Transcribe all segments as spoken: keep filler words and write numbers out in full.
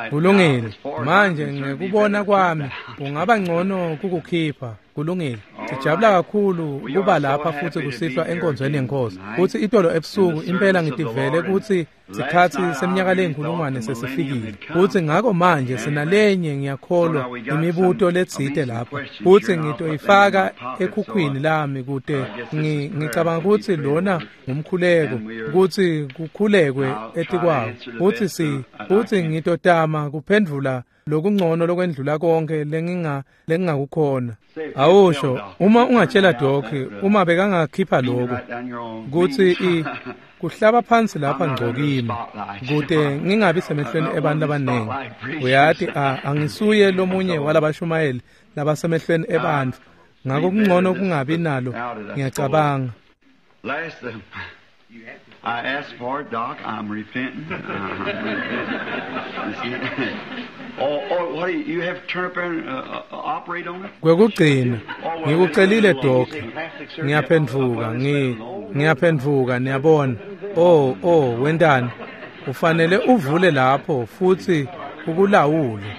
Kulungile. Manje ngekubona kwami kungaba ngcono kukukhipha. Kulungile. Sijabula kakhulu kuba lapha futhi kusihlwa enkonzweni yenkosi. Futhi itolo ebusuku impela ngitivele ukuthi sikhathi seminyaka leyinkulungwane sesifikile. Futhi ngakho manje sinalenye ngiyakholwa imibuto letsite lapha. Futhi ngitoyifaka ekhukhwini lami kute ngicabanga ukuthi lona ngumkhuleko ukuthi kukhulekwe etikwawo. Futhi si futhi ngitotama kuphendvula lokungcono lokwendlula konke lenginga lengingakukhona. Awusho uma ungatshela Doc uma bekangakhipha lokho kuthi i kuhlaba phansi lapha ngcokimi kute ngingabi semehlweni ebantu abaningi. Uyati angisuye lomunye walabashumayeli labasemehlweni ebantfu, ngakho kungcono kungabi nalo ngiyacabanga. I asked for it, Doc. I'm repenting. I'm repenting. Oh, oh, what do you, you have to turn up there and uh, uh, operate on it? Kwekugcina ngikucelile Doc. Ngiyaphendvuka, ngi ngiyaphendvuka niyabona. Oh, oh, wentani? Ufanele uvule lapho futhi ukulawule.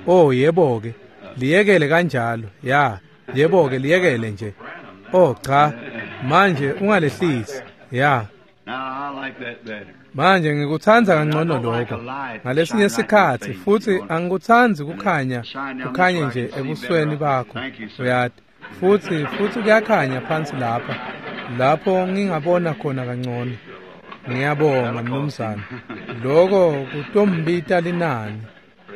Oh, yebo ke. Liyekele kanjalo. Ya, yebo ke liyekele nje. Oh, cha. Manje ungalehlisi. Ya. Manje ngikuthanda kangcono lokho ngalesinye isikhathi futhi angikuthandi kukhanya kukhanye nje ebusweni bakho uyati futhi futhi kuyakhanya phansi lapha lapho ngingabona khona kangcono. Ngiyabonga mnumzane, lokho kutombita linani.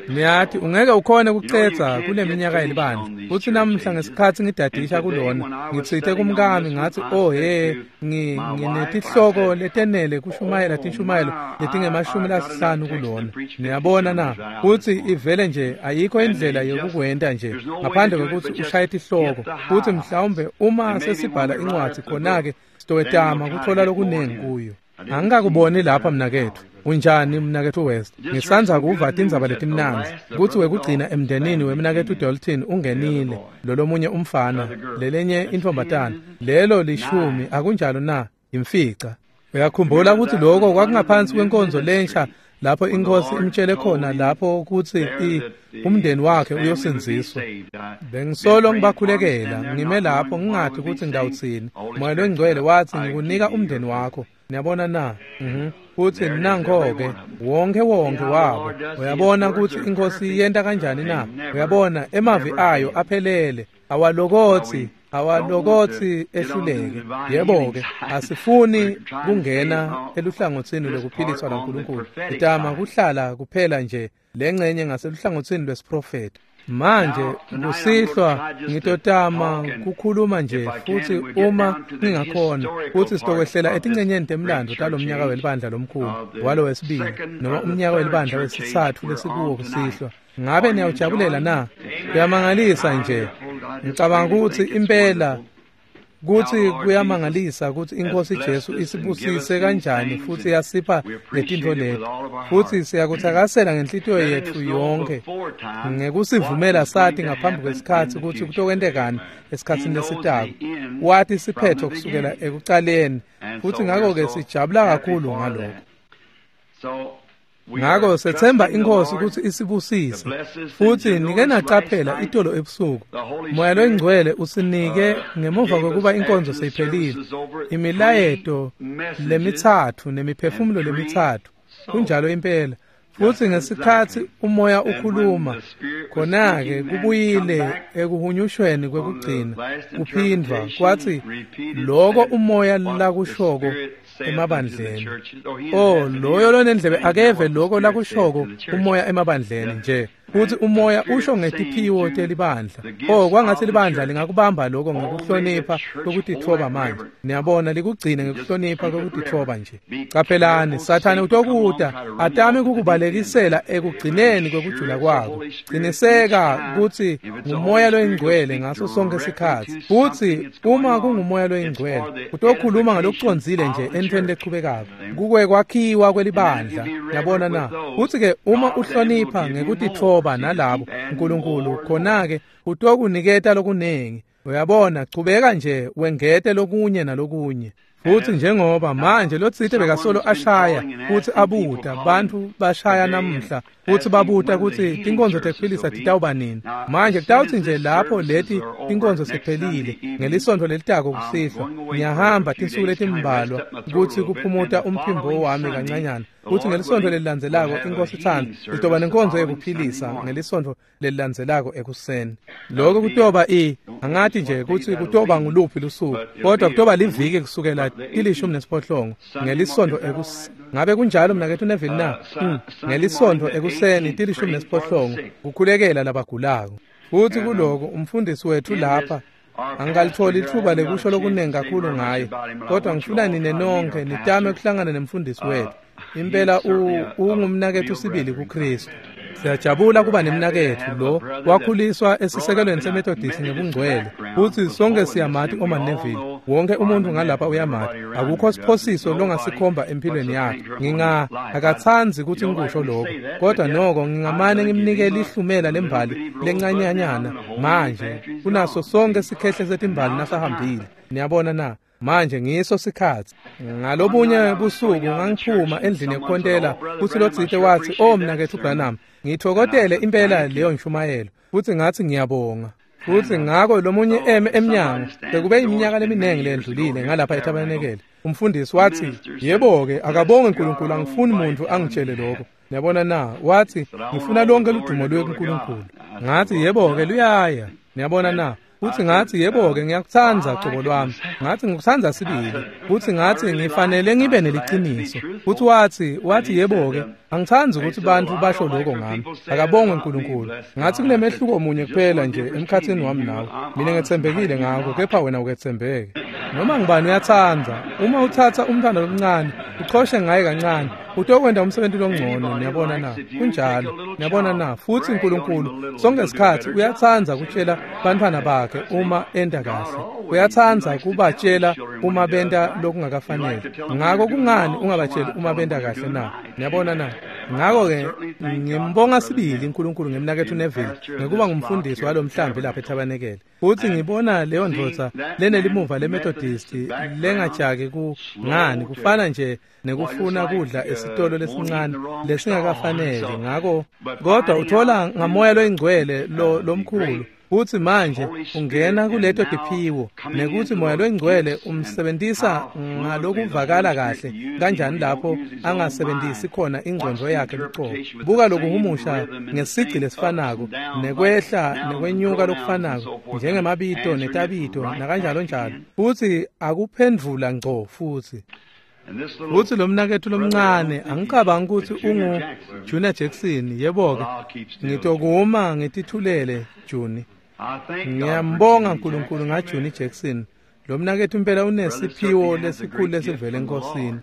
Niyathi ungeke ukhone ukucetha kule minyaka yelibandla. Futhi namuhla ngesikhathi ngidadisha kulona ngitsite kumkami ngathi oh he nginetihloko letenele kushumayela tinshumayelo letingemashumi lasihlanu kulona. Niyabona na futhi ivele nje ayikho indlela yokukwenta nje ngaphandle kokuthi ushaye tihloko. Futhi mhlawumbe uma sesibhala incwadi khona-ke sitowetama kuthola lokuningi kuyo. Angikakuboni lapha mnakethu. Unjani mnakethu West? Ngisanza kuva tindzaba letimnandzi kutsi wekugcina emndenini wemnakethu Dalton ungenile lolomunye umfana lelenye intfombatana lelo lishumi akunjalo na imfica. Uyakhumbula ukuthi lokho kwakungaphansi kwenkonzo lensha lapho inkosi imtshele khona lapho kutsi umndeni wakhe uyosindziswa. Bengisolo ngibakhulekela ngime lapho ngingathi ukuthi ngidawutsini. Moya loNgcwele wathi ngikunika umndeni wakho. Niyabona na? Mhm. Futhi nanko-ke wonke wonke wabo. Uyabona ukuthi inkosi yenta kanjani na? Uyabona emavi ayo aphelele awalokothi awalokothi ehluleke. Yebo-ke asifuni kungena eluhlangothini lokuphiliswa laNkulunkulu. Itama kuhlala kuphela nje lengcenye ngaseluhlangothini lwesiprofethi. Manje kusihlwa ngitotama kukhuluma nje futhi uma ngingakhona futhi sitokwehlela etincenyeni temlando talomnyaka welibandla lomkhulu walo wesibili noma umnyaka welibandla wesitsatfu lesikuwo kusihlwa. Ngabe niyawujabulela na? Kuyamangalisa nje. Ngicabanga ukuthi impela kuthi kuyamangalisa ukuthi inkosi Jesu isibusise kanjani futhi yasipha letintfo leti. Futhi siyakuthakasela ngenhlitiyo yetfu yonke ngekusivumela sathi ngaphambi kwesikhathi ukuthi kutokwentekani esikhatsini lesitako. Wathi siphetho kusukela ekucaleni futhi ngakho-ke sijabula kakhulu ngalokho. Ngakho sethemba inkosi ukuthi isibusise. Futhi nike nacaphela itolo ebusuku Moya loNgcwele usinike ngemuva kokuba inkonzo seyiphelile imilayeto lemitsatfu nemiphefumulo lemitsatfu. Kunjalo impela. Futhi ngesikhathi umoya ukhuluma khona-ke kubuyile ekuhunyushweni kwekugcina kuphindvwa kwathi lokho umoya lakushoko emabandleni. Oh, loyo lonendlebe akeve lokho lakushoko umoya emabandleni nje. Futhi umoya usho ngetiphiwo telibandla. Oh, kwangathi libandla lingakubamba lokho ngekuhlonipha kokutitfoba manje. Niyabona likugcine ngekuhlonipha kokutitfoba nje. Caphelani, Sathane utokuta atame kukubalekisela ekugcineni kwekujula kwakho. Qiniseka kutsi ngumoya loyingcwele ngaso sonke sikhatsi. Futhi uma kungumoya loyingcwele utokhuluma ngalokucondzile nje entweni lechubekako. Kukwe kwakhiwa kwelibandla. Yabona na? Futhi ke uma uhlonipha ngekutitfoba nalabo uNkulunkulu khona-ke utokuniketa lokunengi. Uyabona, chubeka nje wengete lokunye nalokunye. Futhi njengoba manje lotsite bekasolo ashaya futhi abuta bantfu bashaya namuhla futhi babuta kutsi tinkonzo tekuphilisa titawuba nini. Manje kutawutsi nje lapho leti tinkonzo sephelile ngelisontfo lelitako kusihlwa ngiyahamba tinsuku letimbalwa kutsi kuphumuta umphimbo wami kancanyana. Kutsi ngelisontfo lelilandzelako inkosi itsandza sitoba nenkonzo yekuphilisa ngelisontfo lelilandzelako ekuseni. Lokho kutoba i angati nje kutsi kutoba nguluphi lusuku, kodwa kutoba liviki kusukela tilishumi nesiphohlongo ngelisontfo ekuseni. Ngabe kunjalo mnaketfu Neville na? Mm. Ngelisontfo ekuseni tilishumi nesiphohlongo kukhulekela labagulako. Futhi kuloko umfundisi wethu lapha angikalitholi ithuba lekusho lokunengi kakhulu ngaye, kodwa ngifuna nine nonke nitame kuhlangana nemfundisi wethu. Impela ungumnaketfu sibili kuKristu. Siyajabula kuba nemnaketfu lo wakhuliswa esisekelweni seMethodist ngebungcwele. Futhi sonke siyamati Oma Neville. Wonke umuntu ngalapha uyamati. Akukho siphosiso longasikhomba empilweni yakhe. Nginga akatsandzi kutsi ngikusho lokho, kodwa noko ngingamane ngimnike lihlumela lembali lencanyanyana. Manje kunaso sonke sikhehle setimbali nasahambile. Niyabona na? Manje ngiso sikhatsi. Ngalobunye busuku ngangiphuma endlini yekukhontela kutsi lotsite watsi, "Oh mnaketfu Branham, ngithokotele impela leyo nshumayelo." Futhi ngathi ngiyabonga. Futhi ngako lomunye eme emnyango bekube iminyaka leminingi lendlulile ngalapha eTabernacle. Umfundisi wathi, "Yebo-ke, akabonge uNkulunkulu, angifuni muntu angitshele lokho." Niyabona na? Wathi, "Ngifuna lonke ludumo luye kuNkulunkulu." Ngathi, "Yebo-ke, luyaya." Niyabona na? Futhi ngathi, "Yebo-ke, ngiyakutsandza cobo lwami." Ngathi ngikutsandza sibili. Futhi ngathi ngifanele ngibe neliciniso. Futhi wathi, wathi yebo-ke, angitsandzi ukuthi bantfu basho lokho ngami. Akabongwe uNkulunkulu. Ngathi kunemehluko munye kuphela nje emkhatsini wami nawe. Mina ngetsembekile ngakho, kepha wena uketsembeke. Noma ngibani uyatsandza. Uma uthatha umntwana lomncane, uchoshe ngaye kancane, utokwenta umsebenzi longcono. Niyabona na? Kunjalo. Niyabona na? Futhi uNkulunkulu sonke isikhathi uyatsandza kutshela bantfwana bakhe uma enta kahle. Uyatsandza kubatshela uma benta lokungakafanele. Ngako kungani ungabatsheli uma benta kahle na? Niyabona na? Ngako-ke ngimbonga sibili uNkulunkulu ngemnaketfu Neville ngekuba ngumfundisi walomhlambi lapha eTabernacle. Futhi ngibona leyo ndvodza lenelimuva leMethodist lengajaki ku ngani kufana nje nekufuna kudla esitolo lesincane lesingakafanele. Ngako kodwa uthola ngamoya loyingcwele lo lomkhulu. Futhi manje ungena kuleto tiphiwo nekuthi moya loyingcwele umsebentisa ngalokuvakala kahle kanjani lapho angasebentisi khona ingcondvo yakhe lucobo. Buka lokuhumusha ngesigci lesifanako nekwehla nekwenyuka lokufanako njengemabito netabito nakanjalo njalo. Futhi akuphendvula ngco futhi. Futhi lo mnaketfu lomncane angicabangi kutsi ungu Junior Jackson. Yebo-ke, ngitokuma ngitithulele Juni. Ngiyambonga uNkulunkulu ngaJuni Jackson. Lo mnaketfu impela unesiphiwo lesikhulu lesivela eNkosini.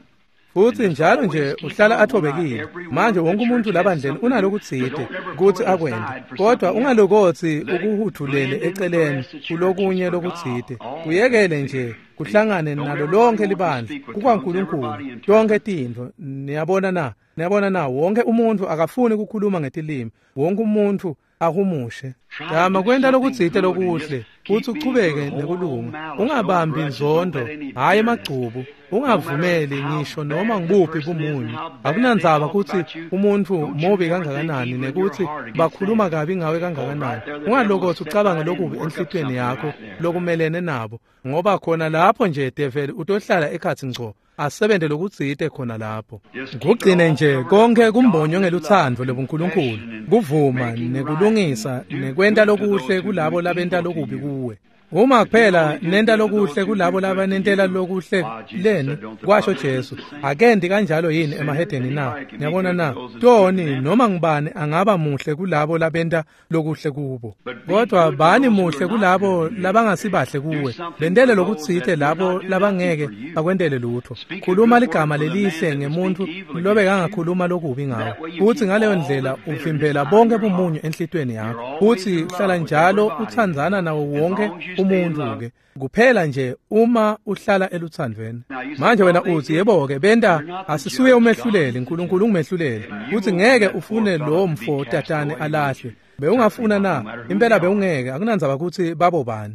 Futhi njalo nje uhlala athobekile. Manje wonke umuntu labandleni unalokutsite kutsi akwente, kodwa ungalokotsi ukuhuthulele eceleni kulokunye lokutsite. Kuyekele nje kuhlangane nalo lonke libandla kukwaNkulunkulu tonke tintfo. Niyabona na? Niyabona na? Wonke umuntu akafuni ukukhuluma ngetilimi. Wonke umuntu ahumushe. Tama kwenta lokutsite lokuhle futhi uchubeke nekulunga. Ungabambi inzondo, hhayi emagcubu. Ungavumeli ngisho noma ngibuphi bumunyu. Akunandzaba kutsi umuntfu mubi kangakanani nekutsi bakhuluma kabi ngawe kangakanani. Ungalokothi ucabange lokubi enhlitiyweni yakho lokumelene nabo, ngoba khona lapho nje develi utohlala ekhatsi ngco asebente lokutsite khona lapho. Kugcine nje konke kumbonywe ngelutsandvo lobuNkulunkulu, kuvuma nekulungisa nekwenta lokuhle kulabo labenta lokubi kuwe. Uma kuphela nenta lokuhle kulabo labanentela lokuhle leni, kwasho Jesu, akendi kanjalo yini emahedeni na? Niyabona na? Toni noma ngibani angaba muhle kulabo labenta lokuhle kubo, kodwa bani muhle kulabo labangasibahle kuwe. Bentele lokutsite labo labangeke bakwentele lutho. Khuluma ligama lelihle ngemuntfu lobekangakhuluma lokubi ngawe, futhi ngaleyo ndlela uvimbela bonke bumunyu enhlitiyweni yakho. Futhi uhlala njalo utsandzana nawo wonke umuntu-ke kuphela nje uma uhlala eluthandweni. Manje wena uthi, yebo-ke, benta asisuye umehluleli, uNkulunkulu ungumehluleli. Futhi ngeke ufune lo mfo tatane alahlwe. Bewungafuna na? Impela bewungeke, akunandzaba kutsi babobani.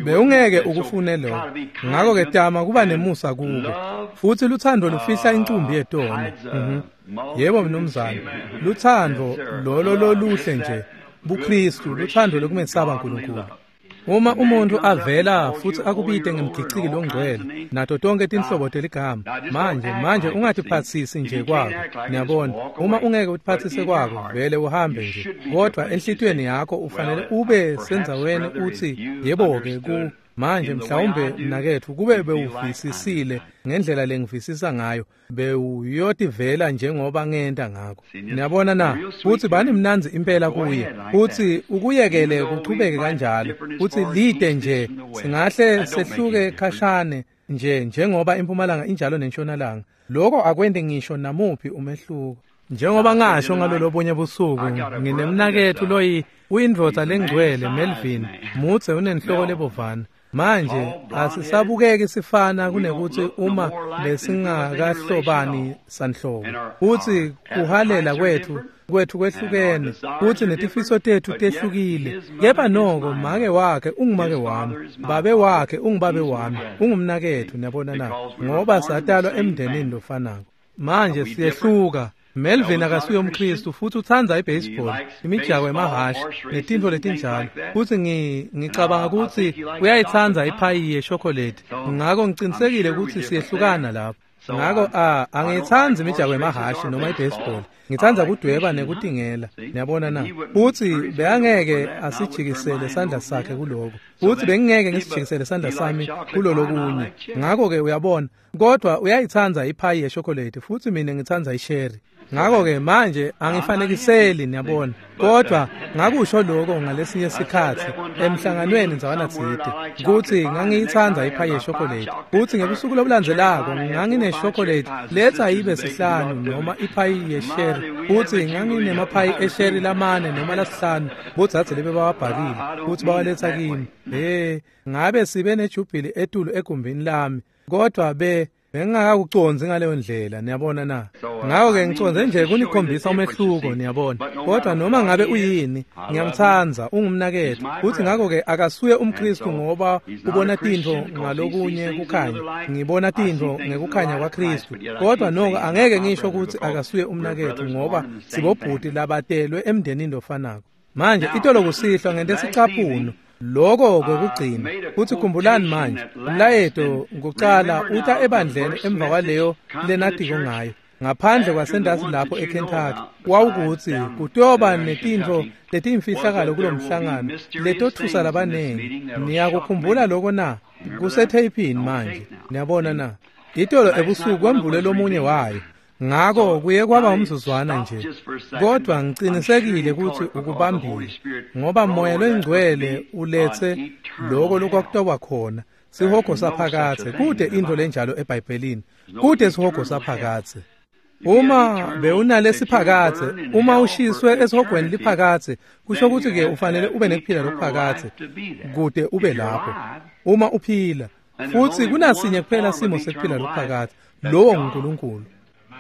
Bewungeke ukufune lokho. Ngako-ke tama kuba nemusa kubo. Futsi lutsandvo lufihla incumbi yetono. Mm-hmm. Yebo mnumzane, lutsandvo lolo loluhle nje, buKristu, lutsandvo lokumesaba uNkulunkulu. Uma umuntu avela futsi akubite ngemgiciki longcwele nato tonke tinhlobo teligama, manje manje ungatiphatsisi nje kwako. Niyabona, uma ungeke utiphatsise kwako, vele uhambe nje. Kodwa enhlitiyweni yakho ufanele ube sendzaweni utsi yebo-ke ku manje mhlawumbe mnaketfu kube bewuvisisile ngendlela lengivisisa ngayo, bewuyotivela njengoba ngenta ngako. Niyabona na? Futsi bani mnandzi impela kuye, futsi ukuyekele kuchubeke kanjalo, futsi lide nje singahle sehluke khashane nje njengoba impumalanga injalo nentshonalanga. Lokho akwenti ngisho namuphi umehluko. Njengoba ngasho ngalolobunye busuku, nginemnaketfu loyi uyindvodza lengcwele Melvin, mudze unenhloko lebovana. Manje asisabukeki sifana kunekuthi uma besingakahlobani sanhlobo. Futsi kuhalela kwetfu kwetfu kwehlukene, futsi netifiso tetfu tehlukile. Kepha noko make wakhe ungumake wami, babe wakhe ungubabe wami, ungumnaketfu, niyabona na? Ngoba satalwa emndenini lofanako. Manje siyehluka. Melvin akasuye umKristu futsi utsandza ibaseball, imijako yemahhashi netintfo letinjalo. Futsi ngicabanga kutsi uyayitsandza iphayi yeshokholethi. Ngako ngicinisekile kutsi siyehlukana lapho. Ngako a angiyitsandzi imijako yemahhashi noma ibaseball. Ngitsandza kudweba nekutingela, niyabona na? Futsi bekangeke asijikisele sandla sakhe kuloko. Futsi bengingeke ngisijikisele sandla sami kulolokunye. Ngako-ke uyabona, kodwa uyayitsandza iphayi yeshokholethi futsi mina ngitsandza isheri. Ngako-ke manje angifanekiseli, niyabona. Kodwa ngakusho lokho ngalesinye sikhatsi emhlanganweni ndzawana tsite kutsi ngangiyitsandza iphayi yeshokholethi. Futsi ngebusuku lobulandzelako ngangineshokolate letsa ibe sihlanu noma iphayi yesheri. Futsi nganginemaphayi esheri lamane noma lasihlanu bodzadze lebebawabhakile futsi bawaletsa kimi. He, ngabe sibe nejubhili etulu egumbini lami, kodwa be bengingakakucondzi ngaleyo ndlela, niyabona na? Ngako-ke ngicondze nje kunikhombisa umehluko, niyabona. Kodwa noma ngabe uyini, ngiyamtsandza, ungumnaketfu. Futsi ngako-ke akasuye umKristu ngoba ubona tintfo ngalokunye kukhanya. Ngibona tintfo ngekukhanya kwaKristu. Kodwa noko angeke ngisho kutsi akasuye umnaketfu ngoba sibobhuti labatelwe emndenini lofanako. Manje itolo kusihlwa ngente sicaphuno. Lokho kwekugcina. Futsi khumbulani manje, umlayeto kucala uta ebandleni emva kwaleyo lenatiko ngayo. Ngaphandle kwasendasi lapho eKentucky, wawukutsi kutoba netintfo letimfihlakalo kulomhlangano letothusa labanengi. Niyakukhumbula lokho na? Kusetheyphini manje. Niyabona na? Itolo ebusuku kwembule lomunye wayo. Ngako kuye kwaba umzuzwana nje, kodwa ngicinisekile kutsi ukubambile, ngoba moya longcwele uletse lokho lokwakutoba khona sihogo saphakadze. Kude intfo lenjalo eBhayibhelini, kude sihogo saphakadze. Uma bewunalesiphakadze, uma ushiswe esihogweni liphakadze, kusho kutsi ke ufanele ube nekuphila lokuphakadze kude ube lapho uma uphila. Futsi kunasinye kuphela simo sekuphila lokuphakadze, lowo nguNkulunkulu.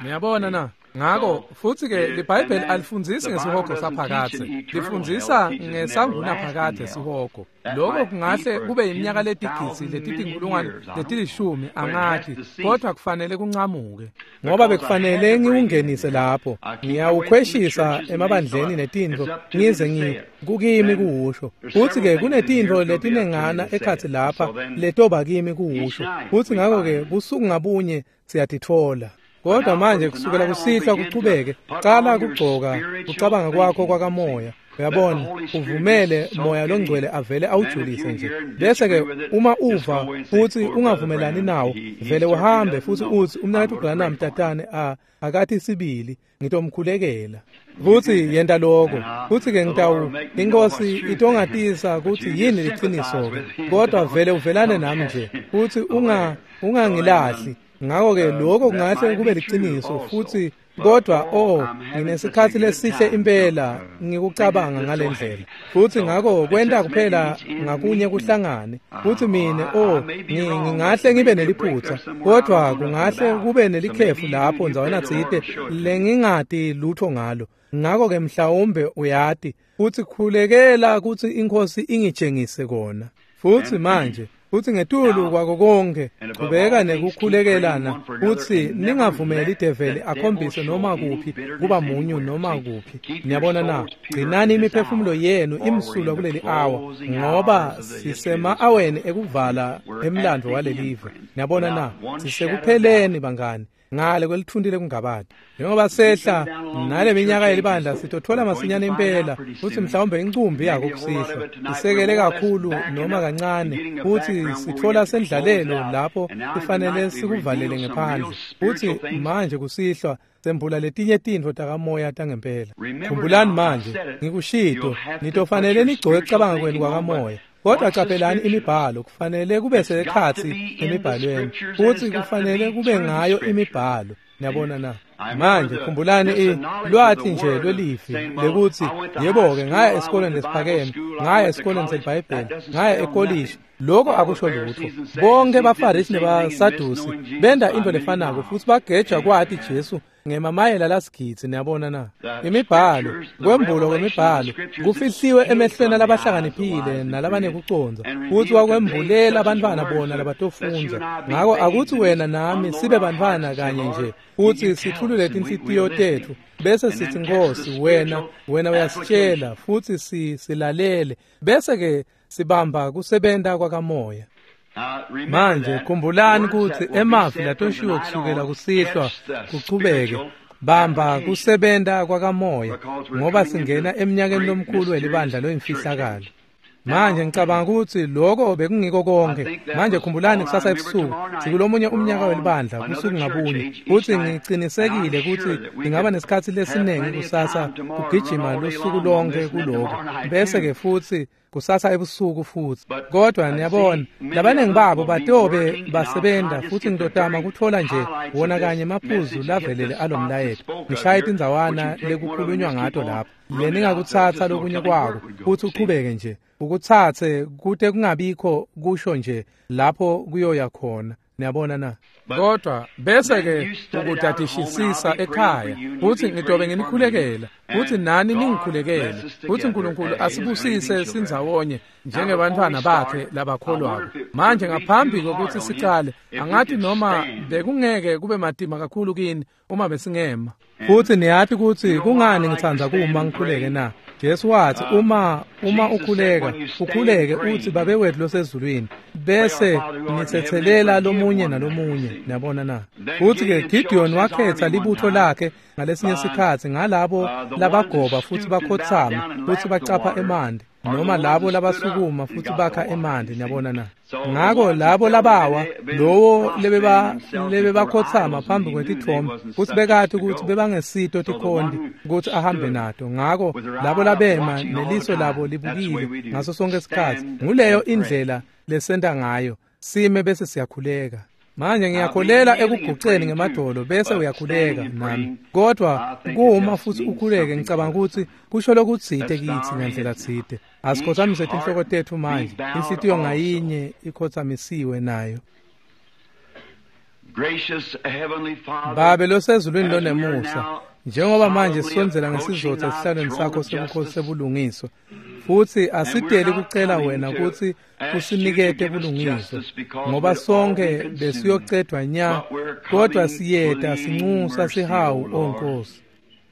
Niyabona na? Ngako futsi-ke liBhayibheli alifundzisi ngesihogo saphakadze, lifundzisa ngesangunaphakadze sihogo. Lokho kungahle kube iminyaka letigidzi letitinkulungwane letilishumi, angati, kodwa kufanele kuncamuke. Ngoba bekufanele ngiwungenise lapho, ngiyawukhweshisa emabandleni netintfo ngize ngi kukimi kuwusho. Futsi-ke kunetintfo letinengana ekhatsi lapha letoba kimi kuwusho. Futsi ngako-ke busuku ngabunye siyatitfola. Kodwa manje kusukela kusihlwa kuchubeke, cala kugcoka kucabanga kwakho kwakamoya. Uyabona, uvumele moya longcwele avele awujulise nje. Bese-ke uma uva futsi ungavumelani nawo, vele uhambe futsi utsi umnaketfu Branham tatane a akathi sibili, ngitomkhulekela. Futsi yenta lokho. Futsi-ke ngitawu inkosi itongatisa kutsi yini liciniso-ke. Kodwa vele uvelane nami nje, futsi unga ungangilahli. Ngako-ke lokho kungahle kube liciniso futsi, kodwa oh, nginesikhatsi lesihle impela ngikucabanga ngale ndlela. Futsi ngako kwenta kuphela ngakunye kuhlangane. Futsi mine oh, ngingahle ngibe neliphutsa, kodwa kungahle kube nelikhefu lapho ndzawana tsite lengingati lutho ngalo. Ngako-ke mhlawumbe uyati, futsi khulekela kutsi iNkhosi ingitshengise kona. Futsi manje, futsi ngetulu kwako konkhe, chubeka nekukhulekelana futsi ningavumeli develi akhombise noma kuphi kuba munyu noma kuphi. Niyabona na? Gcinani imiphefumulo yenu imsulwa kuleli awa, ngoba sisema-aweni ekuvala emlandvo walelive. Niyabona na? Sisekupheleni bangani, ngale kwelithunti lekungabati. Njengoba sehla nale minyaka yelibandla sitothola masinyane impela futsi mhlawumbe incumbi yako kusihlwa isekele kakhulu noma kancane, futsi sitfola sendlalelo lapho kufanele sikuvalele ngephandle. Futsi manje kusihlwa sembula letinye tintfo takamoya tangempela. Khumbulani manje, ngikushito, nitofanele nigcoke kucabanga kwenu kwakamoya. Kodwa caphelani imibhalo kufanele kube sekhatsi emibhalweni, futsi kufanele kube ngayo imibhalo. Niyabona na? Manje khumbulani lwati nje lwelivi lekutsi yebo-ke ngaya esikolweni lesiphakeme, ngaya esikolweni seliBhayibheli, ngaya ekolishi, lokho akusho lutho. Bonke baFarisi nebaSadusi benda into lefanako futsi bageja kwati Jesu ngemamayela lasigidzi. Niyabona na? Imibhalo, kwembulwa kwemibhalo kufihliwe emehlweni alabahlakaniphile nalabanekucondza, futsi wakwembulela abantwana bona labatofundza. Ngako akutsi wena nami sibe bantfwana kanye nje, futsi sithulule tinhlitiyo tetfu bese sithi Nkosi, wena wena uyasitshela futsi si silalele, bese ke sibamba kusebenta kwakamoya. Manje khumbulani kutsi emavi latoshiwo kusukela kusihlwa kuchubeke bamba kusebenta kwakamoya, ngoba singena eminyakeni lomkhulu welibandla loyimfihlakalo. Manje ngicabanga kutsi lokho bekungiko konke. Manje khumbulani kusasa ebusuku sikulomunye umnyaka welibandla busuku ngabunye, futsi ngicinisekile kutsi ngingaba nesikhatsi lesiningi kusasa kugijima lusuku lonke kuloko, bese ke futsi kusasa ebusuku futsi. Kodwa niyabona, labaningi babo batobe basebenta, futsi ngitotama kutfola nje wona kanye emaphuzu lavelele alomlayeto, ngishaye tindzawana lekukhulunywa ngato lapho leningakutsatsa lokunye kwako futsi uchubeke nje ukutsatse kute kungabikho kusho nje lapho kuyoya khona. Niyabona na? Kodwa bese ke ukudadishisisa ekhaya, futsi ngitobe nginikhulekela, futsi nani ningikhulekele, futsi uNkulunkulu asibusise sindzawonye njengebantfwana bakhe labakholwako. Manje ngaphambi kokuthi sicale, angathi noma bekungeke kube matima kakhulu kini uma besingema. Futsi niyati kutsi kungani ngitsandza kuma ngikhuleke na? Jesu wathi uma uma ukhuleka, ukhuleke uthi Babe wethu losezulwini, bese nitsetselela lomunye nalomunye. Niyabona na? Futhi ke Gideon wakhetha libutho lakhe ngalesinye sikhatsi ngalabo labagoba futhi bakhotsama futhi bacapha emanti, noma labo labasukuma futhi bakha emanti. Niyabona na? Ngako labo labawa lowo lebeba lebebakhotsama phambi kwetithombe futsi bekati ukuthi bebangesito tikhonti ukuthi ahambe nato. Ngako labo labema neliso labo libukile ngaso sonke isikhatsi. Nguleyo indlela lesenta ngayo, sime bese siyakhuleka. Manje ngiyakholela ekuguceni ngemadolo bese uyakhuleka nami, kodwa kuma futhi ukhuleke ngicabanga ukuthi kusho lokutsite kithi ngendlela tsite. Asikhothamise tinhloko tetfu manje, inhlitiyo ngayinye ikhothamisiwe nayo. Babe losezulwini lonemusa, njengoba manje sisondzela ngesizotha esihlalweni sakho sobukhosi sebulungiswa, futsi asideli kucela wena kutsi usinikete bulungiswa, ngoba sonke besiyocedwa nya, kodwa siyeta sincusa sihawu, o Nkosi.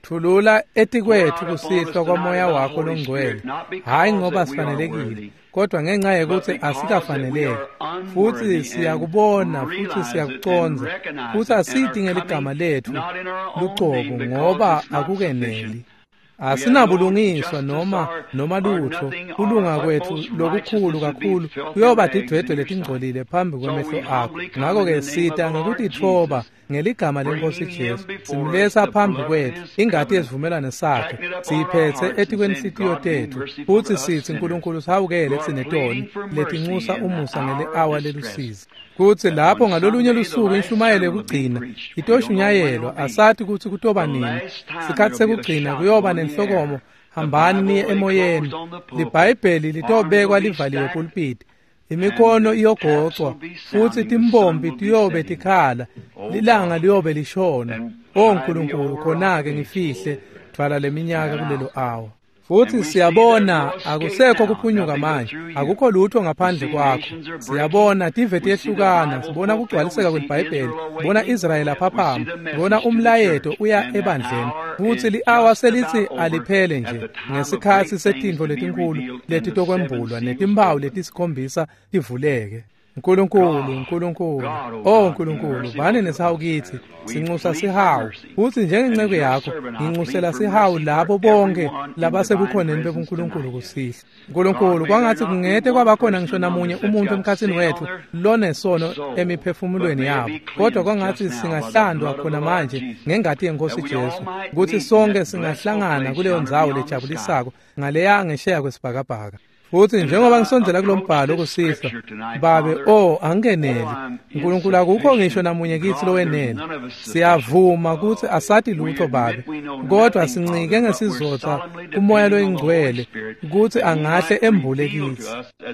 Thulula etikwethu kusihlwa kwamoya wakho longcwele, hhayi ngoba sifanelekile, kodwa ngenxa yekuthi asikafaneleki. Futsi siyakubona futhi siyakucondza, futhi asidi ngeligama letfu lucobo ngoba akukeneli. Asinabulungiswa noma noma lutho, kulunga kwethu lokukhulu kakhulu kuyoba tidwedwe letingcolile phambi kwemehlo akho. Ngakho-ke sita ngekutitfoba ngeligama leNkosi Jesu, simletsa phambi kwethu ingati yesivumelwano sakhe, siyiphetse etikwenhlitiyo tetfu, futsi sitsi Nkulunkulu sihawukele tsine toni letinxusa umusa ngeli-awa lelusizi. Kutsi lapho ngalolunye lusuku inshumayelo yekugcina itoshunyayelwa, asati kutsi kutoba nini. Sikhatsi sekugcina kuyoba nenhlokomo, hambani niye emoyeni. Libhayibheli litobekwa livaliwe pulpiti, imikhono iyogocwa, futsi timbombi tiyobe tikhala, lilanga liyobe lishona. O Nkulunkulu, khona-ke ngifihle dvwala leminyaka kulelo awa. Futsi siyabona akusekho kuphunyuka manje, akukho lutho ngaphandle kwakho. Siyabona tive tiyehlukana, sibona kugcwaliseka kweliBhayibheli, sibona Israyeli aphaphama, sibona umlayeto uya ebandleni. Futsi li-awa selithi aliphele nje ngesikhatsi setintfo letinkhulu letitokwembulwa netimphawu letisikhombisa tivuleke. Nkulunkulu, Nkulunkulu, oh Nkulunkulu, bani nesihawu kitsi, sinxusa sihawu. Futsi njengenceku yakho nginxusela sihawu labo bonke labasebukhoneni bebuNkulunkulu kusihlwa. Nkulunkulu, kwangatsi kungete kwabakhona ngisho namunye umuntu emkhatsini wetfu lonesono emiphefumulweni yabo, kodwa kwangatsi singahlandwa khona manje ngengati yeNkosi Jesu, kutsi sonke singahlangana kuleyo ndzawo lejabulisako ngaleya ngesheya kwesibhakabhaka. Futsi njengoba ngisondzela kulombhalo kusihlwa, Babe, oh angeneli. Nkulunkulu, akukho ngisho namunye kitsi lowenele. Siyavuma kutsi asati lutho Babe, kodwa sincike ngesizotsa kuMoya loyiNgcwele kutsi angahle embule kitsi.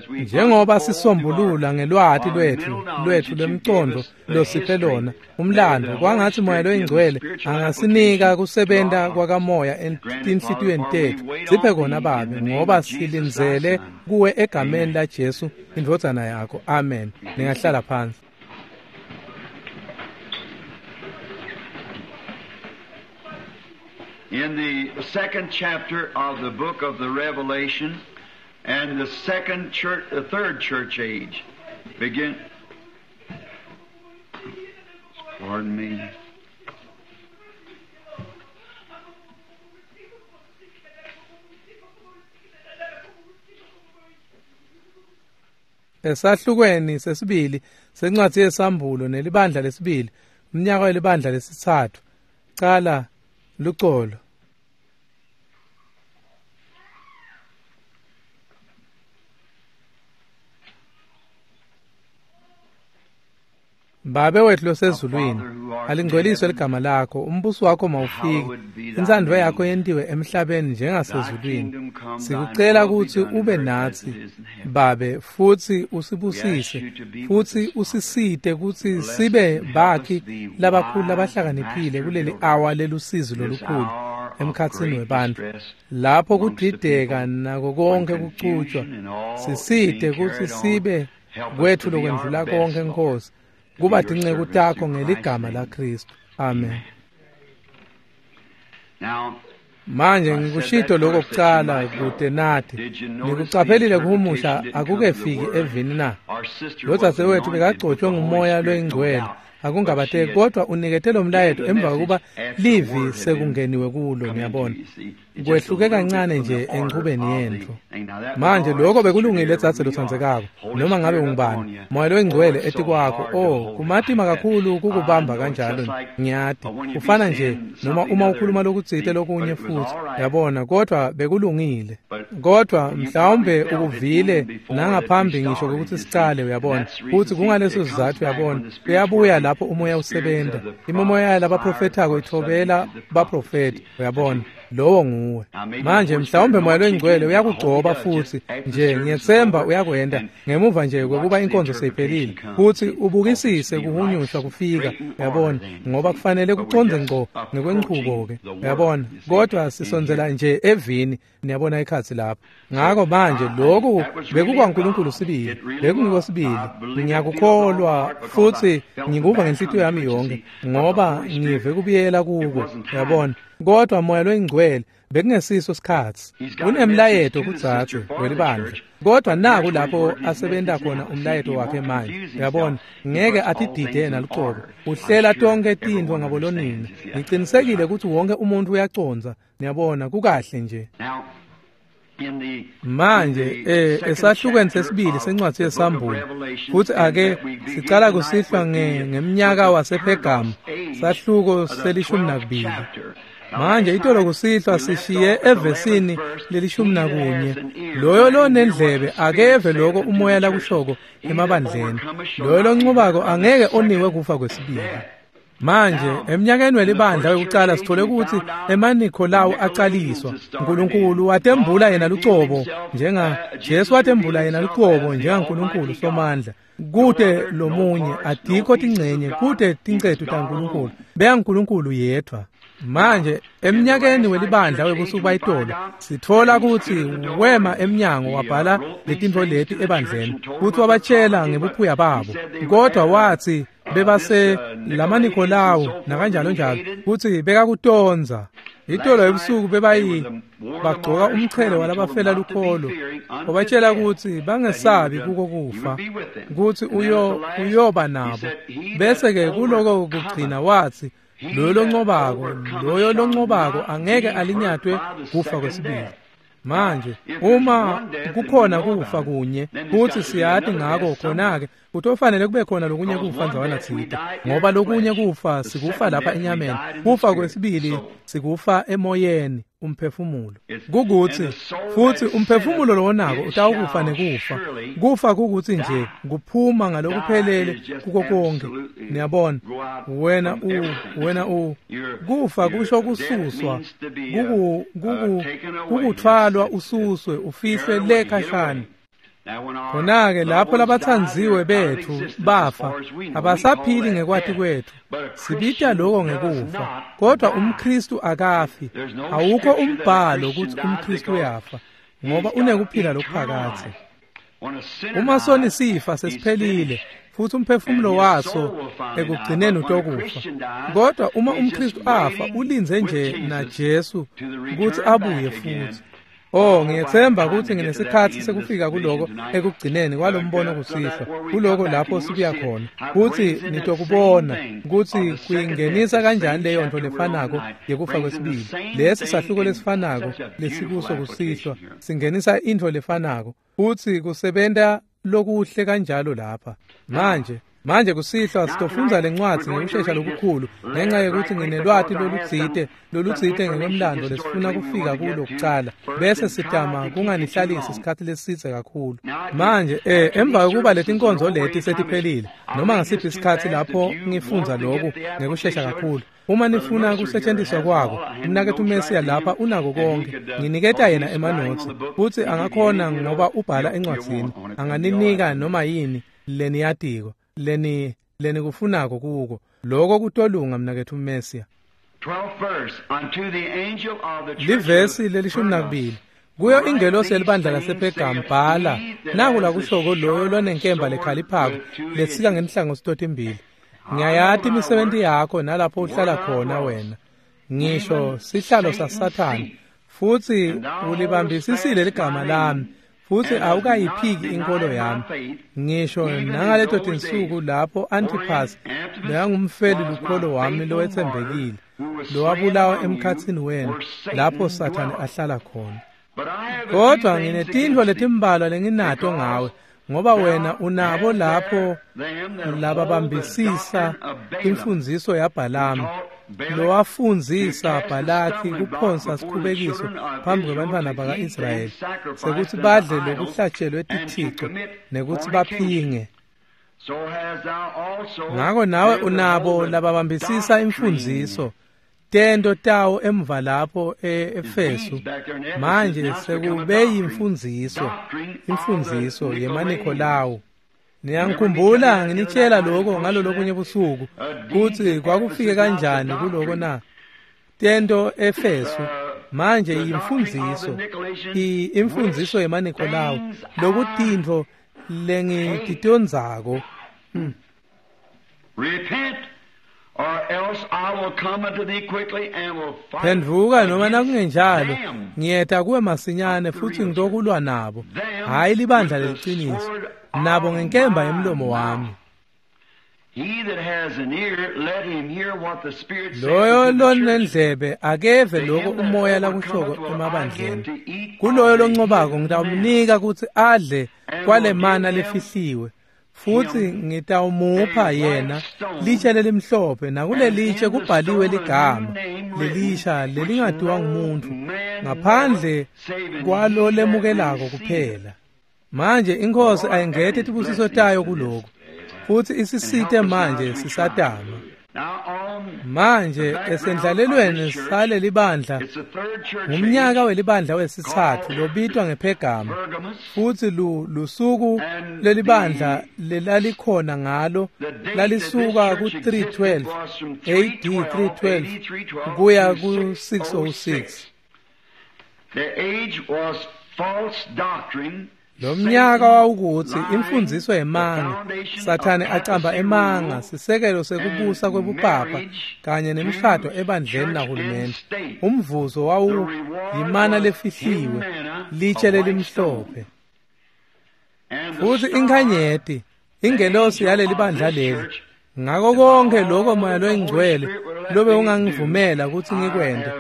Njengoba sisombulula ngelwati lwetfu lwetfu lwemcondo losiphe lona umlando, kwangatsi Moya loyiNgcwele angasinika kusebenta kwakamoya etinhlitiyweni tetfu. Siphe kona Babe, ngoba silindzele kuwe egameni la Jesu indvodzana yakho. Amen. Ningahlala phansi. In the second chapter of the book of the Revelation and the second church, the third church age begin. Pardon me. Esahlukweni sesibili sencwadi yesambulo nelibandla lesibili, umnyaka welibandla lesitsatfu, cala lucolo. Babe wethu losezulwini, alingcweliswe ligama lakho, umbuso wakho mawufike, intsandvo yakho yentiwe emhlabeni njengasezulwini. Sikucela kutsi ube natsi Babe, futsi usibusise, futsi usisite kutsi sibe bakhi labakhulu labahlakaniphile kuleli awa lelusizi lolukhulu emkhatsini webantfu, lapho kudideka nako konke kucutshwa. Sisite kutsi sibe kwetfu lokwendlula konke, Nkosi, kuba tinceku takho ngeligama laKristu. Amen. Manje ngikushito lokho kucala kude nathi. Nikucaphelile kuhumusha akukefiki evini na? Lodzadzewethu bekagcotshwe nguMoya loyiNgcwele, akungabateki, kodwa unikete lo mlayeto emva kokuba livi sekungeniwe kulo, niyabona. Kwehluke kancane nje enchubeni yentfo. Manje lokho bekulungile dzadze lotsandzekako, noma ngabe ungubani, Moya loyiNgcwele etikwakho. Oh, kumatima kakhulu kukubamba kanjalo, ngiyati. Kufana nje noma uma ukhuluma lokutsite lokunye futhi, yabona, kodwa bekulungile. Kodwa mhlawumbe ukuvile nangaphambi ngisho ukuthi sicale, uyabona. Futhi kungaleso sizathu, uyabona, kuyabuya lapho umoya usebenta. Imimoya labaprofethako ithobela baprofeti, uyabona. Lowo nguwe. Manje mhlawumbe Moya loyiNgcwele uyakugcoba futhi nje, ngiyethemba uyakwenda ngemuva nje kwekuba inkonzo seyiphelile, futhi ubukisise kuhunyushwa kufika, uyabona, ngoba kufanele kuconze ngco ngekwenchubo ke, uyabona. Kodwa sisondzela nje evini, niyabona, ikhatsi phansi lapho. Ngako manje lokhu bekukwaNkulunkulu sibili, bekungiko sibili. Ngiyakukholwa futhi ngikuva ngenhlitiyo yami yonke ngoba ngive kubuyela kuko, uyabona. Kodwa Moya loyiNgcwele bekungesiso sikhatsi. Unemlayeto kudzadze welibandla, kodwa naku lapho asebenta khona umlayeto wakhe manje, uyabona. Ngeke atidide yena lucobo, uhlela tonke tintfo ngabolonina. Ngicinisekile ukuthi wonke umuntu uyacondza, niyabona, kukahle nje. Manje eh esahlukweni sesibili sencwadi yeSambulo, futhi ake sicala kusihlwa ngemnyaka wasePhergamu, sahluko selishumi nakubili. Manje itolo kusihlwa sishiye evesini lelishumi nakunye. Loyo lonendlebe akeve lokho umoya lakushoko emabandleni. Loyo loncubako angeke oniwe kufa kwesibili. Manje eminyakeni welibandla wekucala sithole ukuthi emaNikholawu acaliswa. Nkulunkulu watembula yena lucobo njenga Jesu watembula yena lucobo njengaNkulunkulu Somandla. Kute lomunye, adikho tingcenye, kute tincetu taNkulunkulu. BeyaNkulunkulu yedwa. Manje eminyakeni welibandla webusuku bayitolo sithola ukuthi wema emnyango wabhala letintfo leti ebandleni futhi wabatshela ngebuphuya babo, kodwa wathi bebase lamaNikholawu nakanjalo njalo kuthi bekakutonza. Itolo ebusuku bebayi bagcoka umchele walabafela lukholo, wabatshela ukuthi bangesabi kuko kufa, ukuthi uyo uyoba nabo. Bese ke kuloko kugcina wathi loyo loncobako, loyo loncobako angeke alinyatwe kufa kwesibili. Manje uma kukhona kufa kunye kuthi siyati ngako, khona-ke kutofanele kube khona lokunye kufa ndzawana tsite, ngoba lokunye kufa sikufa lapha enyameni, kufa kwesibili sikufa emoyeni, umphefumulo. Kukuthi futhi umphefumulo lowonako utawukufa nekufa. Kufa kukuthi nje kuphuma ngalokuphelele kuko konke, niyabona. Wena u wena u kufa kusho kususwa, kuku kuku kukuthwalwa ususwe ufihlwe le khashana. Khona-ke lapho labathandziwe bethu bafa, abasaphili ngekwati kwethu, sibita lokho ngekufa. Kodwa umKristu akafi. Awukho umbhalo ukuthi umKristu uyafa, ngoba unekuphila lokuphakadze. Uma soni sifa sesiphelile, futhi umphefumulo waso ekugcineni utokufa. Kodwa uma umKristu afa, ulinze nje naJesu ukuthi abuye futhi. Oh, ngiyethemba ukuthi nginesikhathi sekufika kuloko ekugcineni kwalombono kusihlwa, kuloko lapho sibuya khona, kuthi nitokubona ukuthi kuyingenisa kanjani leyo nto lefanako yekufa kwesibili. Lesi sahluko lesifanako lesikuso kusihlwa singenisa intfo lefanako, futhi kusebenta lokuhle kanjalo lapha. Manje Manje kusihlwa sitofundza lencwadzi ngekushesha lokukhulu ngenxa yokuthi nginelwati lolutsite lolutsite ngekwemlando lesifuna kufika kulo kucala, bese sitama kunganihlalisi isikhathi lesidze kakhulu. Manje eh emva kokuba letinkonzo leti setiphelile, noma ngasiphi isikhathi lapho ngifundza lokhu ngekushesha kakhulu, uma nifuna kusetshenziswa kwako, umnaketfu Mesiya lapha unako konke. Nginiketa yena emanotsi futhi angakhona ngoba ubhala encwadzini, anganinika noma yini leniyatiko leni lenikufunako kuko. Lokho kutolunga mnaketfu Mesiya. Livesi lelishumi nakubili. Kuyo ingelosi yelibandla lasePhergamu bhala, naku lakushoko loyo lonenkemba lekhaliphako lesika ngenhlangothi totimbili. Ngiyayati imisebenti yakho nalapho uhlala khona wena, ngisho sihlalo saSathane, futhi ulibambisisile ligama lami, futhi awukayiphiki inkolo yami, ngisho nangaleto tinsuku lapho Antipas bekangumfeli lukholo wami lowetsembekile, lowabulawa emkhatsini wenu lapho Sathane ahlala khona. Kodwa nginetintfo letimbalwa lenginato ngawe, ngoba wena unabo lapho lababambisisa imfundziso yaBhalamu, lowafundzisa Bhalaki kuphonsa sikhubekiso phambi kwebantfwana baka-Israyeli sekuthi badle lokuhlatshelwe tithico nekuthi baphinge. Ngako nawe unabo lababambisisa imfundziso tento tawo emva lapho e-Efesu. Manje sekube yimfundziso, imfundziso yemaNikholawu. Niyangikhumbula nginitshela lokho ngalolokunye busuku kutsi kwakufike kanjani kuloko na? Tento Efesu Manje yimfundziso, imfundziso yemaNikolawu, lokutintfo lengititondzako. Hmm. Repent, or else I will come unto thee quickly and will fight. Phendvuka noma nakungenjalo ngiyeta kuwe masinyane futsi ngitokulwa nabo, hhayi libandla leliciniso, nabo ngenkemba yemlomo wami. He that has an ear, let him hear what the Spirit saith Loyo unto the churches. lonendlebe akeve lokho umoya lakushoko emabandleni. Kuloyo loncobako ngitawumnika kutsi adle kwale mana lefihliwe, futsi ngitawumupha yena litshe lelimhlophe, nakulelitshe kubhaliwe ligama lelisha lelingatiwa ngumuntfu ngaphandle kwalo lemukelako kuphela. Manje iNkhosi ayingete tibusiso tayo kuloku, futsi isisite manje sisatama. Now on Manje esendlalelweni salelibandla, it's the third church ngumnyaka welibandla wesitsatfu lobitwa ngePhergama, Pergamos. futsi lu lusuku lelibandla lelalikhona ngalo lalisuka ku three twelve A D three twelve kuya ku six oh six. The age was false doctrine. Lo mnyaka wawukutsi imfundziso yemanga, Sathane acamba emanga, sisekelo sekubusa kwebupapa kanye nemishado ebandleni nahulumende. Umvuzo wawu yimana lefihliwe, litshe lelimhlophe. And the Futsi star, inkhanyeti, ingelosi yaleli bandla leli. Ngako konke lokho Moya loyiNgcwele lobe ungangivumela kutsi ngikwente,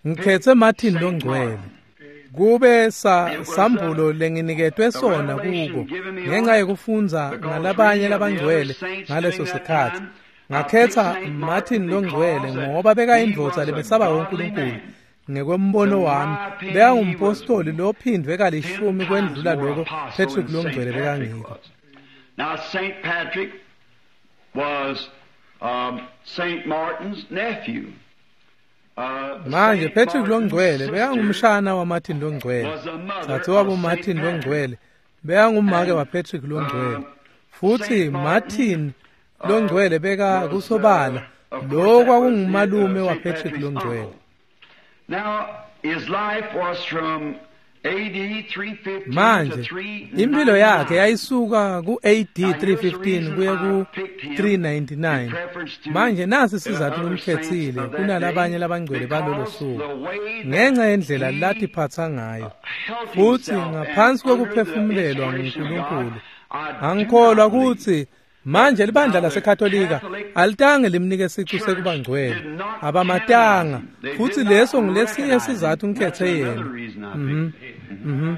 ngikhetse Martin loNgcwele. Kube sa sambulo lenginiketwe sona kuko ngenxa yekufundza ngalabanye labangcwele ngaleso sikhatsi. Ngakhetsa Martin loNgcwele ngoba bekayindvodza lebesaba uNkulunkulu. Ngekwembono wami, bekangumpostoli lophindvwe kalishumi kwendlula loko Patrick loNgcwele bekangiko. Now Saint Patrick was um, Saint Martin's nephew. Uh, Manje Saint Patrick Martin's loNgcwele sister bekangumshana waMartin loNgcwele. was the mother Dzadzewabo of Saint Martin Patrick. loNgcwele bekangumake waPatrick loNgcwele. Futsi Martin loNgcwele beka kusobala lo kwakungumalume waPatrick loNgcwele. Now his life was from A D three fifteen to Manje three impilo yakhe yayisuka ku A D three fifteen kuya ku three ninety-nine. Manje nasi sizathu ngimkhetsile kunalabanye labangcwele balolo suku ngenxa yendlela latiphatsa ngayo, futsi ngaphansi kwekuphefumulelwa nguNkulunkulu. Angikholwa kutsi manje libandla laseKatolika alitange limnike sicu sekuba ngcwele, abamatanga, futsi leso ngilesinye sizathu ngikhetse yena. Mhm. Mhm.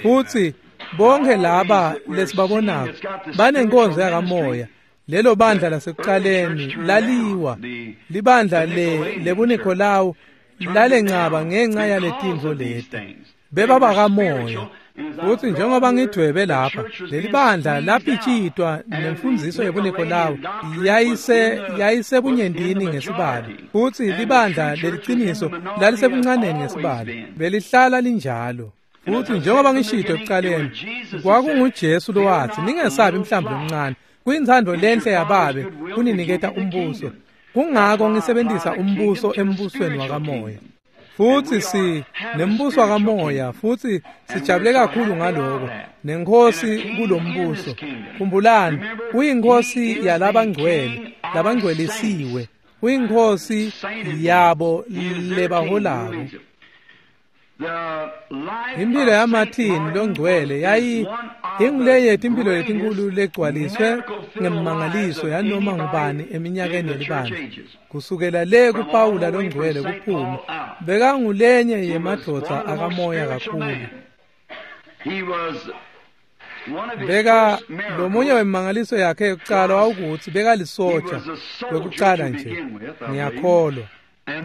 Futsi bonke laba lesibabonako banenkonzo yakamoya. Lelo bandla lasekuqaleni laliwa, libandla le lebuNikolawu lalencaba ngenxa yaletintfo leti. Bebabakamoya. Futsi njengoba ngidvwebe lapha, leli bandla lapitshitwa nemfundziso yebuNikolawu yayise yayisebunyentini ngesibalo, futsi libandla leliciniso lalisebuncaneni ngesibalo, belihlala linjalo. Futsi njengoba ngishito ekuqaleni, kwakunguJesu lowatsi, ningesabi mhlambi lomncane, kuyintsandvo lenhle yababe kuniniketa umbuso. Kungako ngisebentisa umbuso embusweni wakamoya. Futsi si nembuso wakamoya, futsi sijabule kakhulu ngaloko, nenkhosi kulombuso. Khumbulani, uyinkhosi yalabangcwele, labangcwelisiwe, uyinkhosi yabo lebaholako. Impilo yaMartin loNgcwele yayi ingulenye yetimpilo letinkulu legcwaliswe ngemimangaliso yanoma ngubani eminyakeni yelibandla. Kusukela le kuPawula loNgcwele kuphume, bekangulenye yemadvodza akamoya kakhulu. Beka lomunye wemimangaliso yakhe yokucala wawukutsi bekalisoja kwekucala nje, ngiyakholwa.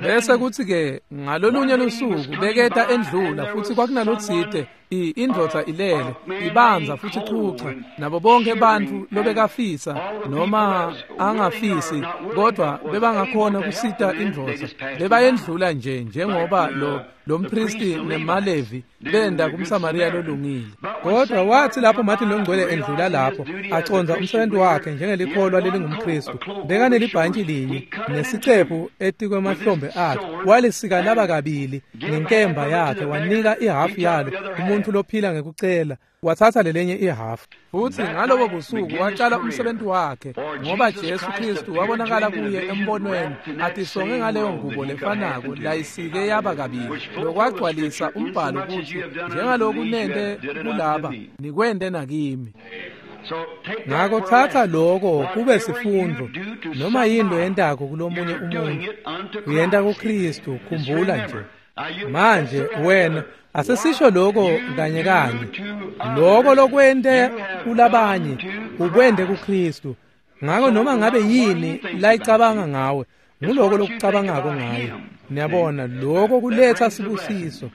Bese kuthi ke ngalolunye lusuku beketa endlula, futsi kwakunalotsite indvodza ilele ibanza futsi ichucha, nabo bonke bantfu lobekafisa noma angafisi kodwa bebangakhona kusita indvodza bebayendlula nje njengoba lo lompristi nemaLevi benda kumSamariya lolungile. Kodwa wathi lapho Martin loNgcwele endlula lapho aconza umsebenzi wakhe njengelikholwa lelingumKristu, bekanelibhantshi linye nesicephu etikwemahlombe emahlombe akhe walisika laba kabili ngenkemba yakhe wanika ihafu yalo umuntu lophila ngekucela wathatha lelenye ihafu. Futhi ngalobo busuku waqala umsebenzi wakhe ngoba Jesu Kristu wabonakala kuye embonweni atisonge ngaleyo ngubo lefanako layisike yaba kabili lokwagcwalisa umbhalo kuthi njengaloku nente kulaba nikwente nakimi. Ngakho thatha lokho kube sifundo noma yini loyentako kulomunye umuntu uyenta kuKristu. Khumbula nje manje wena asesisho lokho kanye kanye lokho lokwente kulabanye ukwente kuKristu. Ngakho noma ngabe yini layicabanga ngawe nguloko lokucabangako ngaye. Niyabona lokho kuletha sibusiso.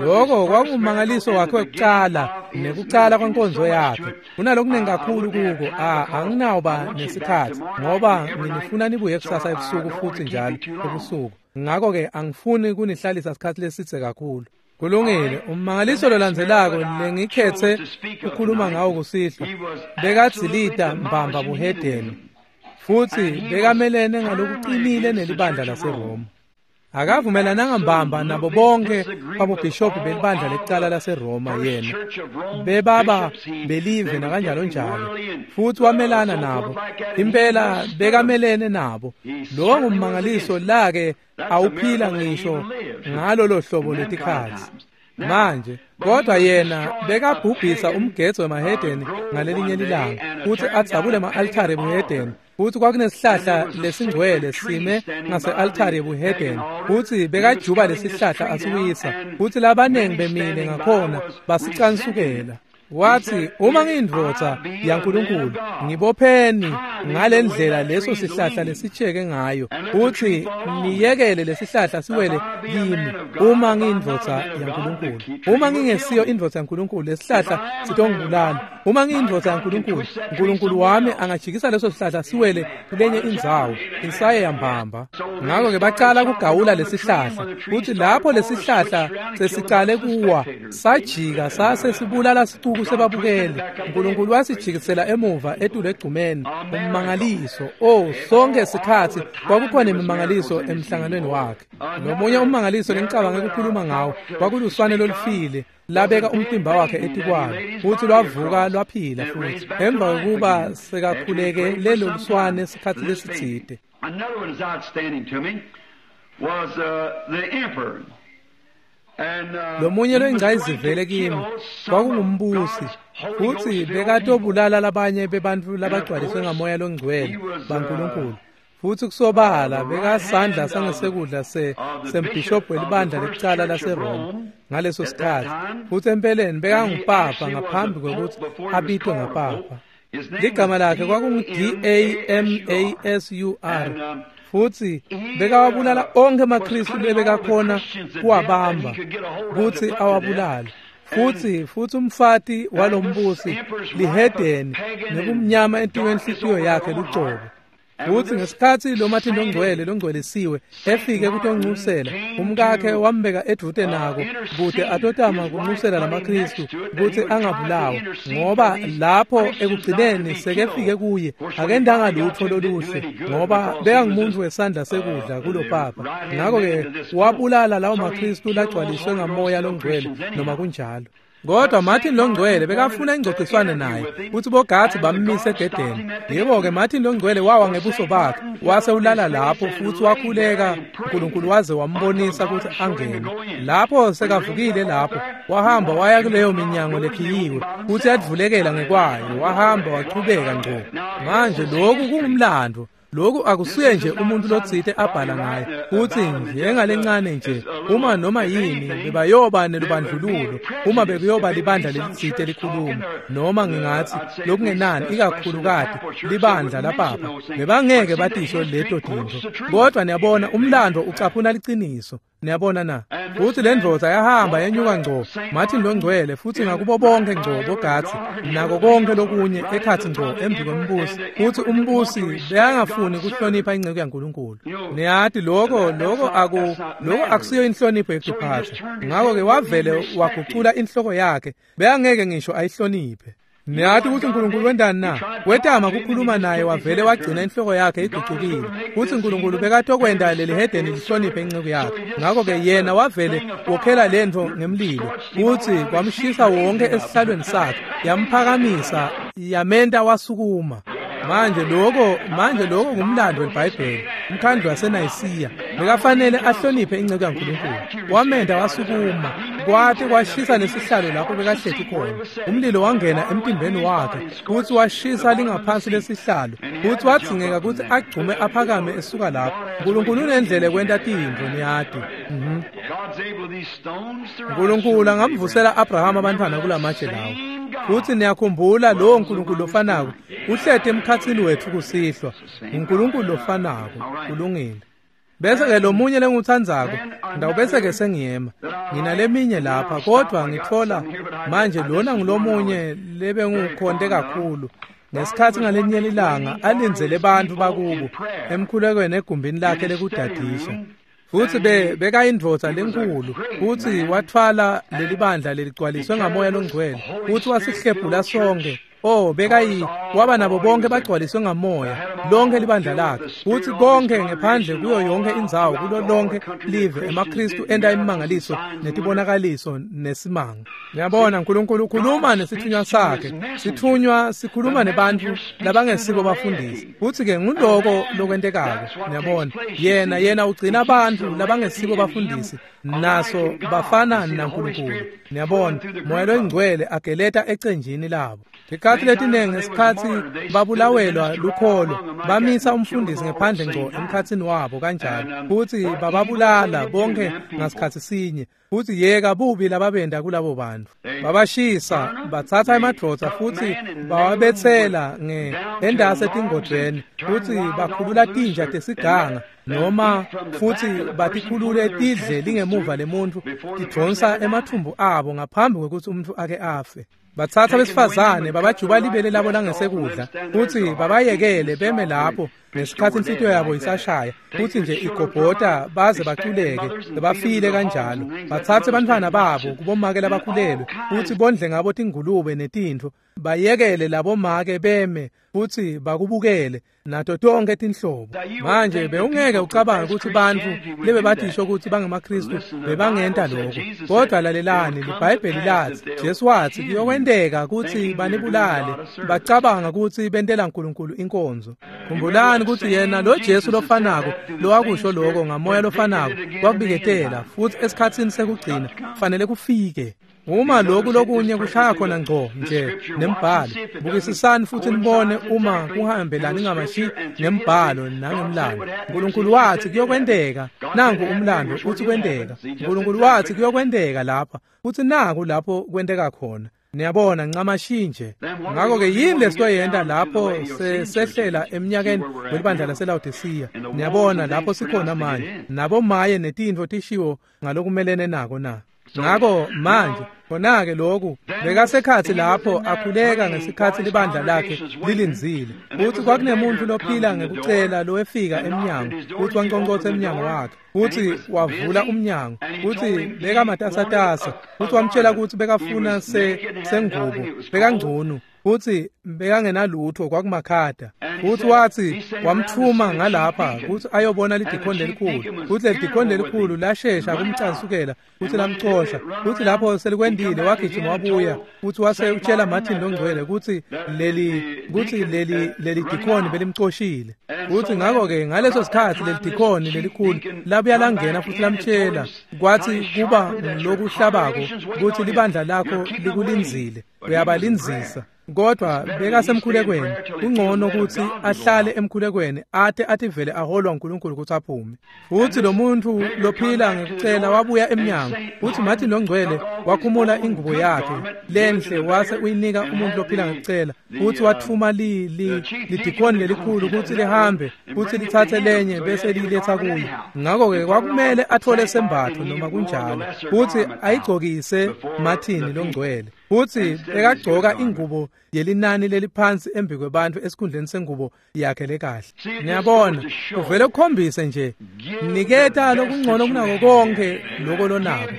Lokho kwakungumangaliso wakhe wekuqala nekuqala kwenkonzo yakhe. Kunalokunengi kakhulu kuko a anginawuba nesikhathi ngoba nginifuna nibuye kusasa ebusuku futhi njalo ebusuku. Ngakho ke angifuni kunihlalisa isikhathi lesithe kakhulu. Kulungile. Ummangaliso lolandzelako lengikhethe ukukhuluma ngawo kusihlwa bekadzilita mbamba buhedeni futhi bekamelene ngalokuqinile nelibandla laseRoma. Akavumelananga mbamba nabo bonke babobhishobhi belibandla lekuqala laseRoma yena bebaba belive nakanjalo njalo futhi wamelana nabo impela bekamelene nabo. Lo ngummangaliso lake awuphila ngisho ngalolo hlobo letikhatsi manje. Kodwa yena bekabhubhisa umgedzo wemahedeni ngalelinye lilanga futhi adzabule ama-altare ebuhedeni futhi kwakunesihlahla lesingcwele sime ngase-altare ebuhedeni futhi bekajuba lesihlahla asiwisa futhi labanengi bemile ngakhona basicansukela. Wathi uma ngiyindvodza yaNkulunkulu ngibopheni ngalendlela leso sihlahla lesitsheke ngayo futhi niyekele lesihlahla siwele kimi uma ngiyindvodza yaNkulunkulu. Uma ngingesiyo indvodza yaNkulunkulu lesihlahla sitongibulala. Uma ngiyindvodza yaNkulunkulu uNkulunkulu wami angajikisa leso sihlahla siwele kulenye indzawo insaye yambamba. Ngakho ke baqala kugawula lesihlahla futhi lapho lesihlahla sesicale kuwa sajika sase sibulala sicuku sebabukele. uNkulunkulu wasijikisela emuva etulu egcumeni. Ummangaliso. Oh, sonke sikhathi kwakukhona imimangaliso emhlanganweni wakhe. Nomunye ummangaliso lengicabanga ukukhuluma ngawo kwakuluswane lolufile labeka umtimba wakhe etikwalo futhi lwavuka lwaphila futhi emva kokuba sekakhuleke lelo luswane isikhathi lesitsite. Another one is outstanding to me was uh, the emperor. Lomunye loyingcayizivele kimi kwakungumbusi futhi bekatobulala labanye bebantu labagcwaliswe ngamoya longcwele baNkulunkulu futhi kusobala bekasandla sangesekudla se sembhishobhi welibandla lekuqala laseRoma ngaleso sikhathi futhi empeleni bekangupapa ngaphambi kwekuthi abitwe ngapapa. Ligama lakhe kwakungu-D A M A S U R futhi bekawabulala onke amaKristu lebekakhona kuwabamba kuthi awabulale. Futhi futhi umfati walombusi lihedeni nekumnyama enhliziyweni yakhe lucobo. Futhi ngesikhathi lo Martin longcwele longcwelisiwe efike kutonxusela umkakhe wambeka edvute nako kude atotama kunxusela lamaKristu ukuthi angabulawa ngoba lapho ekugcineni sekefike kuye akendanga lutho loluhle ngoba bekangumuntu wesandla sekudla kulo papa. Ngakho-ke wabulala lawo maKristu lagcwaliswe ngamoya longcwele noma kunjalo. Kodwa Martin longcwele bekafuna ingxoxiswane naye futhi bogathi bammise egedeni. Yebo-ke Martin longcwele wawa ngebuso bakhe wase ulala lapho futhi wakhuleka uNkulunkulu waze wambonisa ukuthi angene. Lapho sekavukile lapho wahamba waya kuleyo minyango lekhiyiwe futhi yadvulekela ngekwayo wahamba wachubeka ngqo. Manje lokhu kungumlando. Lokhu akusuye nje umuntu lotsite abhala ngaye futhi njengalencane nje uma noma yini bebayoba nelubandlululo uma bekuyoba libandla lelitsite likhuluma noma ngingathi lokungenani ikakhulukati libandla lapapa bebangeke batisho leto tintfo. Kodwa niyabona umlando ucaphuna liciniso. Niyabona na? Futhi le ndvodza yahamba yenyuka ngco Martin longcwele futhi ngakubo bonke ngco bogathi nako konke lokunye ekhathi ngco embi kwembusi futhi umbusi bekangafuni ukuhlonipha inceku yaNkulunkulu. Niyati lokho lokho aku lokho akusiyo inhlonipho yekuphatha. Ngakho-ke wavele wagucula inhloko yakhe bekangeke ngisho ayihloniphe. Niyati kutsi uNkulunkulu wentani na? Wetama kukhuluma naye wavele wagcina inhloko yakhe igucukile. Kutsi uNkulunkulu bekatokwenta leli hedeni lihloniphe inceku yakhe. Ngako-ke yena wavele wokhela lentfo ngemlilo. Kutsi kwamshisa wonke esihlalweni sakhe, yamphakamisa, yamenta wasukuma. Manje lokho manje lokho ngumlando weBhayibheli. Umkhandlu waseNayisiya bekafanele ahloniphe inceku yaNkulunkulu. Wamenda wasukuma, kwathi kwashisa nesihlalo lapho bekahleti khona. Umlilo wangena emtimbeni wakhe, futhi washisa lingaphansi lesihlalo, futhi wadzingeka kutsi agcume aphakame esuka lapho. uNkulunkulu unendlela ekwenta tintfo, niyati. Mhm. uNkulunkulu angamvusela Abrahama abantwana kulamatshe lawo. Futhi niyakhumbula lowo Nkulunkulu lofanako uhleti emkhatsini wetfu kusihlwa. uNkulunkulu lofanako, kulungile. Bese-ke lomunye lengiwutsandzako, ngitawubese-ke sengiyema. Nginaleminye lapha, kodvwa ngitfola manje lona ngulomunye lebengiwukhonte kakhulu. Ngesikhatsi ngalinye lilanga alindzele bantfu bakubo emkhulekweni egumbini lakhe lekudadisha. Futsi be bekayindvodza lenkhulu, futsi watfwala lelibandla leligcwaliswe ngamoya longcwele, futsi wasihlephula sonke. Oh, bekayi waba nabo bonke bagcwaliswe ngamoya, lonke libandla lakhe, futsi konke ngephandle kuyo yonke indzawo, kulo lonke live emaKhristu enta imimangaliso netibonakaliso nesimanga. Ngiyabona uNkulunkulu ukhuluma nesithunywa sakhe, sithunywa sikhuluma nebantfu labangesibo bafundisi. Futsi-ke nguloko lokwentekako, ngiyabona. Yena yena ugcina bantfu labangesibo bafundisi, naso bafana naNkulunkulu. Ngiyabona, Moya loyiNgcwele ageleta ecenjini labo. Tikhatsi letinengi ngesikhatsi babulawelwa lukholo, bamisa umfundisi ngephandle ngco emkhatsini wabo kanjalo, futsi bababulala bonke ngasikhatsi sinye. Futsi yeka bubi lababenda kulabo bantfu. Babashisa, batsatsa emadvodza futsi bawabetsela nge endase etingodvweni, futsi bakhulula tinja tesiganga, noma futsi batikhulule tidle lingemuva lemuntfu, tidvonsa emathumbu abo ngaphambi kwekutsi umuntfu ake afe. Batsatsa besifazane babajuba libele labo langesekudla, futsi babayekele beme lapho ngesikhatsi inhlitiyo yabo isashaya, futsi nje igobhota baze baculeke, bafile kanjalo. Batsatse bantfwana babo kubomake labakhulelwe, futsi bondle ngabo tingulube netintfo, bayekele labomake beme futsi bakubukele nato tonke tinhlobo. Manje bewungeke ucabange kutsi bantfu lebebatisho kutsi bangemaKhristu bebangenta lokho. Kodvwa lalelani, liBhayibheli latsi, Jesu watsi kuyokwenteka kutsi banibulale, bacabanga kutsi bentela uNkulunkulu inkonzo. Khumbulani kutsi yena lo Jesu lofanako lowakusho lokho ngamoya lofanako wakubiketela, futsi esikhatsini sekugcina kufanele kufike. Uma lokhu lokunye kushaya khona ngco nje nembhalo, bukisisani futhi nibone uma kuhambelani ngamashi nembhalo nangemlando. uNkulunkulu wathi kuyokwenteka, nangu umlando uthi kwenteka. uNkulunkulu wathi kuyokwenteka lapha, futhi naku lapho kwenteka khona. Niyabona ncamashi nje. Ngakho-ke yini lesitoyenta lapho sesehlela eminyakeni welibandla laseLawodisiya? Niyabona lapho sikhona manje, nabomaye netintfo tishiwo ngalokumelene nako na. Ngako manje khona-ke lokhu bekasekhatsi lapho akhuleka ngesikhatsi libandla lakhe lilindzile. Futsi kwakunemuntfu lophila ngekucela lowefika emnyango, futsi wanconcotsa emnyango wakhe, futsi wavula umnyango, futsi bekamatasatasa, futsi wamtjela kutsi bekafuna se sengubo, bekangcunu, futsi bekangenalutho, kwakumakhada. Futsi watsi wamthuma ngalapha kutsi ayobona lidikhoni lelikhulu, futsi lelidikhoni lelikhulu lashesha kumcansukela futsi lamcosha. Futsi lapho selikwendile wagijima wabuya, futsi wase utjela Martin longcwele kutsi leli kutsi leli leli dikhoni belimcoshile. Futsi ngakho-ke ngaleso sikhatsi leli dikhoni lelikhulu labuya langena futsi lamtjela, kwatsi kuba lokuhlabako kutsi libandla lakho likulindzile, uyabalindzisa. Kodwa bekasemkhulekweni, kungcono kutsi ahlale emkhulekweni ate ativele aholwa uNkulunkulu kutsi aphume. Futsi lo muntfu lophila ngekucela wabuya emnyango, futsi Martin longcwele wakhumula ingubo yakhe lenhle wase uyinika umuntfu lophila ngekucela, futsi wathuma li li lidikhoni lelikhulu kutsi lihambe futsi litsatse lenye bese liletsa kuye. Ngakho-ke kwakumele atfole sembatfo noma kunjalo, futsi ayigcokise Martin longcwele. Futsi bekagcoka ingubo yelinani leliphansi embi kwebantfu esikhundleni sengubo yakhe lekahle. Niyabona, uvele ukhombise nje, niketa lokungcono kunako konke loko lonako.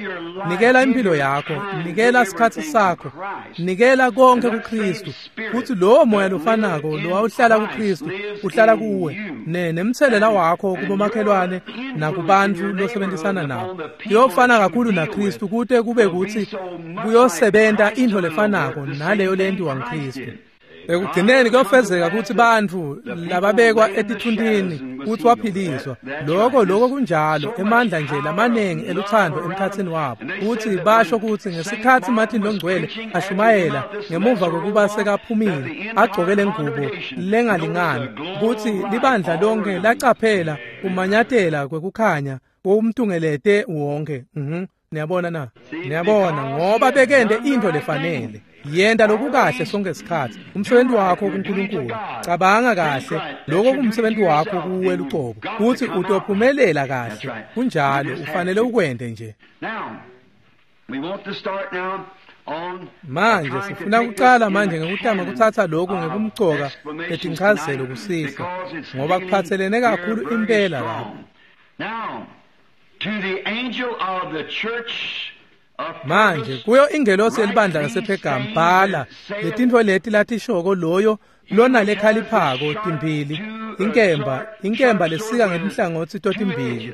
Nikela impilo yakho, nikela sikhatsi sakho, nikela konke kuKristu. Futsi lowo moya lofanako lowawuhlala kuKristu uhlala kuwe, ne nemtselela wakho kubomakhelwane nakubantfu losebenzisana nabo. Kuyofana kakhulu naKristu kute kube kutsi kuyosebenta intfo lefanako naleyo lentiwa nguKristu. Ekugcineni kuyofezeka kutsi bantfu lababekwa etitfuntini kutsi waphiliswa. Loko loko kunjalo, emandla nje lamanengi elutsandvo emkhatsini wabo. Kutsi basho kutsi ngesikhatsi Martin Longcwele ashumayela ngemuva kokuba sekaphumile agcoke lengubo lengalingani, kutsi libandla lonke lacaphela kumanyatela kwekukhanya umtungelete wonke. Mhm. Niyabona na? Niyabona, ngoba bekente intfo lefanele. Yenta lokukahle sonke isikhatsi. Umsebenzi wakho kuNkulunkulu. Cabanga kahle, lokho kumsebenzi wakho kuwe lucobo. Kutsi utophumelela kahle. Kunjalo, ufanele ukwente nje. Manje sifuna kucala manje ngekutama kutsatsa lokhu ngekumcoka letinchazelo kusihlwa, ngoba kuphatselene kakhulu impela lapha. To the angel of the church of Manje kuyo ingelosi yelibandla lasePhergamu bhala letintfo leti latishoko loyo lona lekhaliphako timbili, inkemba, inkemba lesika ngetinhlangotsi totimbili.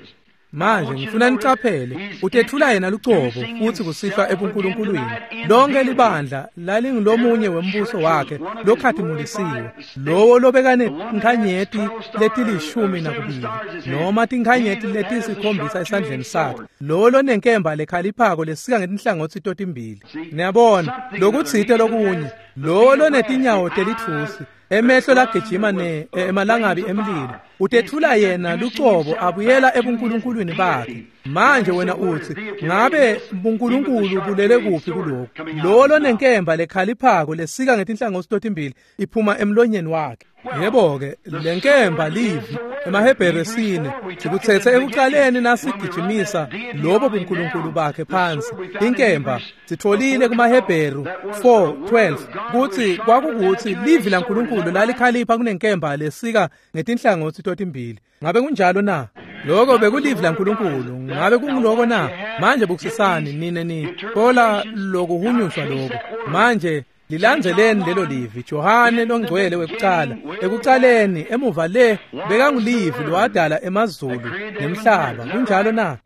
Manje ngifuna nicaphele, utethula yena lucobo futsi kusihlwa ebuNkulunkulwini. Lonke libandla lalingulomunye wembuso wakhe lokhatimulisiwe, lowo lobekane tinkhanyeti letilishumi nakubili noma tinkhanyeti letisikhombisa esandleni sakhe, lowo lonenkemba lekhaliphako lesika ngetinhlangotsi totimbili. Niyabona, lokutsite lokunye, lowo lonetinyawo telitfusi, emehlo lagijima ne emalangabi emlilo, utethula yena lucobo abuyela ebunkulunkulwini bakhe. Manje wena utsi, ngabe buNkulunkulu bulele kuphi kuloko? Lowo lonenkemba lekhaliphako lesika ngetinhlangotsi totimbili iphuma emlonyeni wakhe. Yebo-ke, lenkemba livi emaHebheru sine sikutsetse ekucaleni nasigijimisa lobo buNkulunkulu bakhe phansi. Inkemba sitfolile kumaHebheru four twelve kutsi kwakukutsi livi laNkulunkulu lalikhalipha kunenkemba lesika ngetinhlangotsi totimbili. Ngabe kunjalo na? Lokho bekulivi laNkulunkulu. Ngabe kunguloko na? Manje bukusisani nine ni kola lokuhunyushwa lokho. Manje lilandzeleni lelo livi. Johane longcwele wekucala ekucaleni emuva le bekangulivi lowadala emazulu nemhlaba. Kunjalo na?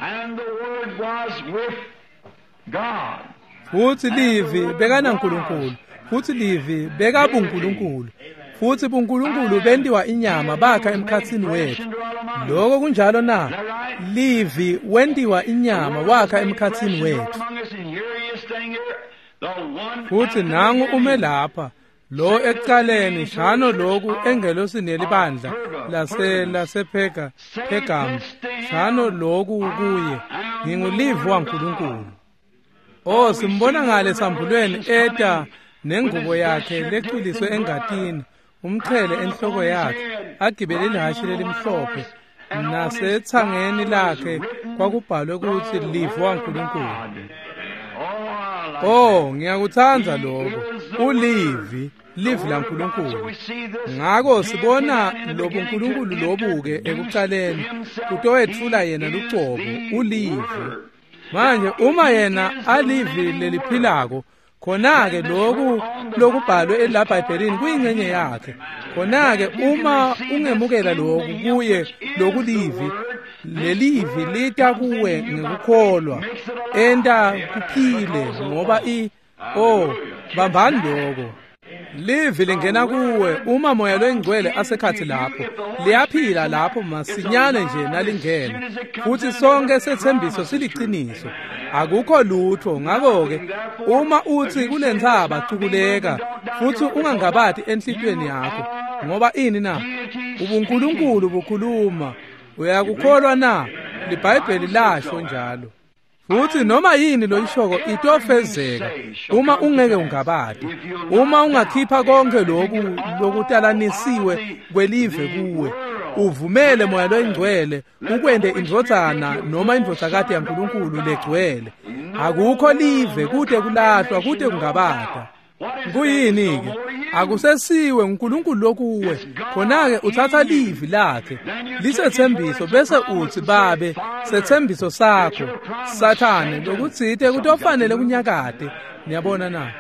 And the word was with God. Futsi livi bekanaNkulunkulu, futsi livi bekabuNkulunkulu, futsi buNkulunkulu bentiwa inyama bakha emkhatsini wetfu. Lokho kunjalo na? Livi wentiwa inyama wakha emkhatsini wetfu. Futsi nangu ume lapha lo ekucaleni shano loku engelosini yelibandla lase lasePhega Phegamu, shano loku kuye, ngingulivi waNkulunkulu. Oh, simbona ngale sambulweni eta nengubo yakhe lecwiliswe engatini, umqhele enhloko yakhe, agibele ihhashi lelimhlophe, nasetsangeni lakhe kwakubhalwe kutsi livi waNkulunkulu. Oh, ngiyakutsandza lokho. Ulivi, livi laNkulunkulu. Ngako sibona lobuNkulunkulu lobuke ekucaleni kutowetfula yena lucobo, ulivi. Manje uma yena alivi leliphilako, khona-ke loku lokubhalwe elaBhayibhelini kuyingxenye yakhe. Khona-ke uma ungemukela loku kuye lokulivi, lelivi lita kuwe ngekukholwa, enta kuphile ngoba i oh bambani lokho. Livi lingena kuwe uma moya loyingcwele asekhathi lapho, liyaphila lapho masinyane nje nalingena. Futhi sonke sethembiso siliciniso, akukho lutho. Ngakho-ke uma uthi kulentsaba cukuleka, futhi ungangabati enhlitiyweni yakho, ngoba ini na? UbuNkulunkulu bukhuluma. Uyakukholwa na? LiBhayibheli lasho njalo. Futhi noma yini loyishoko itofezeka uma ungeke ungabati. Uma ungakhipha konke lokhu lokutalanisiwe kwelive kuwe, uvumele Moya loyiNgcwele ukwente indvodzana noma indvodzakati yaNkulunkulu legcwele. Akukho live kude kulahlwa kude kungabata. Kuyini ke? Akusesiwe uNkulunkulu lokuwe. Khona ke uthatha livi lakhe lisethembiso bese uthi babe sethembiso sakho Sathane lokutsite kutofanele kunyakade. Niyabona na?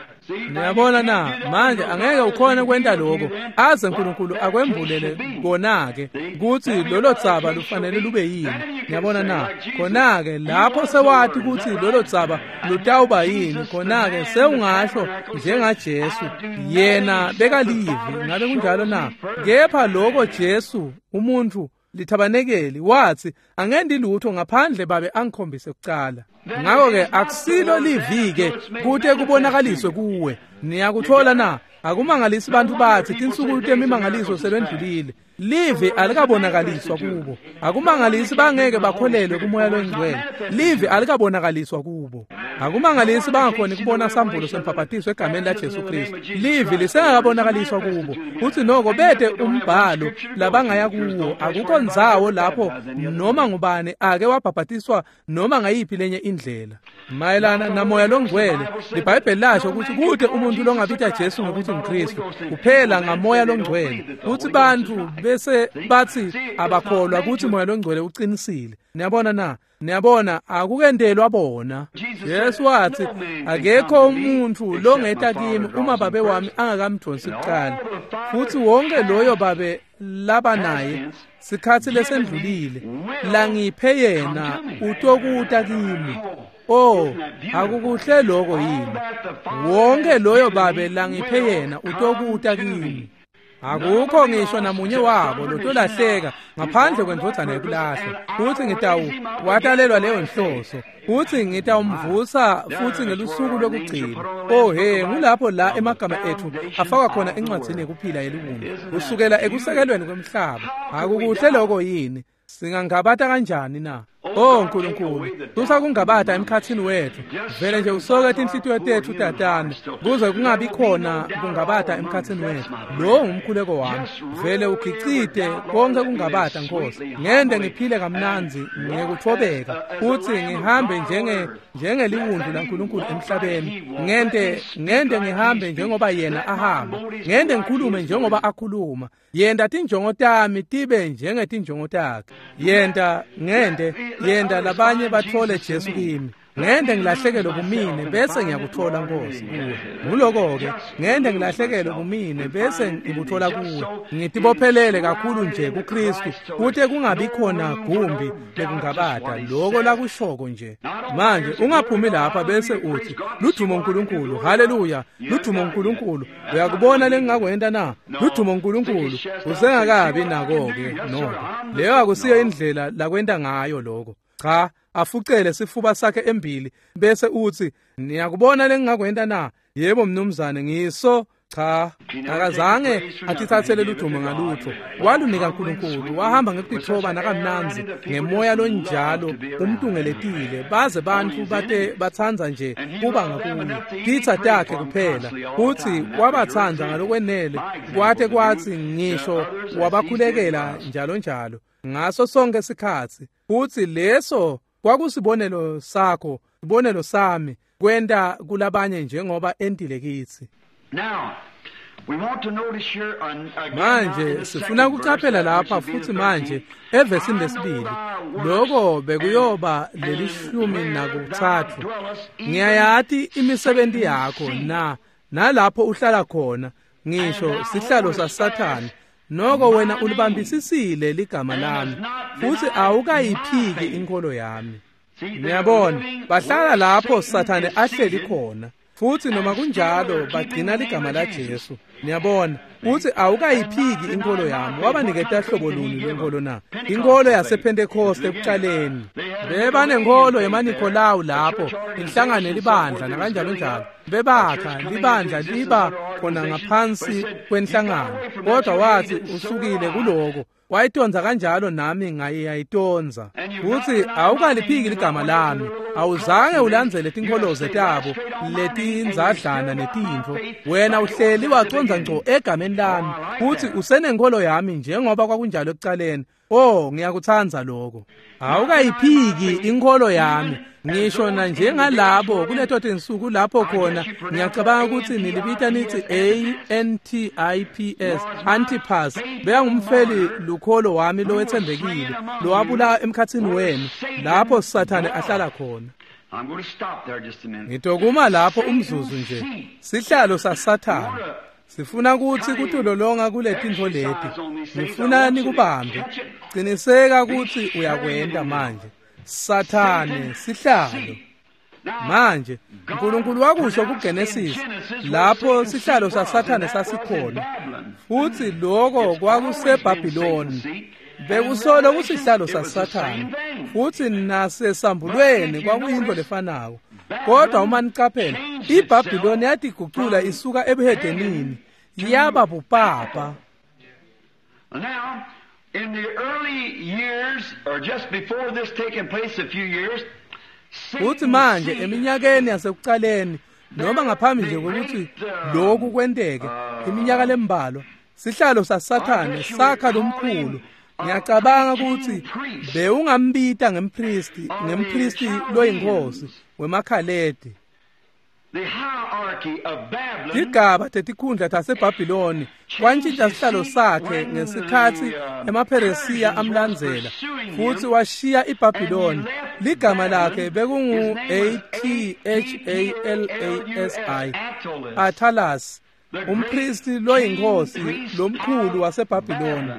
Niyabona na? Manje angeke ukhone kwenta lokho aze uNkulunkulu akwembulele kona ke ukuthi lolo dzaba lufanele lube yini. Niyabona na? Khona ke lapho sewati ukuthi lolo dzaba lutawuba yini, khona ke sewungasho njengaJesu yena bekalivi. Ngabe kunjalo na? Kepha lokho Jesu umuntu lithabanekeli wathi angendi lutho ngaphandle babe angikhombise kucala. Ngakho ke akusilo livike kute kubonakaliswe kuwe. Niyakuthola na? Akumangalisi bantu bathi tinsuku temimangaliso selwendlulile. Live alikabonakaliswa kubo. Akumangalisi bangeke bakholelwe kuMoya loyiNgcwele. Live alikabonakaliswa kubo. Akumangalisi bangakhoni kubona sambulo sembhaphathiso egameni la Jesu Kristu. Live lisengakabonakaliswa kubo. Uthi noko bete umbhalo labangaya kuwo. Akukho ndzawo lapho noma ngubani ake wabhaphatiswa noma ngayiphi lenye indlela. Mayelana naMoya loNgcwele, iBhayibheli lasho ukuthi kude umuntu longabita Jesu ngokuthi nguKristu kuphela ngaMoya loNgcwele. Uthi bantu bese bathi abakholwa ukuthi Moya loNgcwele uqinisile. Niyabona na? Niyabona akukendelwa bona. Jesu wathi akekho umuntu longeta kimi uma babe wami angakamdonsi kuqala. Futhi wonke loyo babe laba naye sikhathi lesendlulile langiphe yena utokuta kimi. Oh, akukuhle lokho yini? Wonke loyo babe langiphe yena utokuta kimi. Akukho ngisho namunye wabo lotolahleka ngaphandle kwendvodzana yekulahlwa. Futhi ngitawu watalelwa leyo nhloso. Futhi ngitawumvusa futhi ngelusuku lokugcina. Oh he, ngulapho la emagama ethu afakwa khona encwadzini yekuphila yeliwundlu kusukela ekusekelweni kwemhlaba. Akukuhle lokho yini? Singangabata kanjani na? Oh Nkulunkulu, susa kungabata emkhathini wethu. Vele nje usoke tinhlitiyo tethu tatana kuze kungabi khona kungabata emkhathini wethu. Lo ngumkhuleko wami. Vele ugicite konke kungabata Nkosi. Ngende ngiphile kamnandzi ngekuthobeka futhi ngihambe njenge njengeliwundlu laNkulunkulu emhlabeni. Ngende ngende ngihambe njengoba yena ahamba. Ngende ngikhulume njengoba akhuluma. Yenda tinjongo tami tibe njengetinjongo takhe. Yenda ngende yenda labanye bathole Jesu kimi. Ngende ngilahlekelwe kumine bese ngiyakuthola Nkosi kuwe. Nguloko ke ngende ngilahlekelwe kumine bese ngikuthola kuwe. Ngitibophelele kakhulu nje kuKristu kute kungabi khona gumbi lekungabata lokho lakushoko nje. Manje ungaphumi lapha bese uthi ludumo uNkulunkulu, haleluya, ludumo uNkulunkulu. Uyakubona lengingakwenta na? Ludumo uNkulunkulu. Usengakabi nako ke noko. Leyo akusiyo indlela lakwenta ngayo lokho. Cha, afucele sifuba sakhe embili bese uthi niyakubona lengingakwenta na? Yebo mnumzane, ngiso. Cha, akazange atithathele ludumo ngalutho. Walunika uNkulunkulu, wahamba ngekutithoba nakamnandzi ngemoya lonjalo umtungeletile baze bantu bate bathandza nje kuba ngakuye. Titsa takhe kuphela futhi wabatsandza ngalokwenele kwate kwathi ngisho wabakhulekela njalo njalo ngaso sonke sikhatsi. Futhi leso kwakusibonelo sakho, sibonelo sami kwenta kulabanye njengoba entile kitsi. Manje sifuna ukucaphela lapha futhi manje evesini lesibili lokho bekuyoba lelishumi nakuthathu. Ngiyayati imisebenzi yakho na nalapho uhlala khona ngisho sihlalo saSathane. Noko wena ulibambisisile ligama lami futhi awukayiphiki inkolo yami. Niyabona bahlala lapho Sathane ahleli khona futhi noma kunjalo bagcina ligama la Jesu. Niyabona uthi awukayiphiki inkolo yami. Wabaniketa hlobo luni lwenkolo na? Inkolo yasePentecost ekuqaleni. Bebanenkolo yemaNikolawu lapho inhlangano libandla nakanjalo njalo. Bebakha libandla liba khona ngaphansi kwenhlangano. Kodwa wathi usukile kuloko Wayitondza kanjalo nami ngayiyayitondza. Futsi awukaliphiki ligama lami. Awuzange ulandzele tinkholoze tabo letindzadlana netintfo. Wena uhleli wacondza ngco egameni lami, futsi usenenkholo yami njengoba kwakunjalo ekucaleni. Oh, ngiyakutsandza lokho. Awukayiphiki inkholo yami. Ngisho na njengalabo kuleto tinsuku lapho khona ngiyacabanga ukuthi nilibita nithi A N T I P S Antipas bekangumfeli lukholo wami lowetsembekile lowabula emkhatsini wenu lapho Sathane ahlala khona. Ngitokuma lapho umzuzu nje. Sihlalo saSathane sifuna ukuthi kutulolonga kuletintfo leti. Ngifuna nikubambe. Qiniseka ukuthi uyakwenda manje. Sathane sihlalo. Manje uNkulunkulu wakusho kuGenesis lapho sihlalo saSathane sasikhona, futhi lokho kwakuseBhabhiloni. Bekusolo kusihlalo saSathane, futhi nasesambulweni kwakuyinto lefanako. Kodwa uma niqaphela, iBhabhiloni yatigucula isuka ebuhedenini yaba bupapa. Now, in the early years, or just before this taking place a few years, futhi manje eminyakeni yasekuqaleni noma ngaphambi nje kokuthi lokhu kwenteke iminyaka lembalwa, sihlalo saSathane sakha lomkhulu. Ngiyacabanga ukuthi bewungambita ngempristi ngempristi loyinkosi wemaKhaledi. Tigaba tetikhundla taseBhabhiloni kwantjintja sihlalo sakhe ngesikhatsi emaPheresiya amlandzela, futhi washiya iBhabhiloni. Ligama lakhe bekungu A T H A L A S I, Attalus, umpristi loyinkosi lomkhulu waseBhabhiloni.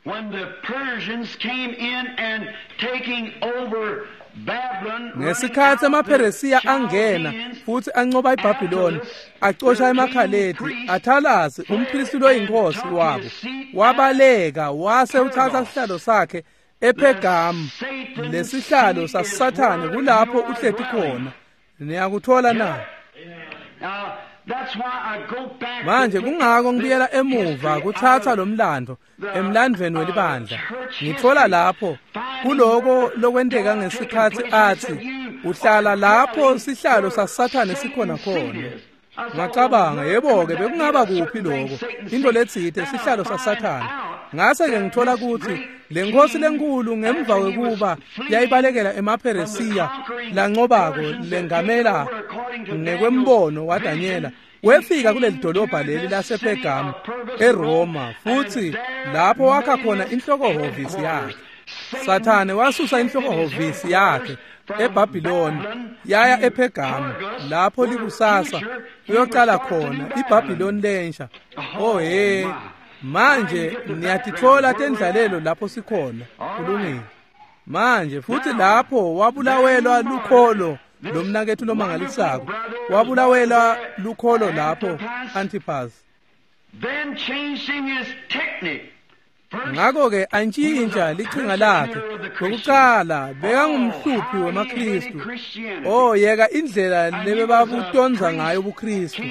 When the Persians came in and taking over Ngesikhatsi emaPheresiya angena futhi anqoba iBhabhiloni, acosha emaKhaledi, Attalus umpristi loyinkosi wabo wabaleka wase uthatha sihlalo sakhe ePhergamu. Lesihlalo saSathane kulapho uhleti khona. Niyakuthola na? Manje kungako ngibuyela emuva kuthatha lo mlando emlandvweni welibandla. Ngithola lapho kuloko lokwenteka ngesikhatsi athi uhlala lapho sihlalo saSathane sikhona khona. Ngacabanga, yebo-ke bekungaba kuphi lokho, into letsite sihlalo saSathane. Ngase-ke ngithola ukuthi le nkosi lenkulu ngemva kwekuba yayibalekela emaPheresiya lancobako lengamela ngekwembono waDanyela, wefika kuleli dolobha leli lasePhergamu eRoma, futhi lapho wakha khona inhlokohhovisi yakhe. Sathane wasusa inhlokohhovisi yakhe eBhabhiloni yaya ePhergamu, lapho likusasa uyocala khona iBhabhiloni lensha. Oh he, manje niyatithola tendlalelo lapho sikhona. Kulungile. Manje futhi lapho wabulawelwa lukholo lomnakethu lomangalisako, wabulawelwa lukholo lapho Antipas. Then changing his technique. Ngakho-ke antshintsha lichinga lakhe. Lokuqala bekangumhluphi wemaKristu. Oh, yeka indlela lebebabutonza ngayo ubuKristu.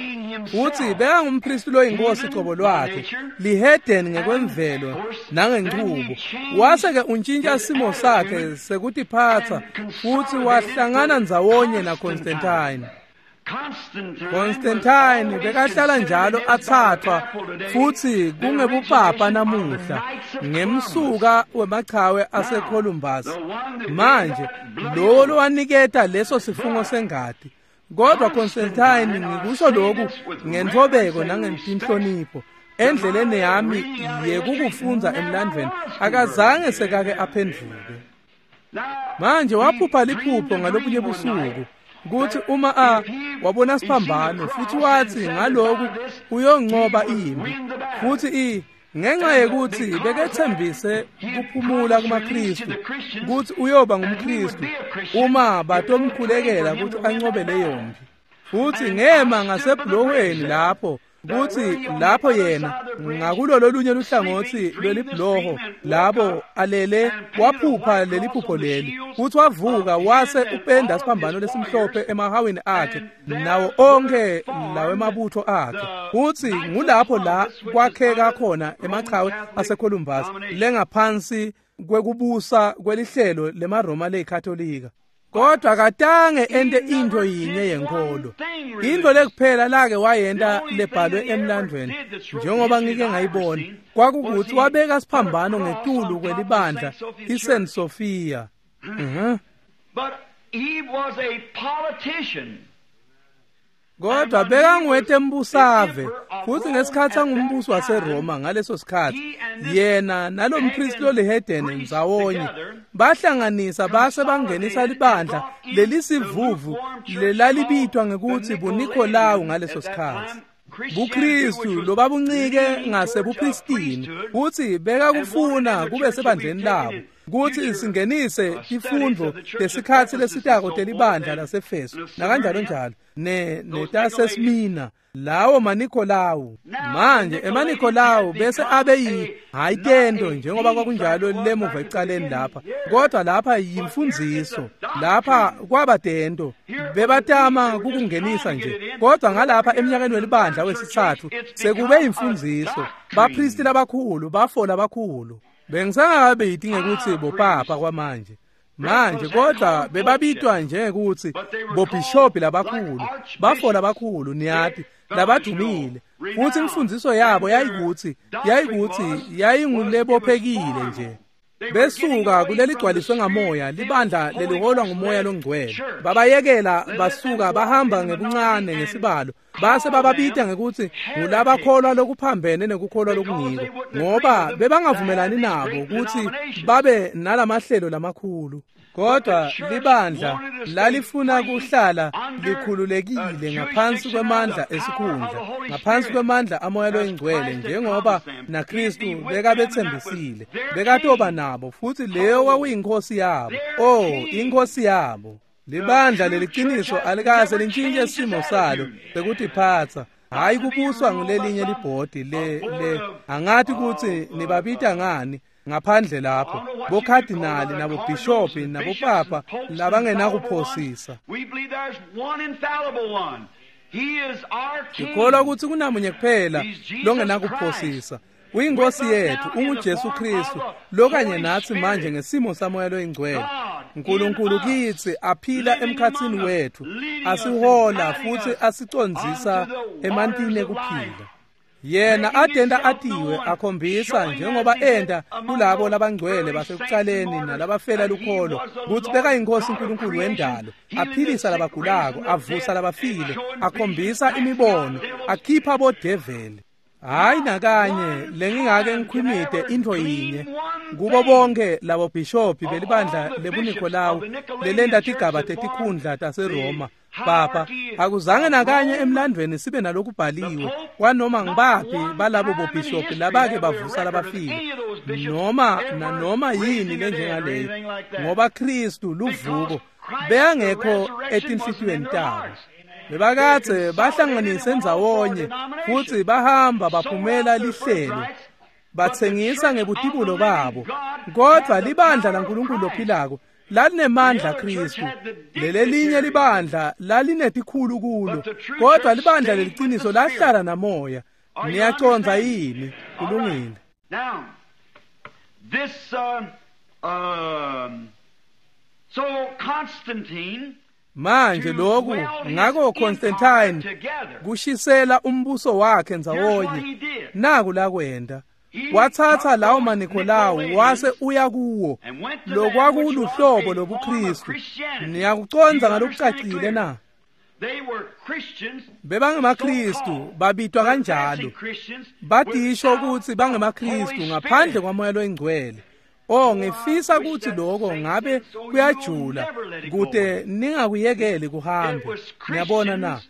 Futhi bekangumpristi loyinkosi cobo lwakhe, lihedeni ngekwemvelo nangenchubo. Wase-ke untshintsha simo sakhe sekutiphatsa futhi wahlangana ndzawonye naConstantine. Constantine bekahlala njalo athathwa futhi kungebupapa namuhla ngemsuka wemachawe aseColumbus. Manje lo lowaniketa leso sifungo sengati. Kodwa Constantine, ngikusho lokhu ngentobeko nangenhlonipho, endleleni yami yekukufunza emlandvweni, akazange sekake aphendvuke. Manje waphupha liphupho ngalobunye busuku kuthi uma a wabona siphambano, futhi wathi ngaloku uyonqoba impi. Futhi i ngenxa yekuthi bekethembise kuphumula kumaKristu kuthi uyoba ngumKristu uma batomkhulekela ukuthi anqobe leyo mpi. Futhi ngema ngasebhulohweni lapho Kutsi lapho yena ngakulo lolunye luhlangotsi lwelibhuloho labo alele waphupha leliphupho leli kutsi wavuka wase upenda siphambano lesimhlophe emahawini akhe nawo onkhe lawemabutho akhe kutsi ngulapho la kwakheka khona emachawe aseColumbus lengaphansi kwekubusa kwelihlelo lemaRoma leyiKatolika. Kodwa katange ente into yinye yenkolo. Into lekuphela lake wayenta lebhalwe emlandweni njengoba ngike ngayibona kwakukuthi wabeka siphambano ngetulu kwelibandla iSaint Sophia. Mhm. But he was a politician. Kodwa bekangwetembusave futhi ngesikhathi angumbusi waseRoma ngaleso sikhathi yena nalompristi lolihedeni ndzawonye bahlanganisa base bangenisa libandla lelisivuvu lelalibitwa ngekuthi buNikolawu ngaleso sikhathi. BuKristu lobabuncike ngasebupristini kutsi bekakufuna kube sebandleni labo kutsi singenise tifundvo lesikhatsi lesitako telibandla laseFeso nakanjalo njalo ne netaseSmina lawo maNikolawu. Manje emaNikolawu bese abe yi hayi tento njengoba kwakunjalo lemuva ecaleni lapha, kodwa lapha yimfundziso, lapha kwaba tento bebatama kukungenisa nje, kodwa ngalapha eminyakeni welibandla wesitsatfu sekube imfundziso. Bapristi labakhulu bafola abakhulu bengisangabiti ngekuthi bopapa kwamanje manje, kodwa bebabitwa njengekuthi bobhishopi labakhulu bafola abakhulu niyati labadumile, futhi imfundiso yabo yayikuthi yayikuthi yayingulebophekile nje. Besuka kuleligcwaliswe ngamoya libandla leliholwa ngumoya longcwele babayekela basuka bahamba ngebuncane ngesibalo base bababita ngekuthi ngulabakholwa lokuphambene nekukholwa lokungiko ngoba bebangavumelani nabo ukuthi babe nalamahlelo lamakhulu. Kodwa libandla lalifuna kuhlala likhululekile ngaphansi kwemandla esikhundla, ngaphansi kwemandla amoya loyingcwele njengoba naKristu bekabetsembisile bekatoba nabo, futhi leyo kwakuyinkosi yabo. Oh, inkosi yabo. Libandla leliciniso alikaze lintshintshe simo salo sekutiphatsa, hayi kubuswa ngulelinye libhodi le le angathi kutsi nibabita ngani ngaphandle lapho bokhadinali nabobhishopi nabopapa labangenakuphosisa. Sikholwa kutsi kunamunye kuphela longenakuphosisa, uyinkosi yethu unguJesu Kristu lokanye natsi manje ngesimo samoya loyingcwele. uNkulunkulu kitsi aphila emkhatsini wethu asihola futhi asicondzisa emantini ekuphila. Yena adenda atiwe akhombisa njengoba enda kulabo labangcwele basekucaleni nalabafela lukholo kutsi bekayinkosi uNkulunkulu wendalo, aphilisa labagulako, avusa labafile, akhombisa imibono, akhipha bodeveli. Hayi nakanye lengingake ngikhwimite intfo yinye kubo bonke labo bhishopi belibandla lebuNikolawu lelenta tigaba tetikhundla taseRoma papa, akuzange nakanye emlandweni sibe nalokubhaliwe kwanoma ngibaphi balabo bobhishopi labake bavusa labafile noma nanoma yini lenjengaleyo, ngoba Kristu luvuko beyangekho etinhlitiyweni tabo. Bebakadze bahlanganise ndzawonye futhi bahamba baphumela lihlelo batsengisa ngebutibulo babo, kodwa libandla laNkulunkulu lophilako lalinemandla Kristu. Lelelinye libandla lalinetikhulu kulo, kodwa libandla leliciniso lahlala namoya. Niyacondza yini? Kulungile. Now this uh, um, so Constantine manje lokhu ngako Constantine kushisela umbuso wakhe ndzawonye naku lakwenda wathatha lawo maNikolawu wase uya kuwo lokwakuluhlobo lobuKristu. Niyakucondza ngalokucacile na? BebangemaKristu babitwa kanjalo, badisho ukuthi bangemaKristu ngaphandle kwamoya loyingcwele. Oh, ngifisa ukuthi lokho ngabe kuyajula kude ningakuyekeli kuhambe. Niyabona na?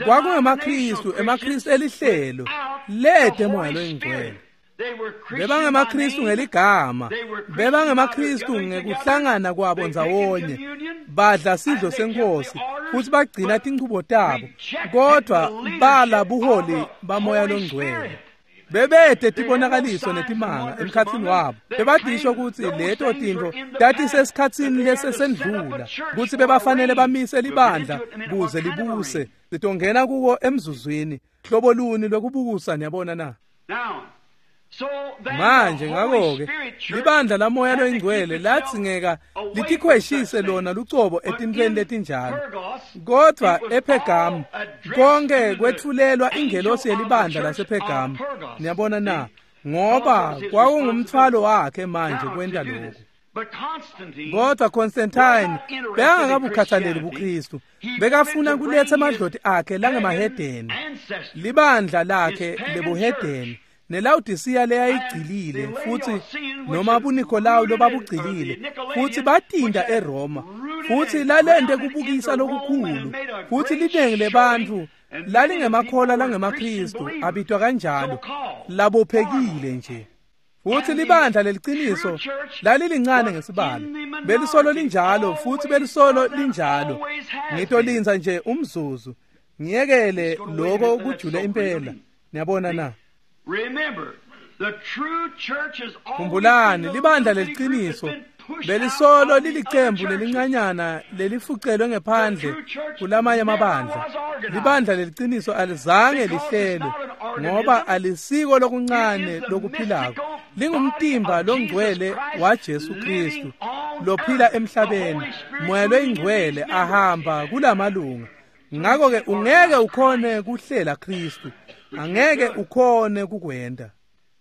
KwakungemaKristu, emaKristu elihlelo lede moya loyingcwele. BebangemaKristu ngeligama, bebangemaKristu ngekuhlangana kwabo ndzawonye, badla sidlo senkosi futsi bagcina tinchubo tabo, kodvwa bala buholi baMoya loNgcwele. Bebete tibonakaliso netimanga emkhatsini wabo. Bebadisho kutsi leto tintfo tatisesikhatsini lesesendlula, kutsi bebafanele bamise libandla kuze libuse. Sitongena kuko emzuzwini. Hlobo luni lwekubusa, niyabona na? Manje ngakho-ke libandla laMoya loNgcwele ladzingeka litikhweshise lona lucobo etintfweni letinjalo. Kodvwa ePhergamu konke kwetfulelwa ingelosi yelibandla lasePhergamu, niyabona na? Ngoba kwakungumtfwalo wakhe manje kwenta lokhu. Kodwa Constantine bekangakabukhathaleli buKristu, bekafuna kuletsa emadloti akhe langemahedeni, libandla lakhe lebuhedeni neLawodisiya leyayigcilile futsi noma buNikolawu lobabugcilile futsi batinda eRoma futsi lalente kubukisa lokukhulu futsi linengi lebantfu lalingemakholwa langemaKristu abitwa kanjalo labophekile nje. Futsi libandla leliciniso lalilincane ngesibalo, belisolo linjalo futsi belisolo linjalo. Ngitolinza nje umzuzu ngiyekele lokho kujule impela, niyabona na? Khumbulani, libandla leliciniso belisolo lilicembu lelincanyana lelifucelwe ngephandle kulamanye amabandla. Libandla leliciniso alizange lihlelwe ngoba alisiko lokuncane lokuphilako, lingumtimba longcwele waJesu Kristu lophila emhlabeni. Moya loyingcwele ahamba kulamalunga. Ngakho-ke ungeke ukhone kuhlela Kristu, angeke ukhone kukwenta.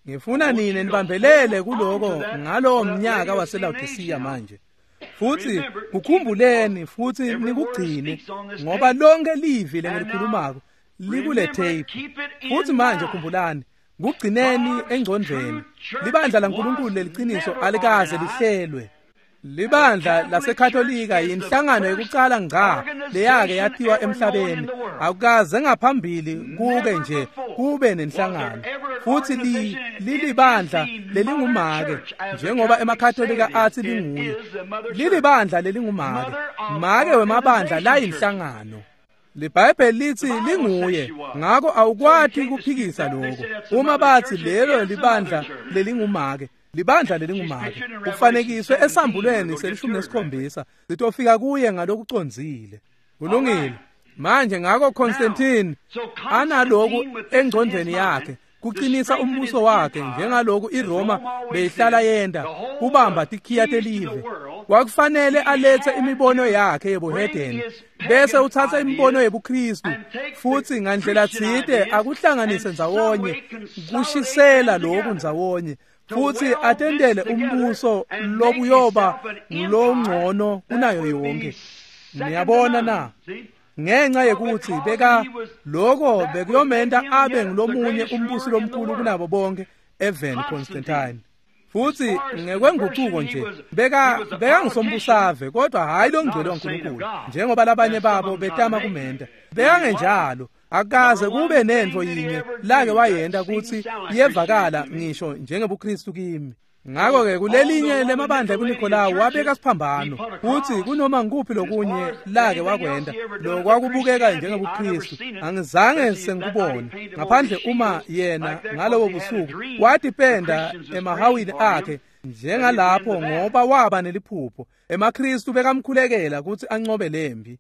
Ngifuna nine nibambelele kuloko ngalowo mnyaka waseLawodisiya manje. Futsi kukhumbuleni futsi nikugcine, ngoba lonke livi lengilikhulumako likule tape. Futsi manje khumbulani, kugcineni engcondvweni. Libandla laNkulunkulu leliciniso alikaze lihlelwe. Libandla laseKatolika yinhlangano yekucala ngca leyake yatiwa emhlabeni. Akukaze ngaphambili kuke nje kube nenhlangano. Futsi li lilibandla lelingumake, njengoba emaKatolika athi linguye. Lilibandla lelingumake, make wemabandla layinhlangano. LiBhayibheli lithi linguye, ngakho awukwati kuphikisa lokho. Uma bathi lelo libandla lelingumake, libandla lelingumake ufanekiswe esambulweni selishumi nesikhombisa, sitofika kuye ngalokucondzile. Kulungile. Manje ngakho Constantine analoku engcondvweni yakhe kuqinisa umbuso wakhe, njengaloku iRoma beyihlala yenda kubamba tikhiya telive. Kwakufanele alethe imibono yakhe yebuhedeni bese uthatha imibono yebuKristu futsi ngandlela tsite akuhlanganise ndzawonye, kushisela lokhu ndzawonye futsi atendele umbuso lobuyoba ngulongcono kunayo yonke. Niyabona na? Ngenxa yekuthi beka lokho bekuyomenta abe ngulomunye umbusi lomkhulu kunabo bonke eveni Constantine. Futsi ngekwenguquko nje beka bekangusombusave, kodwa hayi longcwele waNkulunkulu njengoba labanye babo betama kumenta. Bekangenjalo, akaze kube nentfo yinye lake wayenta kutsi iyevakala ngisho njengebuKristu kimi. Ngakho-ke kulelinye lemabandla kuNikolawu wabeka siphambano, futsi kunoma ngikuphi lokunye lake wakwenta lokwakubukeka njengebuKristu angizange sengikubone, ngaphandle uma yena ngalobo busuku watipenda emahawini akhe njengalapho, ngoba waba neliphupho. EmaKristu bekamkhulekela kutsi ancobe lempi.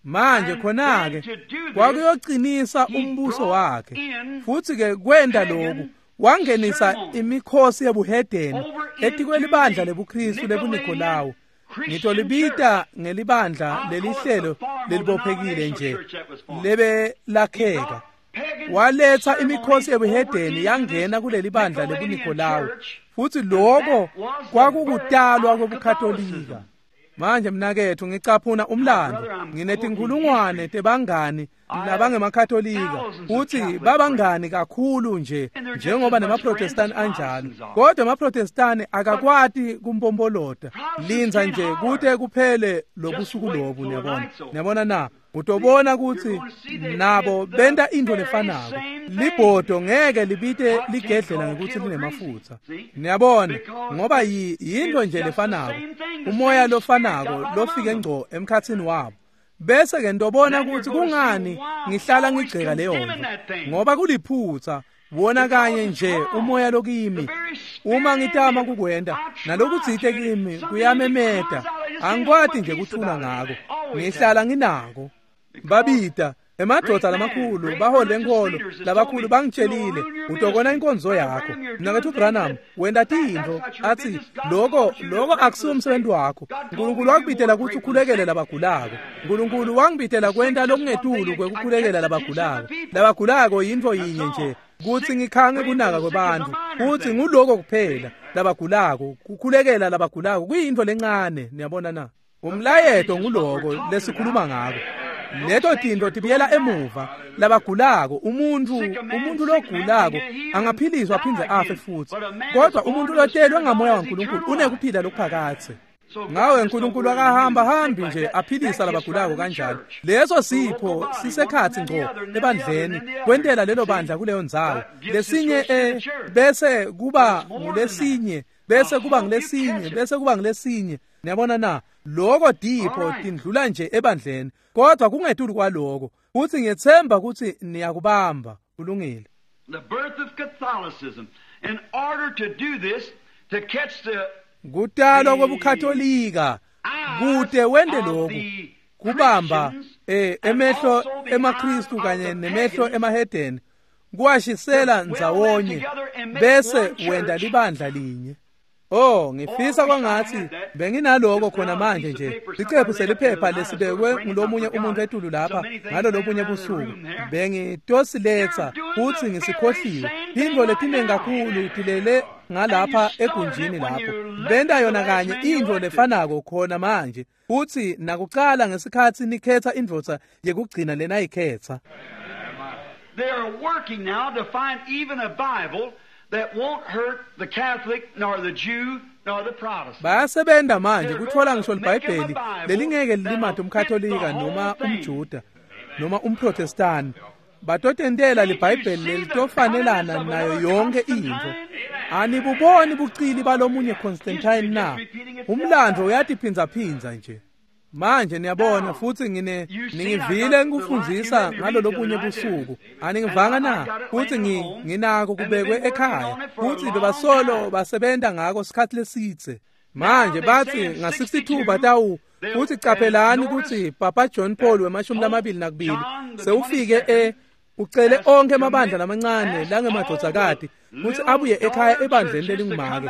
Manje khona-ke kwakuyoqinisa umbuso wakhe. Futsi-ke kwenta lokhu wangenisa imikhosi yebuhedeni etikwelibandla lebuKristu lebuNikolawu. Ngitolibita ngelibandla lelihlelo lelibophekile nje lebe lakheka. Waletsa imikhosi yebuhedeni yangena kulelibandla lebuNikolawu, futsi lokho kwakukutalwa kwebuKatolika. Manje mnaketfu ngicaphuna umlando, nginetinkhulungwane tebangani labangemakatolika futsi babangani kakhulu nje njengoba nemaprotestani anjalo. Kodwa emaprotestani akakwati kumpombolota, lindza nje kute kuphele lobusuku lobu. Niyabona, niyabona na? Utobona kutsi nabo benta intfo lefanako. Libhodo ngeke libite ligedlela ngekutsi linemafutsa. Niyabona, ngoba yintfo nje lefanako, umoya lofanako lofike ngco emkhatsini wabo. Bese ke ndobona kutsi kungani ngihlala ngigceka leyo nto, ngoba kuliphutsa wona kanye nje umoya lokimi. Uma ngitama kukwenta nalokutsite kimi kuyamemeta, angikwati nje kuthula ngako, ngihlala nginako. Babita emadvodza lamakhulu, baholi benkholo labakhulu bangitshelile, utokona inkonzo yakho. Mnaketfu Branham, wenta tintfo. Atsi loko loko akusiwo umsebenzi wakho. Nkulunkulu wakubitela kutsi ukhulekele labagulako. Nkulunkulu wangibitela kwenta lokungetulu kwekukhulekela labagulako. Labagulako yintfo yinye nje, kutsi ngikhange kunaka kwebantfu, kutsi nguloko kuphela. Labagulako, kukhulekela labagulako kuyintfo lencane, niyabona na? Umlayeto nguloko lesikhuluma ngako. Leto tintfo tibuyela emuva. Labagulako, umuntu umuntu logulako angaphiliswa aphindze afe futsi, kodwa umuntu lotelwe ngamoya waNkulunkulu unekuphila lokuphakadze. Ngawe Nkulunkulu akahamba hambi nje aphilisa labagulako kanjalo. Leso sipho sisekhatsi ngco ebandleni, kwentela lelo bandla kuleyo ndzawo. Lesinye eh, bese kuba ngulesinye, bese kuba ngulesinye, bese kuba ngulesinye. Niyabona na? Loko dipho tindlula nje ebandleni, kodwa kungetulu kwaloko. Futsi ngiyetsemba kutsi niyakubamba. Kulungile. The birth of Catholicism. In order to do this, to catch the kutalwa kwebuKatolika, kute wente lokhu, kubamba eh, emehlo emaKristu kanye nemehlo emahedeni, kuwashisela ndzawonye bese wenta libandla linye. Oh, ngifisa kwangathi benginaloko khona manje nje. Sicephu seliphepha lesibekwe ngulomunye umuntu etulu lapha ngalolobunye busuku. Bengitosiletsa futsi ngisikhohliwe. Tintfo letinengi kakhulu tilele ngalapha egunjini lapho. Benta yona kanye intfo lefanako khona manje. Futsi nakucala ngesikhatsi nikhetsa indvodza yekugcina lenayikhetsa. They are working now to find even a Bible that won't hurt the Catholic nor the Jew nor the Protestant. Bayasebenta manje kutfola ngisho liBhayibheli lelingeke lilimate umKatolika noma umJuda noma umProtestani. Batotentela liBhayibheli lelitofanelana nayo yonke intfo. Anibuboni bucili balomunye Constantine na? Umlandvo uyatiphindzaphindza nje. Manje niyabona futsi ngine ningivile ngikufundzisa ngalolobunye busuku. Aningivanga na? Futsi ngi nginako kubekwe ekhaya. Futsi bebasolo basebenta ngako sikhatsi lesidze. Manje batsi nga sixty-two batawu futsi caphelani kutsi Papa John Paul wemashumi lamabili nakubili sewufike e ucele onkhe emabandla lamancane langemadvodzakati kutsi abuye ekhaya ebandleni lelingumake.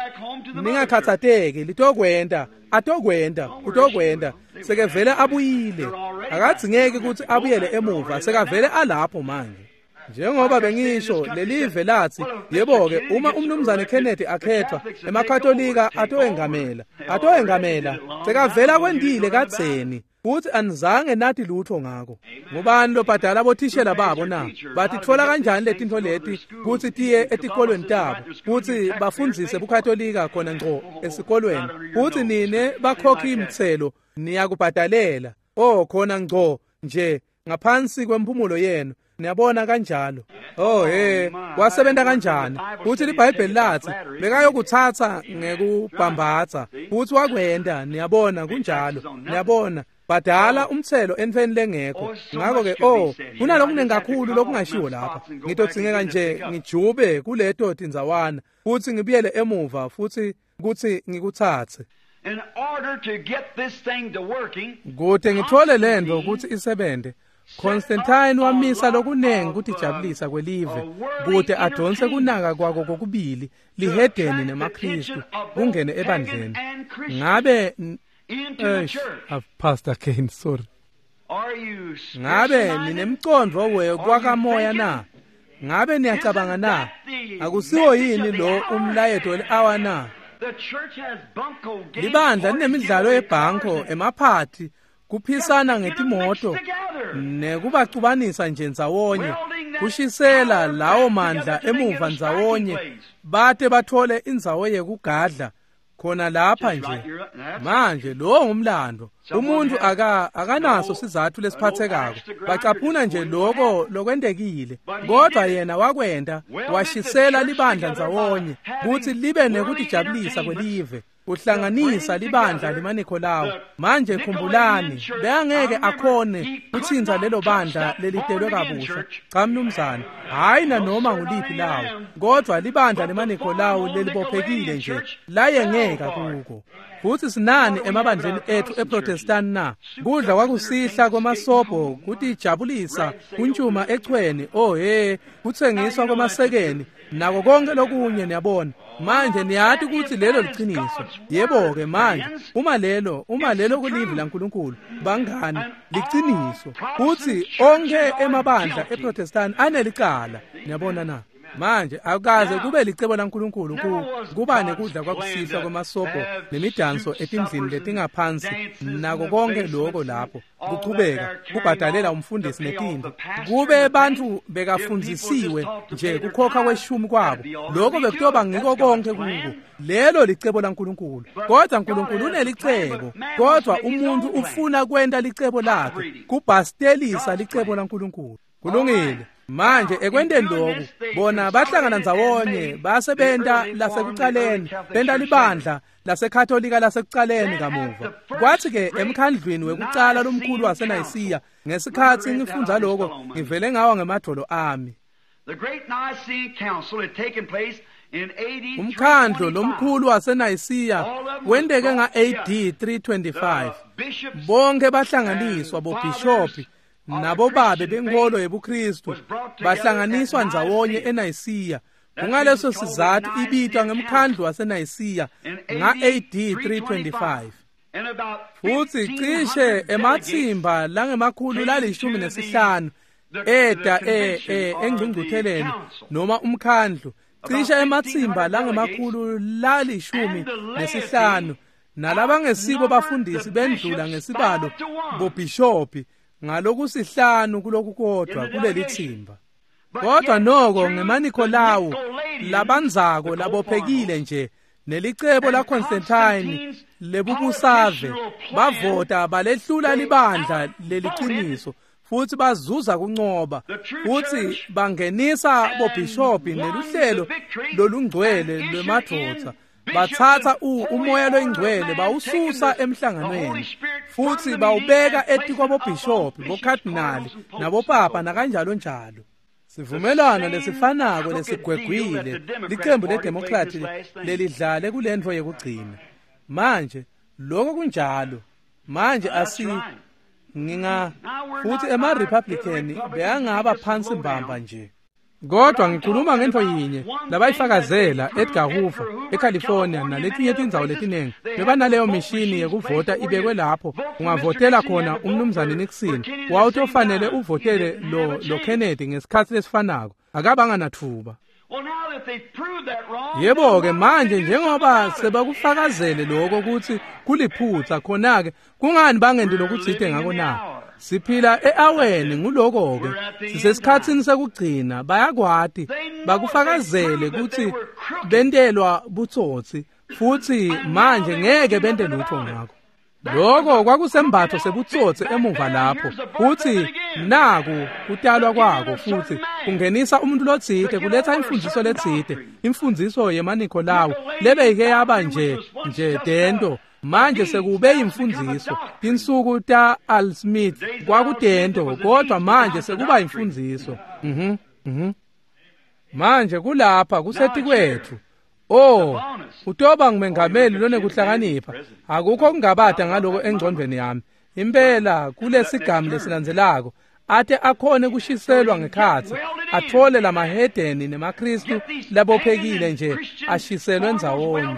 Ningakhatsateki, litokwenta, atokwenta, utokwenta. Sekevele abuyile. Akadzingeki kutsi abuyele emuva, sekavele alapho manje. Njengoba bengisho lelive lathi, yebo-ke uma umnumzane Kennedy akhethwa, emaKatolika atowengamela, atowengamela. Sekavela kwentile kadzeni. Futsi anizange nathi lutho ngako. Ngubani lobhadala bothishela babo na? Batitfola kanjani letintfo leti kutsi tiye etikolweni tabo, kutsi bafundzise buKatolika khona ngco esikolweni? Futsi nine bakhokhi imitselo niyakubhadalela. Oh, khona ngco nje ngaphansi kwemphumulo yenu. Niyabona kanjalo. Oh he, wasebenta kanjani? Futsi liBhayibheli lathi bekayokutsatsa ngekubhambatsa. Futsi wakwenta, niyabona kunjalo. Niyabona, badala umtselo entfweni lengekho. Ngakho ke oh, kunalokunengi kakhulu lokungashiwo lapha. Ngitodzingeka nje ngijube kuleto tindzawana futsi ngibuyele emuva futsi kutsi ngikutsatse. In order to get this thing to working, kute ngitfole lentfo kutsi isebente. Constantine wamisa lokunengi kutijabulisa kwelive kute adonse kunaka kwako kokubili lihedeni nemaKristu kungene ebandleni. Ngabe eish, Pastor Kane, sorry. Ngabe ninemcondvo wekwakamoya na? Ngabe niyacabanga na? Akusiwo yini lo umlayeto we-hour na? Libandla linemidlalo yebhanko, emaphathi, kuphisana ngetimoto nekubacubanisa nje ndzawonye, kushisela lawo mandla emuva ndzawonye bate bathole indzawo yekugadla Khona lapha nje. Manje lo ngumlando. Umuntu aka akanaso sizathu lesiphathekako. Bacaphuna nje lokho lokwentekile. Kodwa yena wakwenta washisela libandla ndzawonye kutsi libe nekutijabulisa kwelive. Uhlanganisa libandla lemaNikholawu. Manje khumbulani, beyangeke akhone kutsintsa lelo bandla lelitelwe kabusha. Cha mnumzane, hayi nanoma nguliphi lawo, kodwa libandla lemaNikholawu lelibophekile nje layengeka kuko. Futsi sinani emabandleni ethu eProtestant na? Kudla kwakusihla kwemasobho, kutijabulisa, kuntshuma echweni, oh he, kutsengiswa kwemasekeni, nako konke lokunye niyabona. Manje niyati kutsi lelo liciniso. Yebo-ke manje, uma lelo, uma lelo kulivi laNkulunkulu, bangani, liciniso. Kutsi onkhe emabandla eProtestant anelicala. Niyabona na? Manje akukaze kube licebo laNkulunkulu ku kuba nekudla kwakusihlwa kwemasobho nemidanso etindlini letingaphansi nako konke lokho lapho kuchubeka kubhadalela umfundisi netintfo. Kube bantfu bekafundzisiwe nje kukhokha kweshumi kwabo, lokho bekutoba ngiko konke kuko. Lelo licebo laNkulunkulu. Kodwa uNkulunkulu unelicebo, kodwa umuntu ufuna kwenta licebo lakhe, kubhastelisa licebo laNkulunkulu. Kulungile. Manje ekwenteni lokhu, bona bahlangana ndzawonye base benta lasekucaleni, benta libandla laseKatolika lasekucaleni kamuva. Kwathi-ke emkhandlwini wekucala lomkhulu waseNayisiya, ngesikhatsi ngifundza lokho, ngivele ngawa ngemadvolo ami. Umkhandlo lomkhulu waseNayisiya wenteke nga-A D three twenty-five. Bonke bahlanganiswa bobhishophi nabobabe benkolo yebuKristu bahlanganiswa ndzawonye eNayisiya. Kungaleso sizathu ibitwa ngemkhandlu waseNayisiya nga-A D three twenty-five. Futsi cishe ematsimba langemakhulu lalishumi nesihlanu eda e e engcungcutheleni noma umkhandlu, cishe ematsimba langemakhulu lalishumi nesihlanu nalabangesibo bafundisi bendlula ngesibalo bobhishophi ngalokusihlanu kulokukodwa kuleli thimba. Kodwa noko ngemaNikholawu labanzako labophekile nje nelicebo la Constantine lebubusave bavota balehlula libandla leliciniso futsi bazuza kuncoba, futsi bangenisa bobhishophi neluhlelo lolungcwele lwemadvodza. Batsatsa umoya loyingcwele bawususa emhlanganweni futsi bawubeka etikwabobhishophi, bokhadinali nabopapa nakanjalo njalo. Sivumelwano lesifanako lesigwegwile licembu leDemocrat lelidlale kulentfo yekugcina. Manje lokho kunjalo. Manje asi nginga futhi ema-Republican beyangaba phansi mbamba nje. Kodwa ngikhuluma ngentfo yinye labayifakazela Edgar Hoover eCalifornia naletinye tindzawo letinengi bebanaleyo mishini yekuvota ibekwe lapho ungavotela khona umnumzane Nixon, wawutofanele uvotele lo lo Kennedy ngesikhatsi lesifanako. Akabanga natfuba. Yebo-ke manje njengoba sebakufakazele lokho kutsi kuliphutsa, khona-ke kungani bangenti lokutsite ngako na? Siphila e-aweni nguloko-ke, sisesikhatsini sekugcina. Bayakwati bakufakazele kutsi bentelwa butsotsi futsi manje ngeke bente lutho ngako. Lokho kwakusembatho sebutsotsi emuva lapho, futsi naku kutalwa kwako futsi kungenisa umuntu lotsite, kuletsa imfundziso letsite, imfundziso yemaNikholawu lebeyike yaba nje nje dento. Manje sekube imfundziso. Tinsuku ta Al Smith kwakudento, kodwa manje sekuba imfundziso. Mhm. Mhm. Manje kulapha kusetikwethu. Oh, utoba ngumengameli lonekuhlakanipha. Akukho kungabata ngaloko engcondvweni yami. Impela kulesigamu lesilandzelako ate akhone kushiselwa ngekhatsi, athole lamahedeni nemaKristu labophekile nje ashiselwe ndzawonye.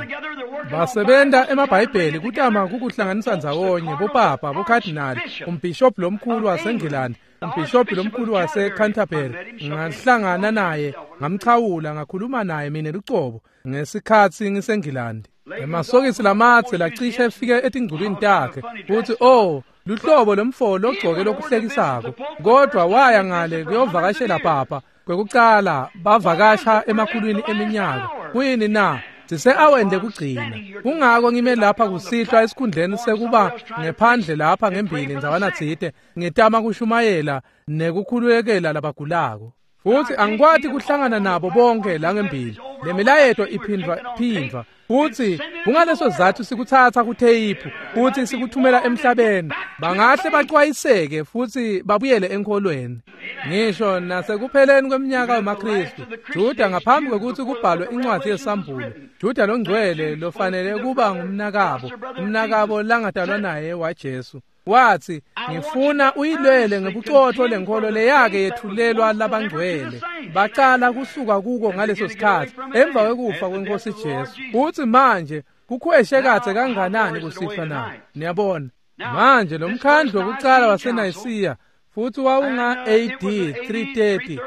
Basebenta emaBhayibheli kutama kukuhlanganisa ndzawonye bopapa, bokhadinali, umbhishobhi lomkhulu waseNgilandi, umbhishobhi lomkhulu waseCanterbury. Ngahlangana naye, ngamchawula, ngakhuluma naye mina lucobo ngesikhatsi ngiseNgilandi. Emasokisi lamadze lacishe efike etingculwini takhe, futsi oh, luhlobo lomfo logcoke lokuhlekisako. Kodwa waya ngale kuyovakashela papa kwekucala bavakasha emakhulwini eminyaka. Kuyini na? Sise-aweni lekugcina. Kungako ngime lapha kusihlwa esikhundleni sekuba ngephandle lapha ngembili ndzawana tsite ngitama kushumayela nekukhulekela labagulako. Futsi angikwati kuhlangana nabo bonke la ngembili. Le milayeto iphindvwa phindvwa. Futsi kungaleso sizatfu sikutsatsa kutheyiphu futsi sikuthumela emhlabeni. Bangahle bacwayiseke futsi babuyele enkholweni. Ngisho nasekupheleni kweminyaka wemaKhristu, Juda ngaphambi kwekutsi kubhalwe incwadzi yesambulo, Juda longcwele lofanele kuba ngumnakabo, umnakabo langatalwa naye waJesu, watsi, ngifuna uyilwele ngebucotfo lenkholo leyake yethulelwa labangcwele. Bacala kusuka kuko ngaleso sikhatsi emva kwekufa kweNkosi Jesu. Futsi manje kukhweshe kadze kanganani kusihlwa na? Niyabona manje lo mkhandlu wokucala waseNayisiya futsi wawunga A D three thirty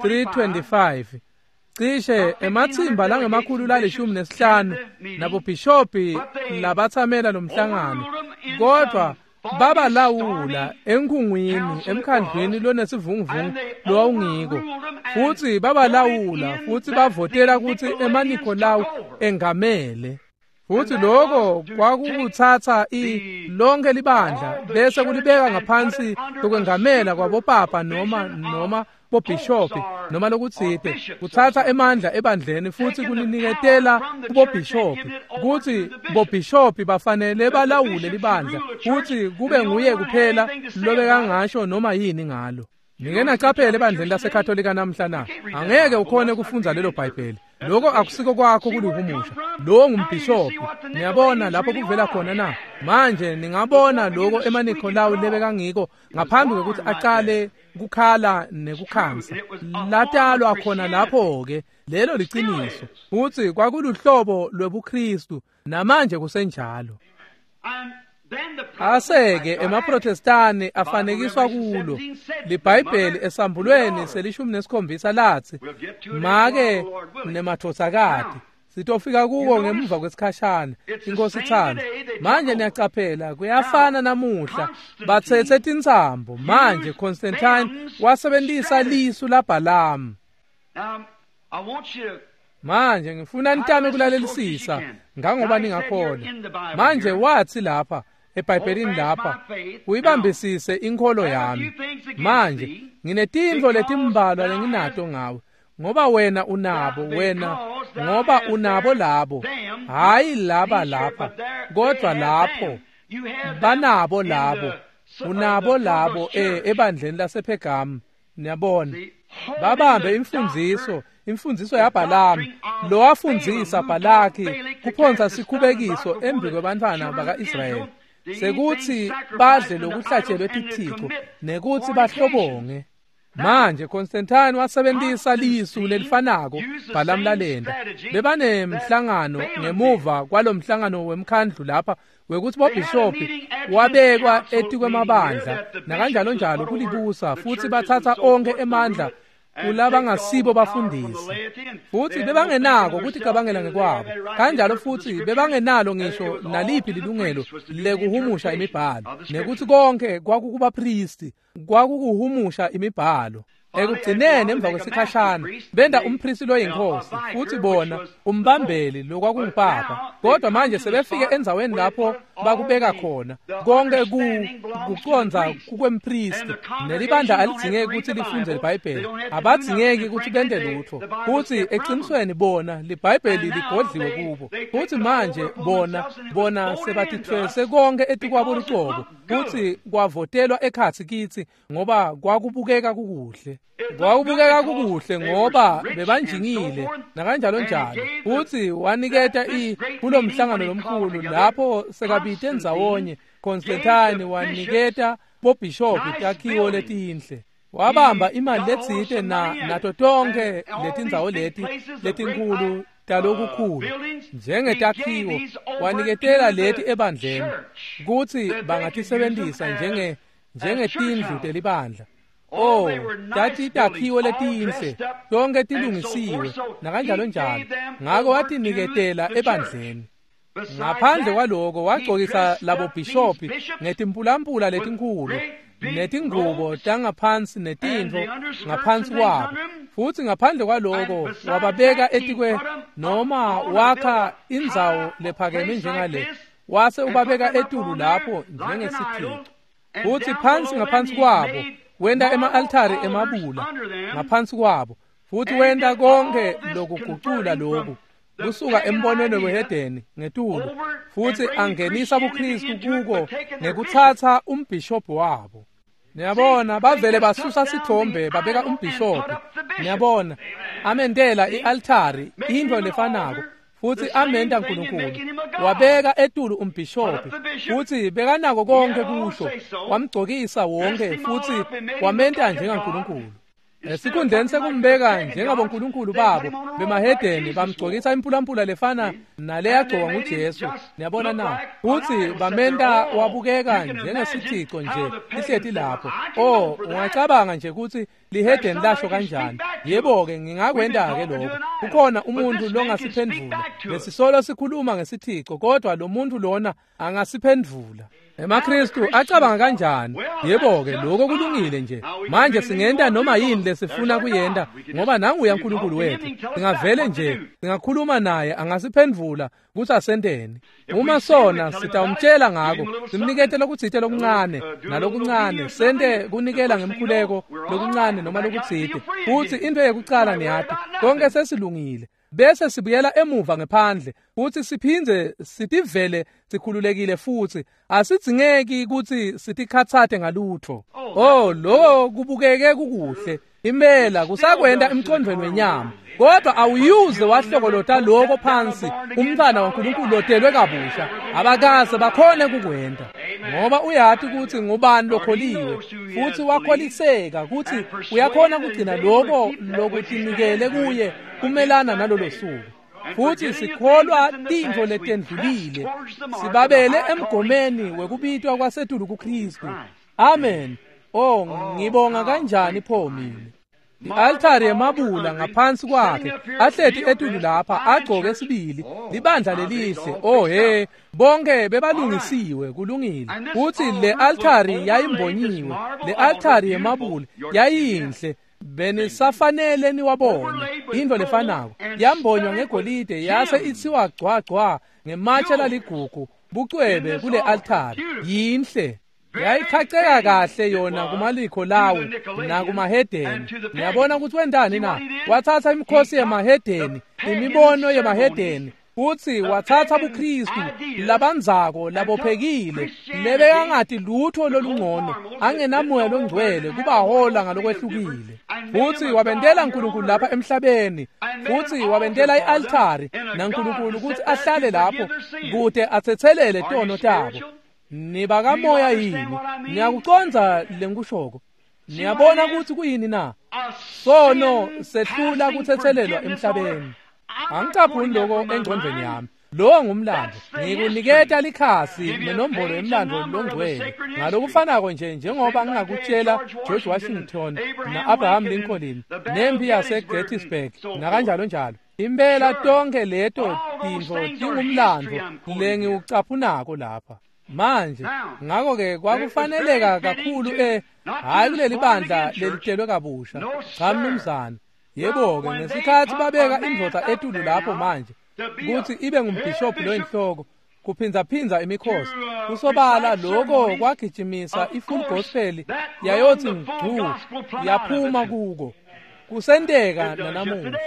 three twenty-five cishe ematsimba langemakhulu lalishumi nesihlanu nabobhishobhi labatsamela lomhlangano, kodvwa babalawula enkhungwini emkhandlwini lonesivunguvungu lowawungiko. Futsi babalawula futsi bavotela kutsi emaNikolawu engamele. Futsi loko kwakukutsatsa i lonke libandla bese kulibeka ngaphansi kokwengamela kwabopapa noma noma bobhishobhi noma lokutsite, kutsatsa emandla ebandleni futsi kuliniketela kubobhishobhi, kutsi bobhishobhi bafanele balawule libandla futsi kube nguye kuphela lobekangasho noma yini ngalo. Nike nacaphele ebandleni laseKatolika namhla na? Angeke ukhone kufundza lelo Bhayibheli. Lokho akusiko kwakho kulihumusha. Lowo ngumbhishobhi. Niyabona lapho kuvela khona na? Manje ningabona lokho emaNikolawu lebekangiko ngaphambi kwekutsi acale kukhala nekukhansa. Latalwa khona lapho ke lelo liciniso. Futsi kwakuluhlobo lwebuKristu namanje kusenjalo. Aseke emaProtestani afanekiswa kulo. LiBhayibheli esambulweni selishumi nesikhombisa latsi, make nemadvodzakati. Sitofika kuko ngemuva kwesikhashana, iNkosi ithanda. Manje niyacaphela kuyafana namuhla, batsetse tintsambo. Manje Constantine wasebentisa lisu laBhalamu. Manje ngifuna nitame kulalelisisa ngangoba ningakhona. Manje watsi lapha eBhayibhelini lapha, uyibambisise inkholo yami. Manje nginetintfo letimbalwa lenginato ngawe, ngoba wena unabo wena ngoba unabo labo, hayi laba lapha kodwa lapho banabo labo, unabo labo ebandleni lasePhergamu. Niyabona babambe imfundziso imfundziso yaBhalamu lowafundzisa Bhalaki kuphonsa sikhubekiso embi kwebantfwana baka-Israyeli sekutsi badle lokuhlatshelwe tithixo nekutsi bahlobonge. Manje Constantine wasebentisa lisu lelifanako Bhalamu lalenda. Bebanemhlangano ngemuva kwalomhlangano wemkhandlu lapha wekutsi bobhishobhi wabekwa etikwemabandla nakanjalo njalo kulibusa, futsi batsatsa onkhe emandla kulabangasibo bafundisi. Futsi bebangenako kuticabangela ngekwabo, kanjalo futsi bebangenalo ngisho naliphi lilungelo lekuhumusha imibhalo, nekutsi konke kwakukubapristi kwakukuhumusha imibhalo. Ekugcineni emva kwesikhashana benda umpristi loyinkosi futsi bona umbambeli lokwakungupapa. Kodwa manje sebefike endzaweni lapho bakubeka khona konke kucondza kukwempristi, nelibandla alidingeki kutsi lifundze liBhayibheli, abadzingeki kutsi bente lutfo. Futsi eqinisweni bona liBhayibheli ligodliwe kubo. Futsi manje bona bona sebatithwese konke etikwabo lucobo, futsi kwavotelwa ekhatsi kitsi ngoba kwakubukeka kukuhle. Kwakubukeka kukuhle ngoba bebanjingile nakanjalo njalo. Futsi waniketa i kulomhlangano lomkhulu lapho sekabite ndzawonye Constantine waniketa bobhishobhi takhiwo letinhle. Wabamba imali letsite na nato tonke letindzawo leti letinkhulu talokukhulu njengetakhiwo, waniketela leti ebandleni kutsi bangatisebentisa njenge njengetindlu telibandla. Oh, tati takhiwo letinhle tonke tilungisiwe nakanjalo njalo. Ngako watiniketela ebandleni. Ngaphandle kwaloko wagcokisa labo bhishobhi ngetimpulampula letinkhulu Netingubo tangaphansi netintfo ngaphansi kwabo, futsi ngaphandle kwaloko wababeka etikwe noma wakha indzawo lephakeme njengale, wase ubabeka etulu lapho njengesithixo. Futsi phansi ngaphansi kwabo wenta ema-altari emabula ngaphansi kwabo, futsi wenta konke lokugucula loku kusuka embonweni wehedeni ngetulu, futsi angenisa buKristu kuko ngekutsatsa umbhishobhi wabo. Niyabona, bavele basusa sithombe babeka umbhishobhi. Niyabona, amendela i-altari intfo lefanako, futsi amenta Nkulunkulu. Wabeka etulu umbhishobhi, futsi bekanako konke kusho, wamgcokisa wonke futsi wamenta njengaNkulunkulu. Esikhundleni sekumbeka njengabonkulunkulu babo bemahedeni, bamgcokisa impulampula lefana naleyagcokwa nguJesu. Niyabona na? Futsi bamenta wabukeka njengesithixo nje lihleti lapho. Oh, ungacabanga nje kutsi lihedeni lasho kanjani? Yebo-ke, ngingakwenta-ke lokho. Kukhona umuntu longasiphendvula. Lesisolo sikhuluma ngesithixo, kodwa lo muntu lona angasiphendvula. EmaKristu acabanga kanjani? Yebo-ke, lokho kulungile nje. Manje singenta noma yini lesifuna kuyenta, ngoba nanguya uNkulunkulu wethu. Singavele nje singakhuluma naye, angasiphendvula kutsi asenteni. Uma sona sitawumtshela ngako, simnikete lokutsite lokuncane nalokuncane, sente kunikela ngemkhuleko lokuncane noma lokutsite. Futsi into yekucala niyati, konke sesilungile. Bese sibuyela emuva ngephandle futsi siphindze sitivele sikhululekile, futsi asidzingeki kutsi sitikhatsate ngalutfo. Oh, lo kubukeke kukuhle impela, kusakwenta emcondvweni wenyama, kodwa awuyuze wahlokolota lokho phansi umntwana waNkulunkulu lotelwe kabusha. Abakaze bakhone kukwenta, ngoba uyati kutsi ngubani lokholiwe, futsi wakholiseka kutsi uyakhona kugcina lokho lokutinikele kuye kumelana nalolo suku. Futsi sikholwa tintfo letendlulile, sibabele emgomeni wekubitwa kwasetulu kuKristu. Amen. Oh, ngibonga kanjani pho mina. I-altari yemabula ngaphansi kwakhe, ahleti etulu lapha agcoke sibili libandla lelihle. Oh he, bonke bebalungisiwe, kulungile. Futsi le altari yayimbonyiwe, le altari yemabula yayinhle, benisafanele niwabone. Intfo lefanako yambonywa ngegolide, yase itsiwa gcwa gcwa ngematshe laligugu, bucwebe kule altari yinhle. Yayichacheka kahle yona kumalikho lawo nakumahedeni. Niyabona ukuthi wentani na? Wathatha imikhosi yemahedeni, imibono yemahedeni, futsi wathatha buKristu labandzako labophekile lebekangati lutho lolungcono, angenamoya longcwele kubahola ngalokwehlukile. Futsi wabentela uNkulunkulu lapha emhlabeni, futsi wabentela i-altari naNkulunkulu kutsi ahlale lapho kute atsetselele tono tabo. Nibakamoya yini? Niyakucondza lengikushoko? Niyabona kutsi kuyini na? Sono sehlula kutsetselelwa emhlabeni. Angicaphuni lokho engcondvweni yami. Lowo ngumlando. Ngikuniketa likhasi nenombolo yemlando longcwele. Ngalokufanako nje njengoba ngingakutshela George Washington na-Abraham Lincoln nempi yase-Gettysburg nakanjalo njalo. Impela tonke leto tintfo tingumlando lengiwucaphunako lapha. Manje ngakho-ke kwakufaneleka kakhulu eh hhayi kuleli bandla lelitelwe kabusha. Cha mnumzane. Yebo-ke, ngesikhathi babeka indvodza etulu lapho manje kutsi ibe ngumbhishobhi loyinhloko, kuphindzaphindza imikhosi, kusobala lokho kwagijimisa i-full gospel yayotsi ngcu yaphuma kuko. Kusenteka nanamuhla.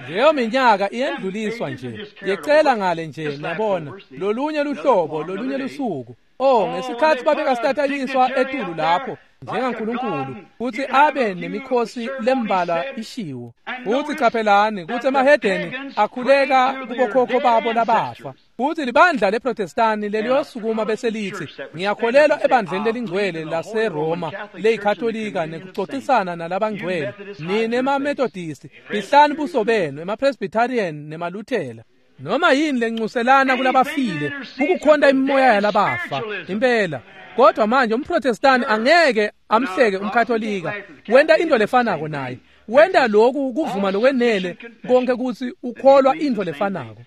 Leyo minyaka iyendluliswa nje, yecela ngale nje, niyabona, lolunye luhlobo, lolunye lusuku. Oh, ngesikhathi babeka sitatanyiswa etulu lapho njengaNkulunkulu kutsi abe nemikhosi lembalwa ishiwo. Futsi caphelani kutsi emahedeni akhuleka kubokhokho babo labafa. Futsi libandla leProtestani leliyosukuma bese litsi, ngiyakholelwa ebandleni lelingcwele laseRoma leyikatolika nekucocisana nalabangcwele, nine emaMethodisti, fihlani buso benu, emaPresbyterian nemaLuthela. Noma yini lencuselana kulabafile, ukukhonta imimoya yalabafa impela. Kodwa manje umProtestani angeke amhleke umKatolika, wenta into lefanako naye. Wenta lokhu kuvuma lokwenele konke kutsi ukholwa into lefanako.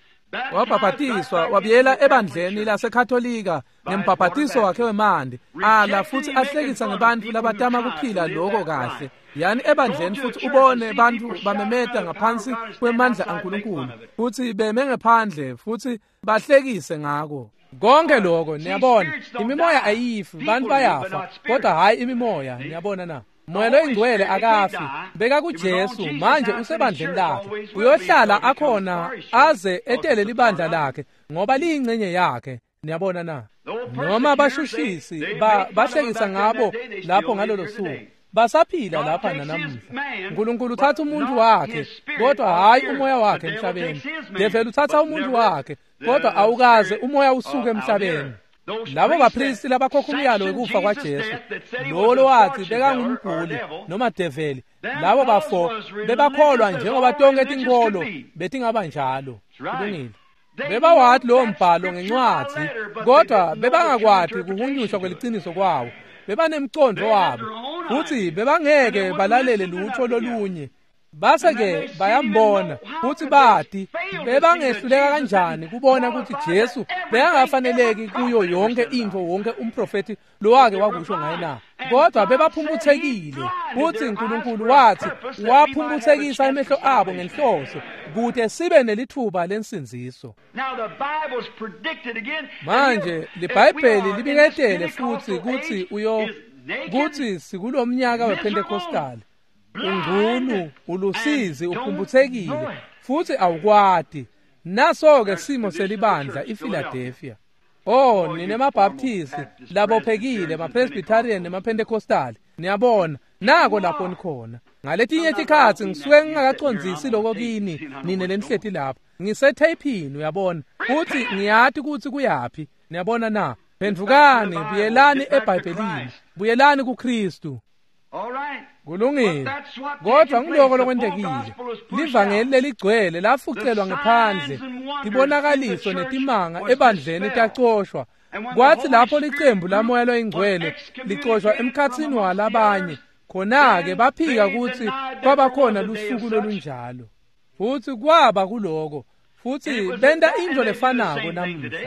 Wabhabhatiswa wabuyela ebandleni laseKatolika ngembhabhatiso wakhe wemandi ala futsi ahlekisa ngebantfu labatama kuphila loko kahle. Yani ebandleni futsi ubone bantfu bamemeta ngaphansi kwemandla aNkulunkulu futsi beme ngephandle futsi bahlekise ngako. Konke lokho niyabona imimoya ayifi, bantfu bayafa kodwa hhayi imimoya. Niyabona na? Moya loyingcwele akafi, beka kuJesu manje usebandleni lakhe, uyohlala akhona aze etele libandla lakhe ngoba liyingcenye yakhe. Niyabona na? Noma bashushisi ba bahlekisa ngabo lapho ngalolo suku, basaphila lapha nanamuhla. uNkulunkulu uthatha umuntu wakhe kodwa hhayi umoya wakhe emhlabeni. Develi uthatha umuntu wakhe kodwa awukaze umoya usuke emhlabeni. Labo bapristi labakhokha umyalo wekufa kwaJesu, lowo lowathi bekangumbhuli noma develi, labo bafo bebakholwa njengoba tonke tinkholo betingaba njalo. Kulungile. Bebawathi lowo mbhalo ngencwadzi kodwa bebangakwati kuhunyushwa kweliciniso kwawo. Bebanemcondvo wabo futsi bebangeke balalele lutho lolunye. Base-ke bayambona futsi bati bebangehluleka kanjani kubona ukuthi Jesu bekangafaneleki kuyo yonke intfo wonke umprofethi lowake wakusho ngaye na. Kodwa bebaphumputhekile futsi uNkulunkulu wathi waphumputhekisa emehlo abo ngenhloso kute sibe nelithuba lensindziso. Manje liBhayibheli libiketele futsi kutsi uyo kutsi sikulomnyaka wePentecostal ungcunu ulusizi uphumputhekile futsi awukwati. Naso-ke simo selibandla iPhiladelphia. Oh, nine maBaptisti labophekile, maPresbyterian nemaPentecostal, niyabona nako lapho nikhona. Ngaletinye tikhatsi ngisuke ngingakacondzisi loko kini nine lenihleti lapha, ngisetheyphini uyabona, futsi ngiyati kutsi kuyaphi. Niyabona na? Phendvukani, buyelani eBhayibhelini, buyelani kuKristu. Kulungile. Kodwa ngiloko lokwentekile. Livangeli leligcwele lafucelwa ngephandle, tibonakaliso netimanga ebandleni tacoshwa. Kwathi lapho licembu lamoya loyingcwele licoshwa emkhatsini walabanye, khona-ke baphika kutsi kwabakhona lusuku lolunjalo. Futsi kwaba kuloko, futsi benta intfo lefanako namuhla.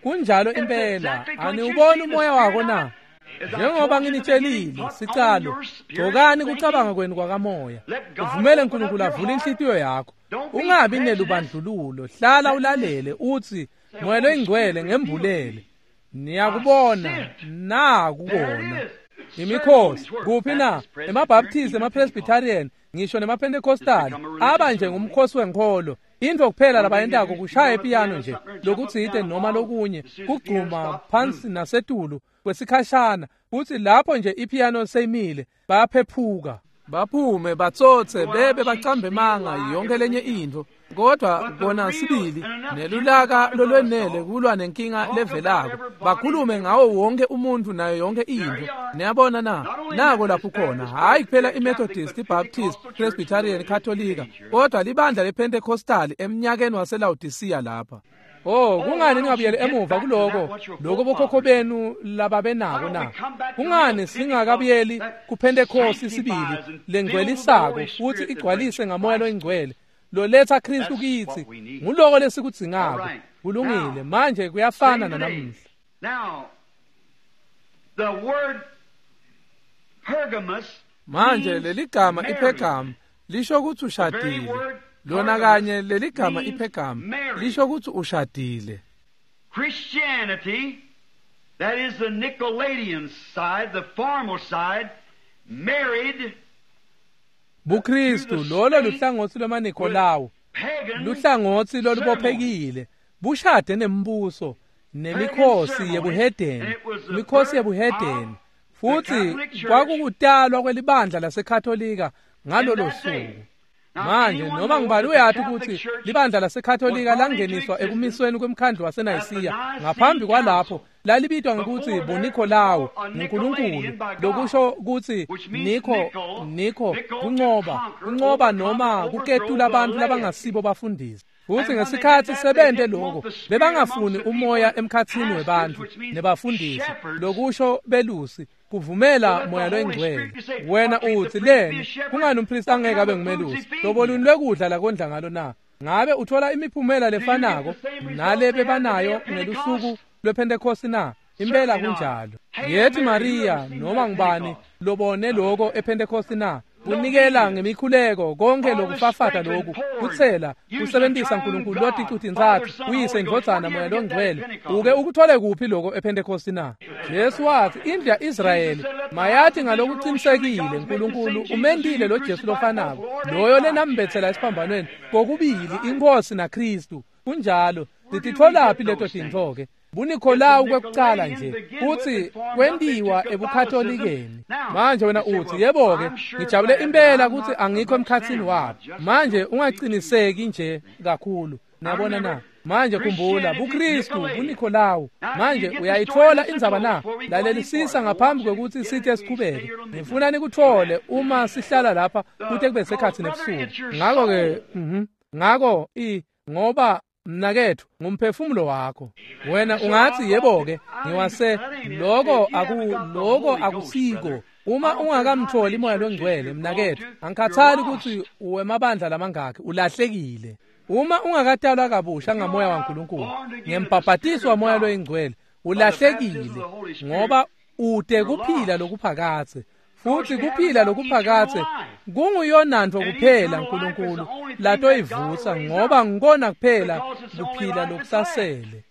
Kunjalo impela. Aniwuboni umoya wako na? Njengoba nginitshelile sicalo, gcokani kucabanga kwenu kwakamoya. Uvumele uNkulunkulu avule inhlitiyo yakho. Ungabi nelubandlululo, hlala ulalele uthi Moya loyingcwele ngembulele. Niyakubona, nakubona. Imikhosi kuphi na? EmaBaptist, emaPresbyterian, ngisho nemaPentecostal aba nje ngumkhosi wenkholo. Intfo kuphela labayentako kushaya ipiyano nje lokutsite noma lokunye, kugcuma phansi nasetulu kwesikhashana, futsi lapho nje ipiyano seyimile bayaphephuka baphume batsotse bebe bacambe manga yonke lenye intfo. Kodwa kona sibili nelulaka lolwenele kulwa nenkinga levelako, bakhulume ngawo wonke umuntu nayo yonke intfo. Niyabona na? Nako lapho khona, hhayi kuphela iMethodist, iBaptist, Presbyterian, Katolika, kodwa libandla lePentecostal emnyakeni waseLaodicea lapha. Oh, kungani ningabuyeli emuva kuloko lokho bokhokho benu lababenako na? Kungani singakabuyeli kuPentecost sibili lengcwelisako futsi igcwalise ngamoya loyingcwele loletha Kristu kitsi? Nguloko lesikudzingako. Kulungile. Manje kuyafana nanamuhla. Manje leligama iPhergamu lisho ukuthi ushadile. Lona kanye leligama iPhergamu lisho ukuthi ushadile. Christianity, that is the Nicolaitan side, the formal side, married buKristu lolo luhlangotsi lwemaNikolawu, luhlangotsi lolubophekile, bushade nembuso nemikhosi yebuhedeni, imikhosi yebuhedeni. Futsi kwakukutalwa kwelibandla laseKatolika ngalolo suku. Manje noma ngibani uyati ukuthi libandla laseKatolika langeniswa ekumisweni kwemkhandlu waseNayisiya. Ngaphambi kwalapho lalibitwa ngekutsi buNikolawu nguNkulunkulu, lokusho kutsi Niko Niko kuncoba, kuncoba noma kuketula abantu labangasibo bafundisi. Futsi ngesikhatsi sebente lokho bebangafuni umoya emkhatsini webantfu nebafundisi, lokusho belusi, kuvumela moya loyingcwele. Wena uthi leni kungani umpristi angeke abe ngumelusi? Hlobo luni lwekudla lakondla ngalo na? Ngabe uthola imiphumela lefanako nale bebanayo ngelusuku lwePhentekosti na? Impela kunjalo. Yethi Maria noma ngubani lobone lokho ePhentekosti na? Kunikela ngemikhuleko konke lokufafata lokhu kutsela kusebenzisa uNkulunkulu loticu-tintsatfu uyise indvodzana moya longcwele. Uke ukuthole kuphi lokho ePhentekosti na? Jesu wathi indlu ya-Israyeli mayathi ngalokuqinisekile uNkulunkulu umendile lo Jesu lofanako loyo lenambetsela esiphambanweni kokubili inkosi naKristu. Kunjalo. Sititholaphi leto tintfo-ke? BuNikolawu kwekucala nje kutsi kwentiwa ebuKatholikeni. Manje wena uthi yebo-ke ngijabule impela kutsi angikho emkhatsini wabo. Manje ungaciniseki nje kakhulu. Niyabona na? Manje khumbula buKristu buNikolawu. Manje uyayithola indzaba na? Lalelisisa ngaphambi kwekutsi sithe siqhubeke. Ngifuna nikuthole uma sihlala lapha kute kube sekhatsi nebusuku. Ngako-ke mhm ngako i ngoba mnaketfu ngumphefumulo wakho. Wena ungathi yebo-ke ngiwase lokho aku lokho akusiko. Uma ungakamtholi moya longcwele mnaketfu angikhathali ukuthi uwemabandla lamangakhi ulahlekile. Uma ungakatalwa kabusha ngamoya waNkulunkulu ngembhabhatiso wamoya loyingcwele ulahlekile, ngoba ute kuphila lokuphakatse. Futhi kuphila lokuphakatse kunguyonantfo kuphela uNkulunkulu latoyivusa, ngoba ngikona kuphela kuphila lokusasele.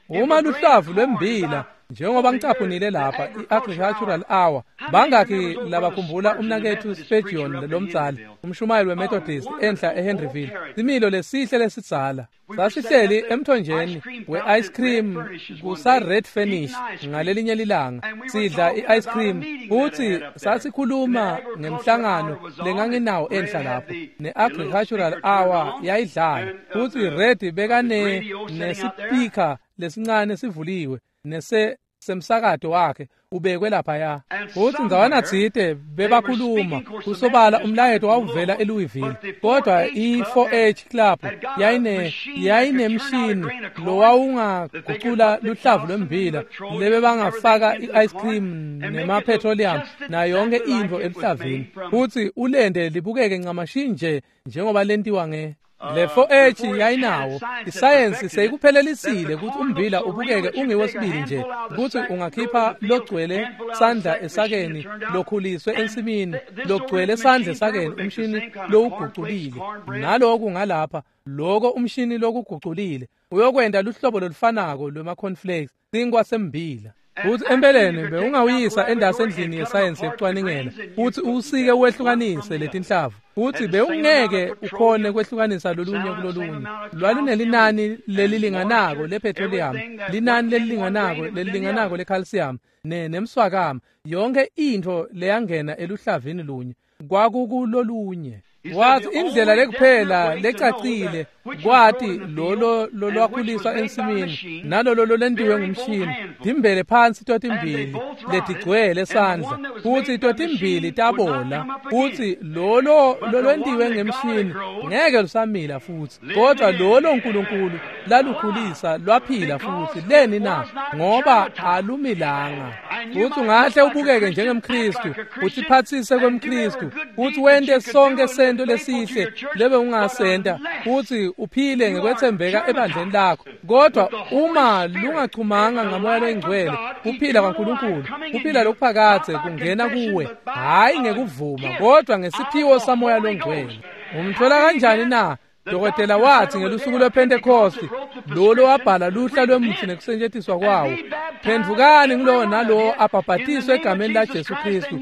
Uma luhlavu lwembila njengoba ngicaphunile lapha i-Agricultural Hour, bangakhi labakhumbula umnaketfu Spurgeon lomdzala umshumayeli weMethodist enhla eHenryville, similo lesihle lesidzala. Sasihleli emthonjeni we-ice cream kusa-Red Furnish ngalelinye lilanga sidla i-ice cream, futhi sasikhuluma ngemhlangano lenganginawo enhla lapho ne-Agricultural Hour yayidlala, futhi Red bekane nesipika lesincane sivuliwe nese semsakato wakhe ubekwe laphaya. Futhi ndzawana tsite bebakhuluma kusobala umlayeto wawuvela eLouisville, kodwa i-four H Club yayine yayinemshini lowawungagucula luhlavu lwembila lebebangafaka i-ice cream nema-petroleum nayo yonke intfo eluhlavini, futhi ulende libukeke ncamashi nje njengoba lentiwa nge Le four H yayinawo. Isayensi seyikuphelelisile ukuthi umbila ubukeke ungiwesibili nje, ukuthi ungakhipha logcwele sandla esakeni lokhuliswe ensimini, logcwele sandla esakeni umshini lowuguculile. Naloku ngalapha loko umshini lokuguculile uyokwenta luhlobo lolufanako lwema-cornflakes sinkwa sembila. Futhi empeleni bewungawuyisa endasi endlini yesayensi yekucwaningela futhi usike wehlukanise letinhlavu, futhi bewungeke ukhone kwehlukanisa lolunye kulolunye. Lwalunelinani lelilinganako lepetroleum, linani lelilinganako lelilinganako lecalcium ne nemswakama. Yonke intfo leyangena eluhlavini lunye kwakukulolunye. Wathi indlela lekuphela lecacile kwati lolo lolwakhuliswa ensimini nalolo lolentiwe ngumshini timbele phansi totimbili letigcwele sandla, futhi totimbili tabola, futhi lolo lolwentiwe ngemshini ngeke lusamila futhi, kodwa lolo uNkulunkulu lalukhulisa lwaphila futhi. Leni na? Ngoba alumilanga. Futhi ungahle ubukeke njengemKristu, utsiphatsise kwemKristu, futhi wente sonke sento lesihle lebe ungasenta, futhi uphile ngekwethembeka ebandleni lakho, kodwa uma lungachumanga ngamoya loyingcwele kuphila kwaNkulunkulu, kuphila lokuphakatse kungena kuwe, hhayi ngekuvuma kodwa ngesiphiwo samoya longcwele. Umthola kanjani na? Dokotela wathi ngelusuku lwePhentekosti lolo wabhala luhla lwemuthi nekusetjentiswa kwawo, phendvukani ngulowo nalowo abhabhatiswe egameni laJesu Kristu,